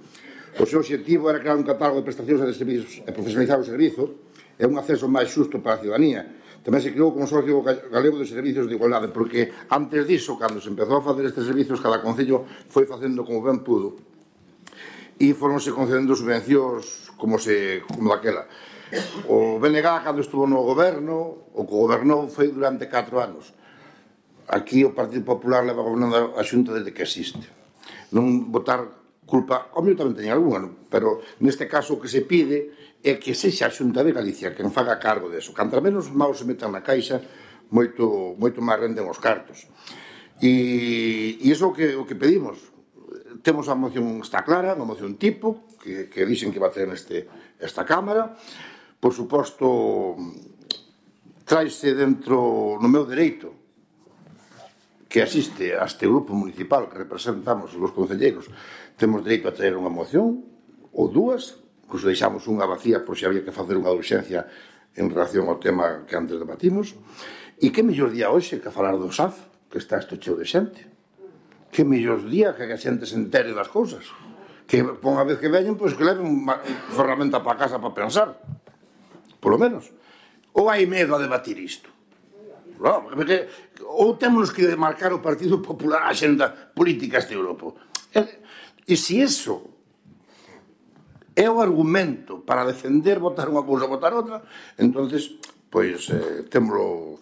O seu objetivo era crear un catálogo de prestacións e de servizos e profesionalizar o servizo e un acceso máis xusto para a ciudadanía. Tamén se creou o Consorcio Galego de Servizos de Igualdade, porque antes disso, cando se empezou a facer estes servizos, cada concello foi facendo como ben pudo e foronse concedendo subvencións como se como daquela. O B N G, cando estuvo no goberno, o que gobernou foi durante catro anos. Aquí o Partido Popular leva gobernando a Xunta desde que existe. Non votar culpa, o meu tamén teña algunha, pero neste caso o que se pide é que sexa a Xunta de Galicia quen faga cargo deso. Cantra menos maus se metan na caixa, moito, moito máis renden os cartos. E, e iso é o que, o que pedimos. Temos a moción, está clara, a moción tipo, que, que dixen que va a ter neste, esta Cámara. Por suposto, traise dentro, no meu dereito, que asiste a este grupo municipal que representamos os concelleiros, temos dereito a traer unha moción ou dúas, incluso deixamos unha vacía por se había que facer unha urxencia en relación ao tema que antes debatimos. E que mellor día hoxe que falar do S A F, que está isto cheo de xente. Que mellor día que a xente se entere das cousas. Que por unha vez que veñen, pois que leven unha ferramenta para casa para pensar. Polo menos. Ou hai medo a debatir isto? No, porque, ou temos que marcar o Partido Popular a xenda política este Europa. E, e se iso é o argumento para defender votar unha cousa, votar outra, entonces, pois, eh, témolo,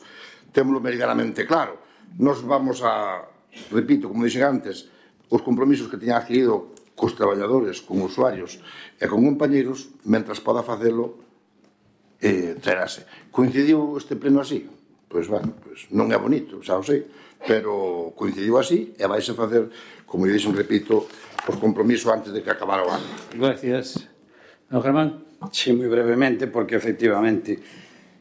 témolo meridianamente claro. Nos vamos a, repito, como dixen antes, os compromisos que teñan adquirido cos traballadores, con usuarios e con compañeros, mentras poda facelo, eh, traerase. Coincidiu este pleno así? Pois, bueno, pois non é bonito, xa o sei, pero coincidiu así e vais a facer, como dixen, repito, os compromisos antes de que acabara o ano. Gracias. Don Germán. Sí, moi brevemente, porque efectivamente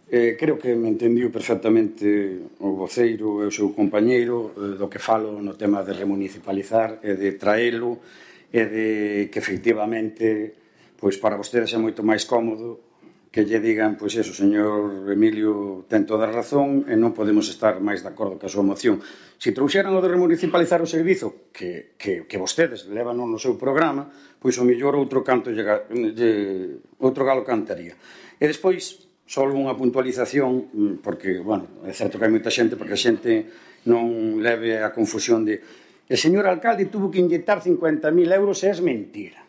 eh, creo que me entendiu perfectamente o voceiro e o seu compañeiro eh, do que falo no tema de remunicipalizar e de traelo e de que efectivamente pois para vostedes é moito máis cómodo que lle digan, pois eso, señor Emilio ten toda a razón e non podemos estar máis de acordo ca súa moción. Se trouxeran o de remunicipalizar o servizo que, que, que vostedes levan no seu programa, pois o mellor outro canto lle, lle, outro galo cantaría. E despois, só unha puntualización, porque, bueno, é certo que hai moita xente, porque a xente non leve a confusión de el señor alcalde tuvo que inyectar cincuenta mil euros e é mentira.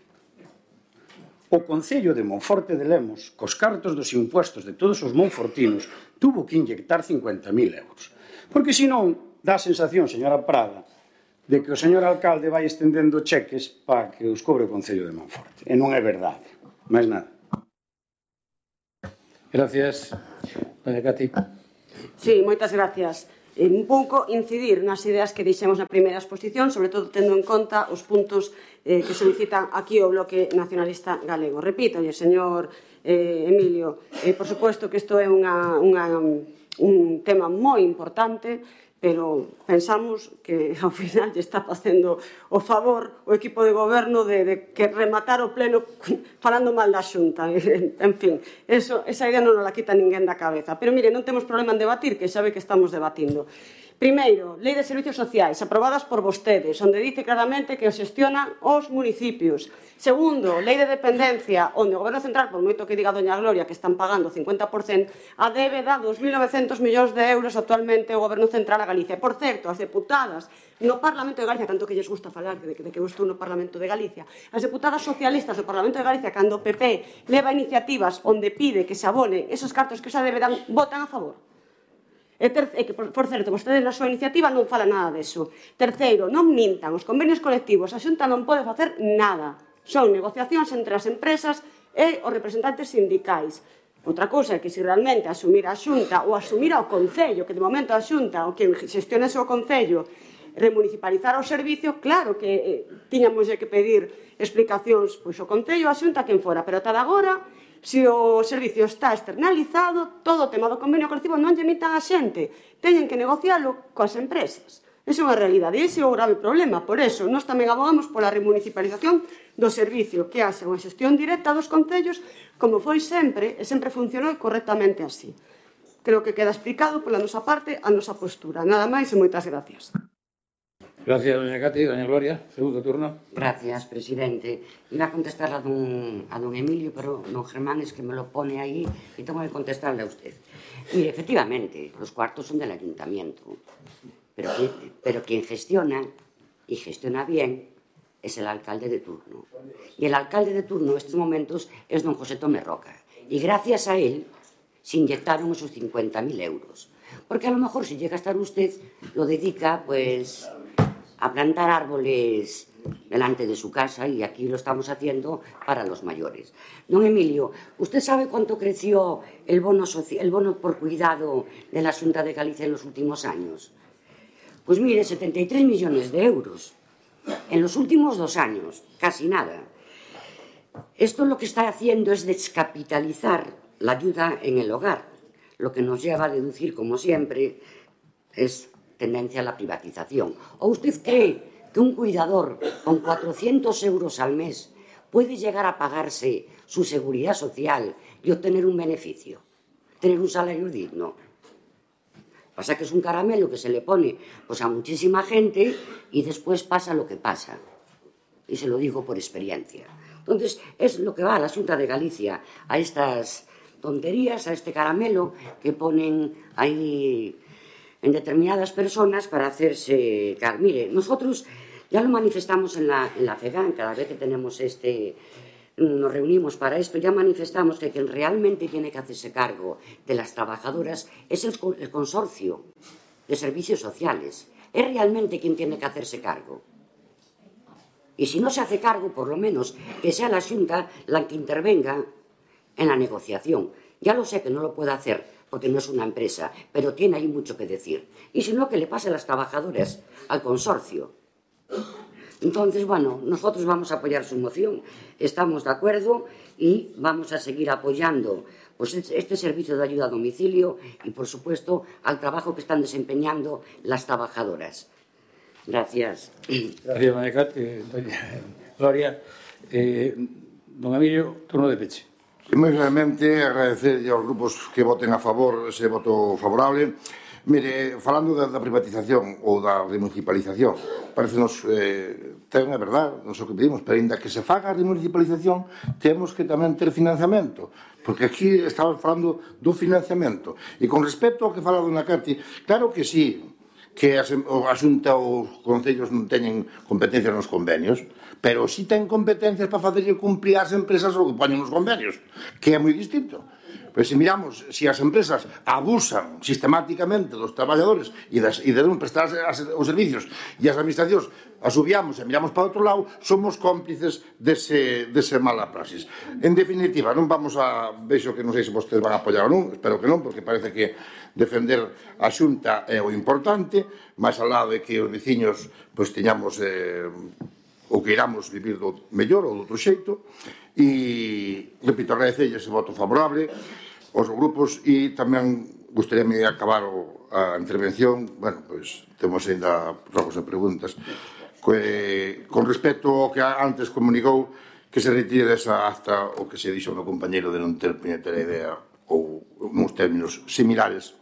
O Concello de Monforte de Lemos, cos cartos dos impuestos de todos os monfortinos, tuvo que inyectar cincuenta mil euros. Porque senón, dá a sensación, señora Prada, de que o señor alcalde vai estendendo cheques para que os cobre o Concello de Monforte. E non é verdade. Máis nada. Gracias. Doña Cati. Sí, moitas gracias. Un pouco incidir nas ideas que dixemos na primeira exposición, sobre todo tendo en conta os puntos eh, que solicitan aquí o Bloque Nacionalista Galego. Repito, señor eh, Emilio, eh, por suposto que isto é unha, unha, un tema moi importante, pero pensamos que ao final lle está facendo o favor o equipo de goberno de, de que rematar o pleno falando mal da Xunta. En fin, eso, esa idea non nos la quita ninguén da cabeza. Pero mire, non temos problema en debatir, que sabe que estamos debatindo. Primeiro, Lei de Servicios Sociais, aprobadas por vostedes, onde dice claramente que os xestionan os municipios. Segundo, Lei de Dependencia, onde o Goberno Central, por moito que diga doña Gloria que están pagando o cincuenta por cento, a débeda dos mil novecientos millóns de euros actualmente o Goberno Central a Galicia. Por certo, as deputadas no Parlamento de Galicia, tanto que lles gusta falar de que, de que eu estou no Parlamento de Galicia, as deputadas socialistas do Parlamento de Galicia, cando o P P leva iniciativas onde pide que se abonen esos cartos que xa debedan, votan a favor. E, ter, e que, por, por certo, vostedes na súa iniciativa non fala nada deso. Terceiro, non mintan, os convenios colectivos, a Xunta non pode facer nada. Son negociacións entre as empresas e os representantes sindicais. Outra cousa é que se realmente asumir a Xunta ou asumir ao Concello, que de momento a Xunta, ou quen xestione o Concello, remunicipalizar o servicio, claro que eh, tiñamos que pedir explicacións pois o Concello, a Xunta, quen fora, pero ata agora, se o servicio está externalizado, todo o tema do convenio colectivo non lle mitan a xente, teñen que negocialo coas empresas. Esa é unha realidade, e ese é o grave problema. Por eso, nós tamén abogamos pola remunicipalización do servicio, que haxa unha xestión directa dos concellos, como foi sempre, e sempre funcionou correctamente así. Creo que queda explicado pola nosa parte a nosa postura. Nada máis e moitas gracias. Gracias, doña Cati. Doña Gloria, segundo turno. Gracias, presidente. Iba a contestar a don, a don Emilio, pero don Germán es que me lo pone ahí y tengo que contestarle a usted. Mire, efectivamente, los cuartos son del ayuntamiento, pero, pero quien gestiona, y gestiona bien, es el alcalde de turno. Y el alcalde de turno en estos momentos es don José Tomé Roca. Y gracias a él se inyectaron esos cincuenta mil euros. Porque a lo mejor si llega a estar usted, lo dedica, pues, a plantar árboles delante de su casa, y aquí lo estamos haciendo para los mayores. Don Emilio, ¿usted sabe cuánto creció el bono, el bono por cuidado de la Xunta de Galicia en los últimos años? Pues mire, setenta y tres millones de euros. En los últimos dos años, casi nada. Esto lo que está haciendo es descapitalizar la ayuda en el hogar, lo que nos lleva a deducir, como siempre, es tendencia a la privatización. ¿O usted cree que un cuidador con cuatrocientos euros al mes puede llegar a pagarse su seguridad social y obtener un beneficio, tener un salario digno? Pasa que es un caramelo que se le pone pues, a muchísima gente y después pasa lo que pasa. Y se lo digo por experiencia. Entonces, es lo que va a la Xunta de Galicia, a estas tonterías, a este caramelo que ponen ahí en determinadas personas para hacerse... Mire, nosotros ya lo manifestamos en la, en la FEGAN, cada vez que tenemos este... nos reunimos para esto, ya manifestamos que quien realmente tiene que hacerse cargo de las trabajadoras es el, el consorcio de servicios sociales. Es realmente quien tiene que hacerse cargo. Y si no se hace cargo, por lo menos que sea la Xunta la que intervenga en la negociación. Ya lo sé que no lo puede hacer porque no es una empresa, pero tiene ahí mucho que decir. Y si no, que le pase a las trabajadoras al consorcio. Entonces, bueno, nosotros vamos a apoyar su moción, estamos de acuerdo y vamos a seguir apoyando pues, este servicio de ayuda a domicilio y, por supuesto, al trabajo que están desempeñando las trabajadoras. Gracias. Gracias, Manecat. Eh, doña Gloria. Eh, don Emilio, turno de peche. Moi brevemente, agradecer aos grupos que voten a favor ese voto favorable. Mire, falando da, da privatización ou da remunicipalización, parecenos, eh, ten a verdade, non sei o que pedimos, pero ainda que se faga a remunicipalización, temos que tamén ter financiamento, porque aquí estamos falando do financiamento. E con respecto ao que fala Dona Cati, claro que sí, que a Xunta ou os concellos non teñen competencias nos convenios, pero si ten competencias para facerlle cumplir as empresas o que poñen nos convenios, que é moi distinto. Pero se miramos, se as empresas abusan sistemáticamente dos traballadores e, das, e de non prestar as, os servicios e as administracións asubiamos e miramos para outro lado, somos cómplices dese, dese mala praxis. En definitiva, non vamos a... Vexo que non sei se vostedes van a apoiar ou non, espero que non, porque parece que defender a Xunta é o importante, máis ao lado de que os veciños pois, teñamos... Eh, ou que iramos vivir do mellor ou do outro xeito e, repito, agradecerlle ese voto favorable aos grupos e tamén gustaríame acabar o, a intervención, bueno, pois temos ainda rogos e preguntas que, con respecto ao que antes comunicou que se retire desa acta o que se dixo o meu compañeiro de non ter puñetera idea ou nos términos similares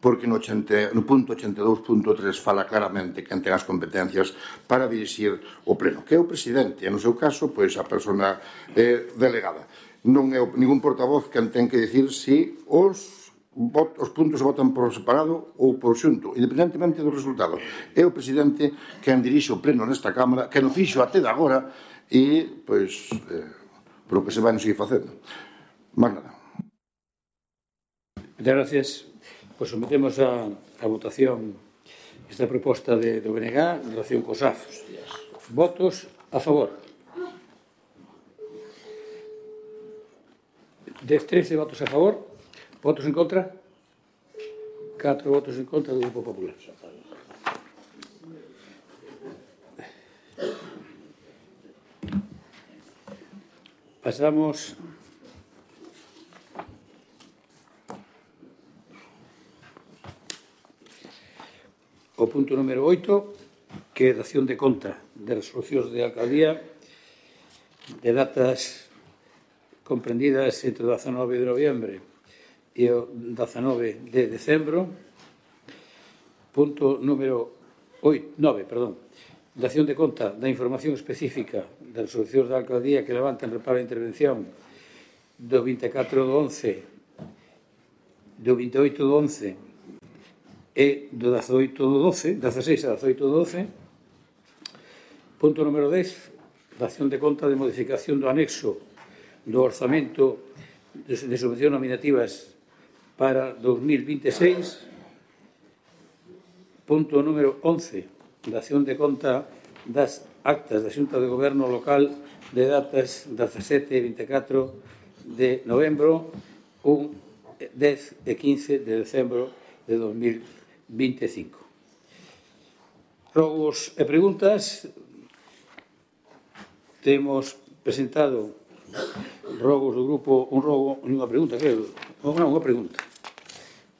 porque no, ochenta, no punto ochenta e dous punto tres fala claramente quen ten as competencias para dirixir o pleno, que é o presidente, e no seu caso, pois a persona eh, delegada. Non é ningún portavoz quen ten que dicir se os, os puntos se votan por separado ou por xunto, independentemente do resultado. É o presidente quen dirixe o pleno nesta Cámara, que non fixo até de agora, e, pois, eh, por o que se vai non seguir facendo. Más nada. Muchas gracias. Pois sometemos a, a votación esta proposta de, do B N G en relación cos A F Os. Votos a favor. De trece votos a favor. Votos en contra. catro votos en contra do Grupo Popular. Pasamos o punto número oito, que é dación de conta de resolucións de alcaldía de datas comprendidas entre o dezanove de noviembre e o dezanove de decembro. Punto número nove, perdón. Dación de conta da información específica de resolucións da alcaldía que levantan reparo a intervención do vinte e catro do once, do vinte e oito do once e do dezaoito do doce, dezaseis a dezaoito do doce. Punto número dez, dación de conta de modificación do anexo do orzamento de subvencións nominativas para dos mil vinte e seis. Punto número once, dación de conta das actas da Xunta de Goberno local de datas dezasete e vinte e catro de novembro, un dez e quince de decembro de dos mil vinte e cinco. Rogos e preguntas. Temos presentado rogos do grupo, un rogo, unha pregunta, creo, non, unha pregunta,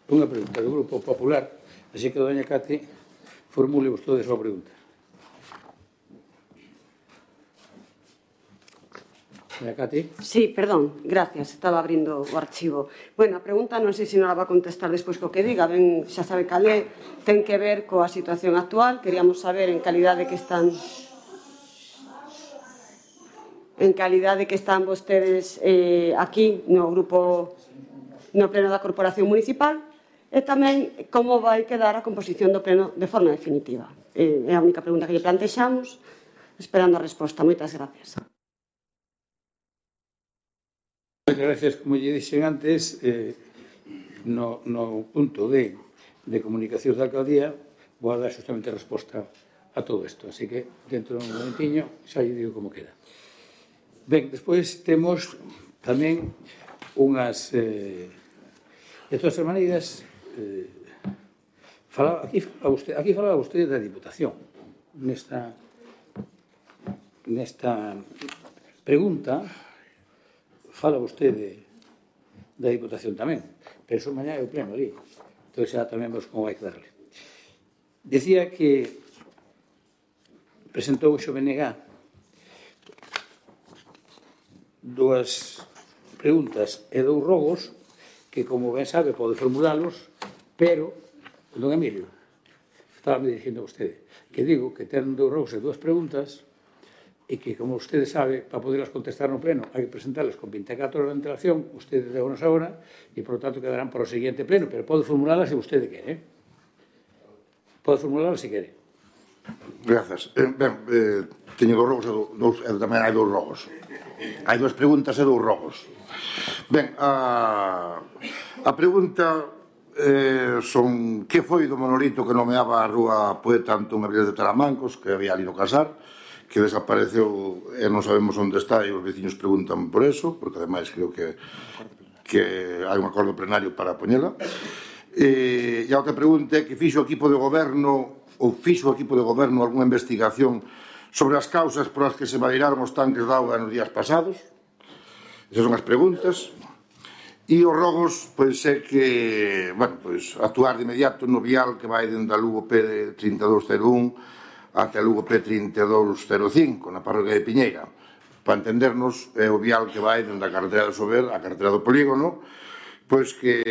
unha pregunta do Grupo Popular, así que, doña Cati, formule vostedes a pregunta. Doña Cati? Sí, perdón, gracias, estaba abrindo o archivo. Bueno, a pregunta non sei se non la va a contestar despois co que diga, ben, xa sabe cal é, ten que ver coa situación actual, queríamos saber en calidade que están en calidade que están vostedes eh, aquí no grupo, no pleno da Corporación Municipal, e tamén como vai quedar a composición do pleno de forma definitiva. Eh, é a única pregunta que lle plantexamos, esperando a resposta. Moitas gracias. Moitas gracias, como lle dixen antes, eh, no, no punto de, de comunicacións da alcaldía vou a dar justamente a resposta a todo isto, así que dentro de un momentiño xa lle digo como queda. Ben, despois temos tamén unhas eh, de todas as maneiras eh, fala, aquí, falaba usted, aquí falaba usted da Diputación nesta nesta pregunta fala vostede da Diputación tamén, pero eso mañá é o pleno ali, entón xa tamén vos como vai quedarle. Decía que presentou o X O B N G dúas preguntas e dous rogos que, como ben sabe, pode formulalos, pero, don Emilio, estaba me dirigindo a vostede, que digo que ten dous rogos e dúas preguntas e que, como vostede sabe, para poderlas contestar no pleno, hai que presentarlas con vinte e catro horas de antelación, vostede deu unas ahora, e, por lo tanto, quedarán para o seguinte pleno, pero pode formulalas se vostede quere. Pode formulalas se quere. Grazas. Eh, ben, eh, teño dous rogos e, dous, e tamén hai dous rogos. Hai dúas preguntas e dous rogos. Ben, a, a pregunta eh, son que foi do monolito que nomeaba a rúa Poeta Antón Abril de Taramancos, que había ali no Casar, que desapareceu e non sabemos onde está e os veciños preguntan por eso, porque ademais creo que, que hai un acordo plenario para poñela. E, e a outra pregunta é que fixo o equipo de goberno ou fixo o equipo de goberno algunha investigación sobre as causas por as que se vairaron os tanques de auga nos días pasados. Esas son as preguntas. E os rogos, pois é que, bueno, pois actuar de inmediato no vial que vai dende a Lugo P trinta e dous cero un até a Lugo P trinta e dous cero cinco, na parroquia de Piñeira. Para entendernos, é o vial que vai dende a carretera do Sober á carretera do Polígono, pois que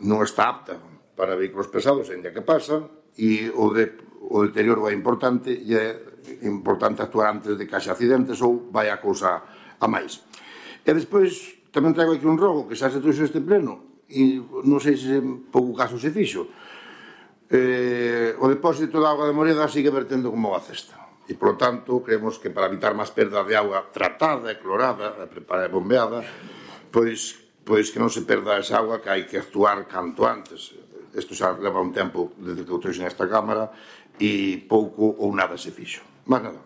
non está apta para vehículos pesados, ainda que pasan, e o, de, o deterioro é importante e é importante actuar antes de que haxa accidentes ou vai a cousa a máis. E despois tamén traigo aquí un rogo que xa se trouxe este pleno e non sei se en pouco caso se fixo. Eh, o depósito de auga de Moreda sigue vertendo como a cesta e, por lo tanto, creemos que para evitar máis perda de auga tratada e clorada e preparada e bombeada, pois, pois que non se perda esa auga, que hai que actuar canto antes. Isto xa leva un tempo desde que o trouxe nesta Cámara e pouco ou nada se fixo. Mas nada.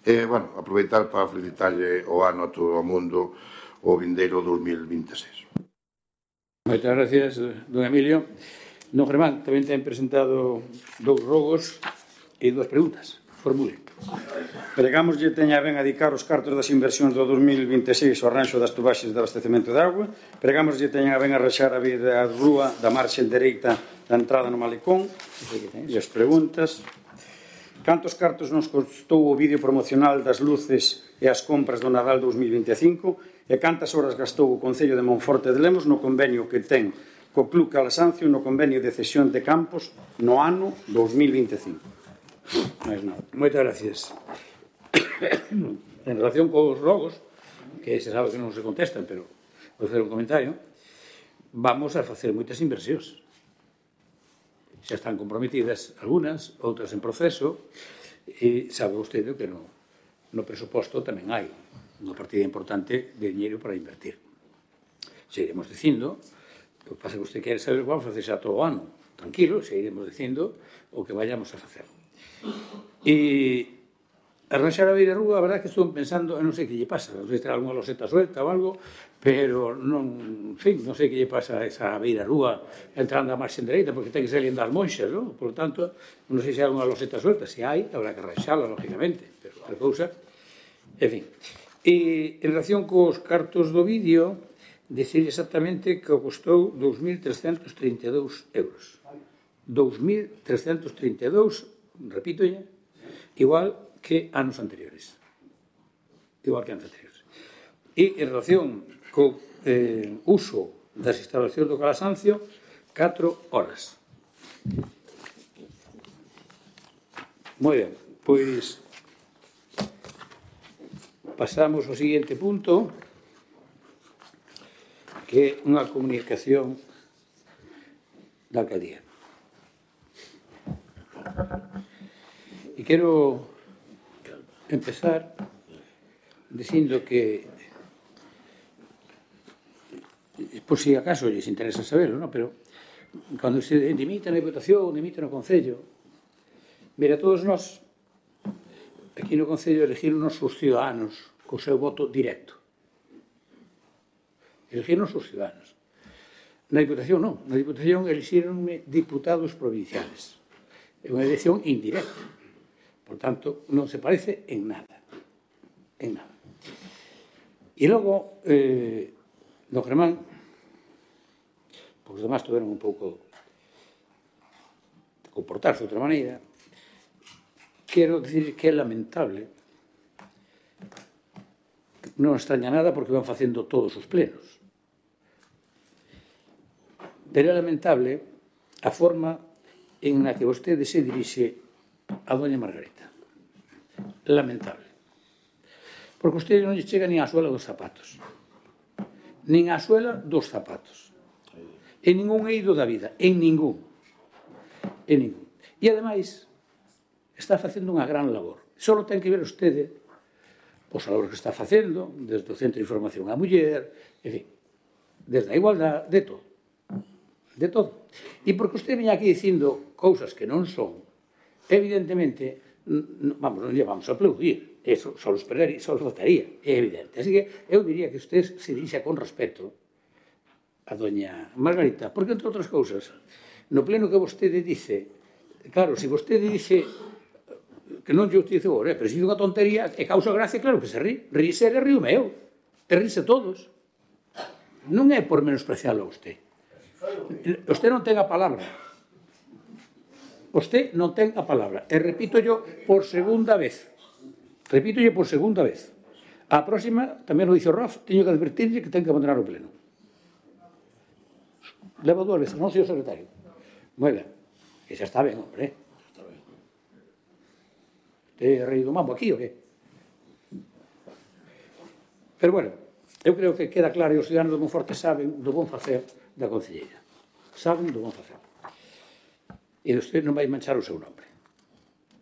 E, bueno, aproveitar para felicitarlle o ano a todo o mundo o vindeiro dos mil vinte e seis. Moitas gracias, don Emilio. Don Germán tamén ten presentado dous rogos e dúas preguntas. Formule. Pregamos lle teña ben a dedicar os cartos das inversións do dos mil vinte e seis ao arranxo das tubaxes de abastecemento de auga. Pregamos lle teña ben a rexar a vida a rúa da marxe dereita da entrada no malecón. E as preguntas. Cantos cartos nos costou o vídeo promocional das luces e as compras do Nadal dos mil vinte e cinco? E cantas horas gastou o Concello de Monforte de Lemos no convenio que ten co Club Calasancio no convenio de cesión de campos no ano dos mil vinte e cinco? Mais nada. Moitas gracias. En relación cos rogos, que se sabe que non se contestan, pero vou facer un comentario, vamos a facer moitas inversións. Xa están comprometidas algunhas, outras en proceso, e sabe vostede que no, no presuposto tamén hai unha partida importante de dinheiro para invertir. Se iremos dicindo, o que pasa que usted quere saber que vamos a facer xa todo o ano. Tranquilo, se iremos dicindo o que vayamos a facer. E arranxar a beira rúa, a verdade que estou pensando, non sei que lle pasa, non sei se terá alguna loseta suelta ou algo, pero non, en fin, non sei que lle pasa a esa beira rúa entrando a marxen dereita, porque ten que ser das monxas, non? Por lo tanto, non sei se hai alguna loseta suelta, se hai, habrá que arranxala, lógicamente, pero outra cousa, en fin. E en relación cos cartos do vídeo, decir exactamente que costou dous mil trescentos trinta e dous euros. dous mil trescentos trinta e dous, repito ya, igual que anos anteriores. Igual que anos anteriores. E en relación co eh, uso das instalacións do Calasancio, catro horas. Moi ben, pois pasamos ao seguinte punto, que é unha comunicación da alcaldía. E quero empezar dicindo que, por si acaso lles interesa saberlo, ¿no? Pero cando se dimite na Diputación, dimite no Concello, mira, todos nós aquí no Concello elegiron os ciudadanos co seu voto directo. Elegiron os ciudadanos. Na Diputación non, na Diputación elixironme diputados provinciales. É unha elección indirecta. Por tanto, non se parece en nada. En nada. E logo, eh, do Germán, porque os demás tuveron un pouco de comportarse de outra maneira, quero dicir que é lamentable, non extraña nada porque van facendo todos os plenos, pero é lamentable a forma en a que vostede se dirixe a doña Margarita. Lamentable. Porque vostede non lle chega nin a suela dos zapatos. Nin a suela dos zapatos. En ningún eido da vida. En ningún. En ningún. E, ademais, está facendo unha gran labor. Só ten que ver vostede pois a labor que está facendo, desde o Centro de Información á Muller, en fin, desde a igualdade, de todo. De todo. E porque usted viña aquí dicindo cousas que non son, evidentemente, vamos, non lle vamos a aplaudir. Eso só os esperaría, só os votaría, é evidente. Así que eu diría que usted se dirixa con respeto a doña Margarita, porque, entre outras cousas, no pleno que vostede dice, claro, se vostede dice que non lle utilice agora, pero se dice unha tontería e causa gracia, claro que se rí. Ríse e río meu. E ríse todos. Non é por menosprecialo a usted. Usted non ten a palabra. Usted non ten a palabra. E repito yo por segunda vez. Repito yo por segunda vez. A próxima, tamén lo dice o Raf, teño que advertirlle que ten que abandonar o pleno. Levo dúas veces, non, señor secretario. Moi ben. Que xa está ben, hombre. Te rei do mambo aquí, o que? Pero, bueno, eu creo que queda claro e os ciudadanos do Monforte saben do bon facer da concelleira. Saben do bon facer. E usted non vai manchar o seu nome.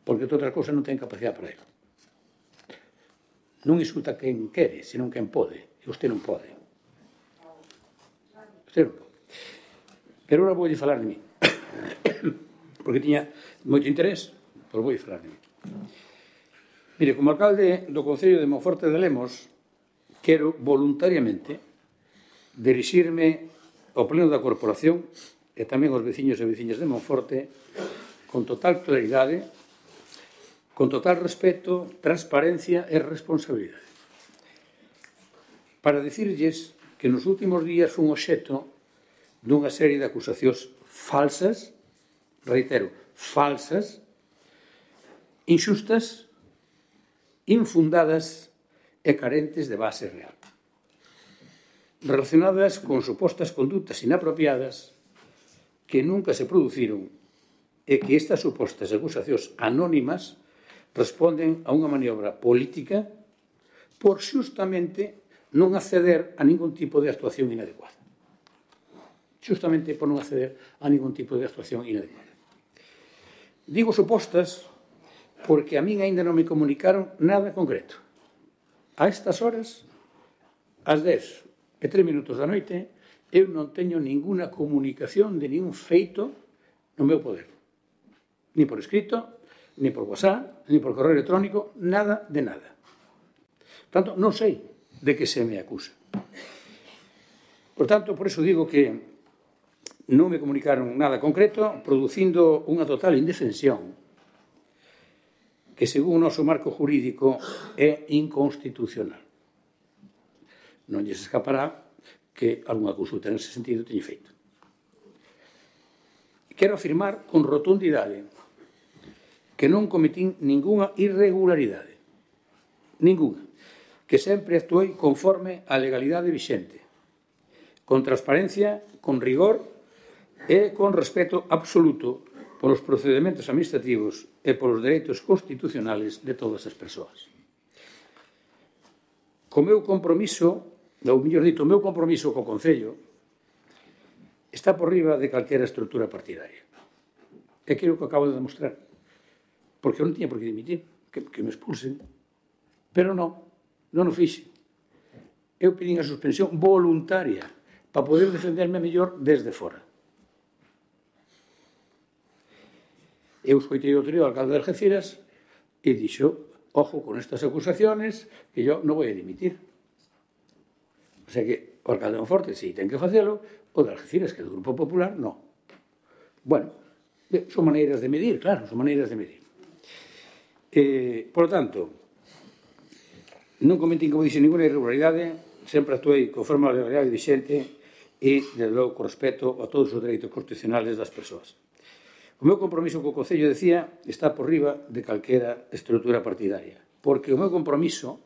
Porque outra cousa non ten capacidade para ele. Non insulta quen quere, senón quen pode. E usted non pode. Usted non pode. Pero agora vou falar de mí. Porque tiña moito interés, pois vou falar de mí. Mire, como alcalde do Concello de Monforte de Lemos, quero voluntariamente dirixirme ao pleno da corporación e tamén aos veciños e veciñas de Monforte con total claridade, con total respeto, transparencia e responsabilidade. Para dicirlles que nos últimos días fun obxecto dunha serie de acusacións falsas, reitero, falsas, inxustas, infundadas e carentes de base real, relacionadas con supostas condutas inapropiadas que nunca se produciron e que estas supostas acusacións anónimas responden a unha maniobra política por xustamente non acceder a ningún tipo de actuación inadecuada. Xustamente por non acceder a ningún tipo de actuación inadecuada. Digo supostas porque a min ainda non me comunicaron nada concreto. A estas horas, ás dez e tres minutos da noite, eu non teño ninguna comunicación de ningún feito no meu poder. Ni por escrito, ni por WhatsApp, ni por correo electrónico, nada de nada. Por tanto, non sei de que se me acusa. Por tanto, por eso digo que non me comunicaron nada concreto, producindo unha total indefensión que, según o noso marco jurídico, é inconstitucional. Non lles escapará que algunha consulta nese sentido teñe feito. Quero afirmar con rotundidade que non cometín ninguna irregularidade, ninguna, que sempre actuei conforme á legalidade vixente, con transparencia, con rigor e con respeto absoluto polos procedementos administrativos e polos dereitos constitucionales de todas as persoas. Co meu compromiso, ou mellor dito, o meu compromiso co Concello está por riba de calquera estrutura partidaria. É aquilo que acabo de demostrar. Porque eu non tiña por que dimitir, que, que me expulsen. Pero non, non o fixe. Eu pedín a suspensión voluntaria para poder defenderme mellor desde fora. Eu escoitei outro día ao alcalde de Algeciras e dixo, ojo con estas acusaciones, que yo non voy a dimitir. O sea que o alcalde de Monforte, si ten que facelo, o de Algeciras, que é do Grupo Popular, non. Bueno, son maneiras de medir, claro, son maneiras de medir. Eh, por lo tanto, non cometín, como dixe, ninguna irregularidade, sempre actuei conforme a legalidade vigente e, desde logo, con respeto a todos os dereitos constitucionales das persoas. O meu compromiso co Concello, decía, está por riba de calquera estrutura partidaria, porque o meu compromiso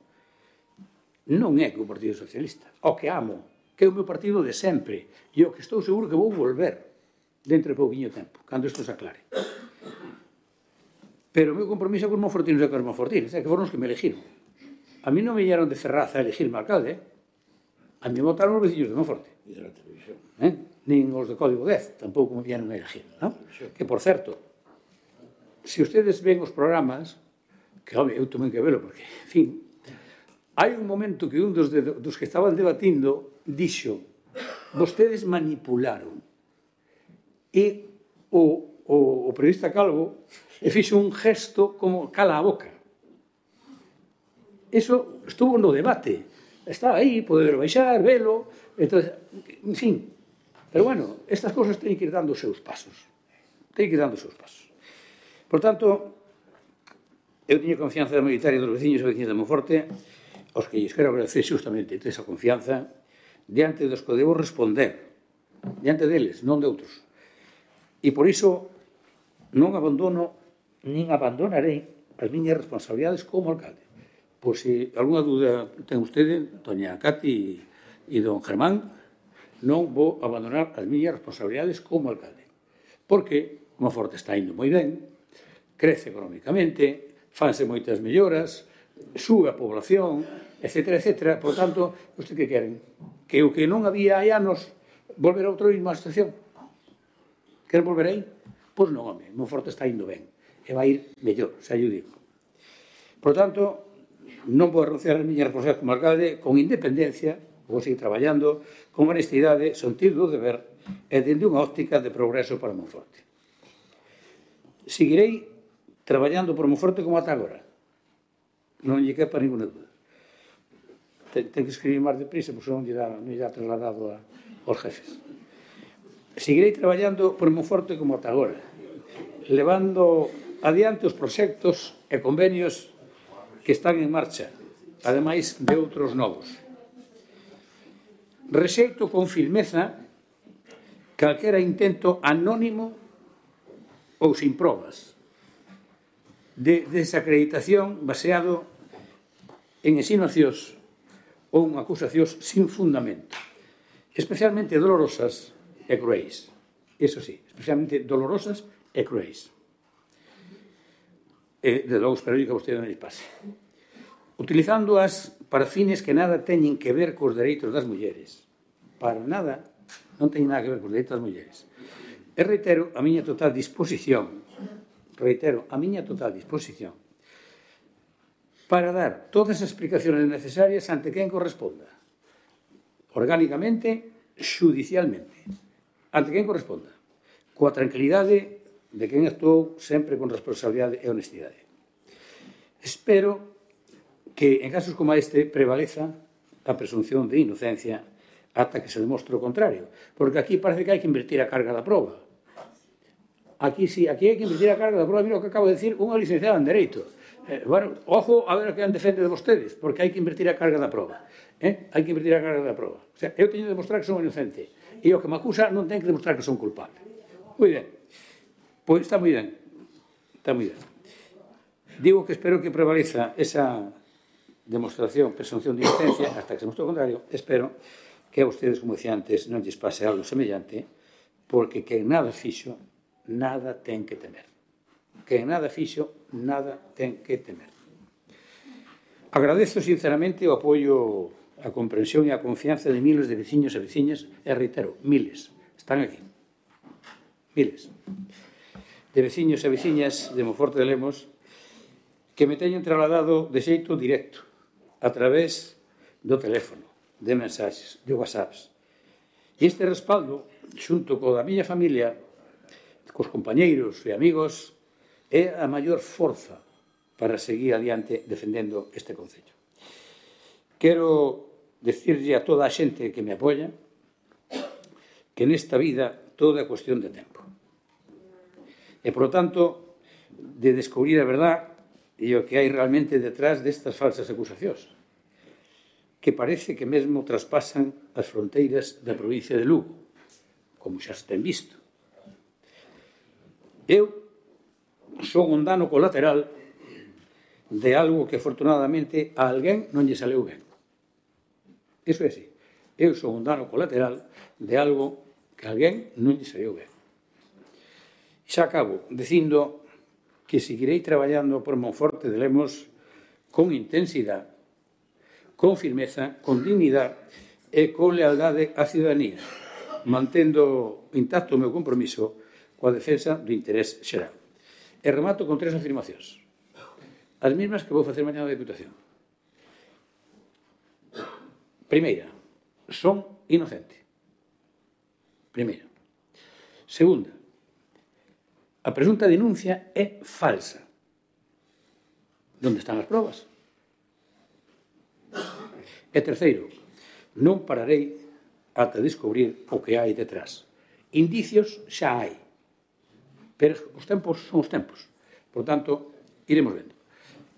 non é co Partido Socialista, o que amo, que é o meu partido de sempre, e o que estou seguro que vou volver dentro de pouquinho tempo, cando isto se aclare. Pero o meu compromiso é con os monfortinos e con os monfortinos, é que foron os que me elegiron. A mí non me viñeron de Ferraz a elegirme alcalde, a mí me votaron os veciños de Monforte. E de la televisión. Eh? Nin os de Código dez, tampouco me viñeron a elegir. ¿No? Que, por certo, se ustedes ven os programas, que, home, eu tamén que velo, porque, en fin, hai un momento que un dos, de, dos que estaban debatindo dixo, vostedes manipularon. E o, o, o periodista Calvo e fixo un gesto como cala a boca. Eso estuvo no debate. Está aí, poder baixar, velo, entonces, en fin. Pero bueno, estas cosas teñen que ir dando os seus pasos. Teñen que ir dando os seus pasos. Por tanto, eu teño confianza mayoritaria dos veciños e veciñas de Monforte, aos que lles quero agradecer justamente esa confianza, diante dos que debo responder, diante deles, non de outros. E por iso non abandono, nin abandonarei as miñas responsabilidades como alcalde. Por se alguna dúda ten vostede, doña Cati e don Germán, non vou abandonar as miñas responsabilidades como alcalde. Porque Monforte está indo moi ben, crece económicamente, fanse moitas melloras, sube a población, etcétera, etcétera. Por tanto, usted que queren? Que o que non había hai anos, volver a outra mesma situación? Queren volver aí? Pois non, home, Monforte está indo ben. E vai ir mellor, xa yo digo. Por tanto, non vou renunciar as miñas responsabilidades como alcalde con independencia, vou seguir traballando con honestidade, sentido do deber e dende unha óptica de progreso para Monforte. Seguirei traballando por Monforte como ata agora. Non lle quepa ninguna dúda. Ten, ten que escribir máis deprisa, porque non lle dá, non lle dá trasladado a, aos jefes. Seguirei traballando por Monforte como ata agora, levando adiante os proxectos e convenios que están en marcha, ademais de outros novos. Rexeito con firmeza calquera intento anónimo ou sin probas de desacreditación baseado en insinuacións ou en acusacións sin fundamento, especialmente dolorosas e cruéis. Eso sí, especialmente dolorosas e cruéis. E, de logo, espero que a vostede non lhe pase. Utilizándoas para fines que nada teñen que ver cos dereitos das mulleres. Para nada, non teñen nada que ver cos dereitos das mulleres. E reitero a miña total disposición, reitero a miña total disposición, para dar todas as explicaciones necesarias ante quen corresponda. Orgánicamente, xudicialmente. Ante quen corresponda. Coa tranquilidade de quen actuou sempre con responsabilidade e honestidade. Espero que en casos como este prevaleza a presunción de inocencia ata que se demostre o contrario, porque aquí parece que hai que invertir a carga da proba. Aquí sí, aquí hai que invertir a carga da proba. Mira o que acabo de decir unha licenciada en Dereito. Eh, bueno, ojo a ver a que defende de vostedes, porque hai que invertir a carga da proba. Eh? Hai que invertir a carga da proba. O sea, eu teño de demostrar que son inocente e o que me acusa non ten que demostrar que son culpable. Moi ben. Pois está moi ben. Está moi ben. Digo que espero que prevaleza esa demostración, presunción de inocencia, hasta que se demostre o contrario. Espero que a vostedes, como decía antes, non lles pase algo semellante, porque quen nada fixo, nada ten que temer. Quen nada fixo, nada ten que temer. Agradezo sinceramente o apoio, a comprensión e a confianza de miles de veciños e veciñas, e reitero, miles, están aquí. Miles. De veciños e veciñas de Monforte de Lemos que me teñen trasladado de xeito directo, a través do teléfono, de mensaxes, de whatsapps. E este respaldo, xunto co da miña familia, cos compañeiros e amigos, é a maior forza para seguir adiante defendendo este concello. Quero decirlle a toda a xente que me apoia que nesta vida todo é cuestión de tempo. E, por lo tanto, de descubrir a verdade e o que hai realmente detrás destas falsas acusacións, que parece que mesmo traspasan as fronteiras da provincia de Lugo, como xa se ten visto. Eu son un dano colateral de algo que, afortunadamente, a alguén non lle saleu ben. Iso é así. Eu son un dano colateral de algo que a alguén non lle saleu ben. Xa acabo dicindo que seguirei traballando por Monforte de Lemos con intensidade, con firmeza, con dignidade e con lealdade á ciudadanía, mantendo intacto o meu compromiso coa defensa do interés xeral. E remato con tres afirmacións, as mesmas que vou facer mañá na Deputación. Primeira, son inocente. Primeira. Segunda, a presunta denuncia é falsa. Onde están as probas? E terceiro, non pararei ata descubrir o que hai detrás. Indicios xa hai, pero os tempos son os tempos. Por tanto, iremos vendo.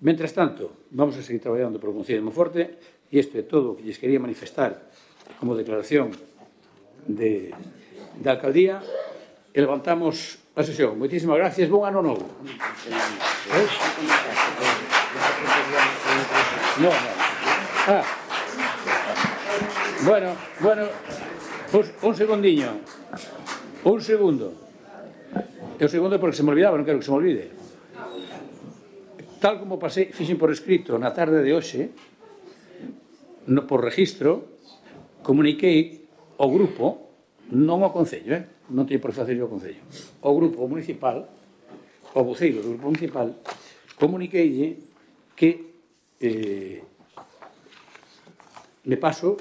Mentras tanto, vamos a seguir traballando por o Concello de Monforte, e isto é todo o que lles quería manifestar como declaración de, de alcaldía, e levantamos a sesión. Moitísimas gracias, bon ano novo. Eh? No, no. Ah. Bueno, bueno, pues un segundiño, un segundo. E o segundo é porque se me olvidaba, non quero que se me olvide. Tal como pasei, fixen por escrito na tarde de hoxe, no, por registro, comuniquei ao grupo, non ao Concello, eh? non teño por que facer ao Concello, ao grupo municipal, ao voceiro do grupo municipal, comuniqueille que eh, me paso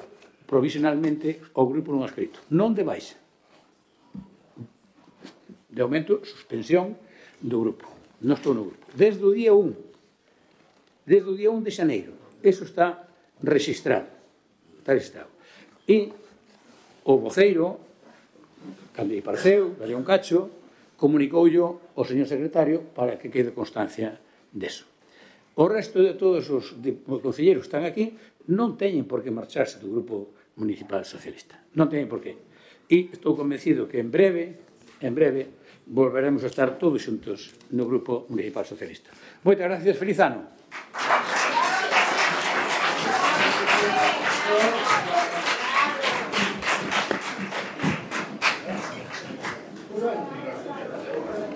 provisionalmente ao grupo non escrito, non de baixa. De aumento, suspensión do grupo. Non estou no grupo. Desde o día un, desde o día un de xaneiro, eso está registrado. Está registrado. E o voceiro, cando lle pareceu, dalle un cacho, comunicoulle ao señor secretario para que quede constancia deso. O resto de todos os concelleiros que están aquí non teñen por que marcharse do grupo municipal socialista. Non teñen por que. E estou convencido que en breve, en breve, volveremos a estar todos xuntos no grupo municipal socialista. Moitas gracias, feliz ano.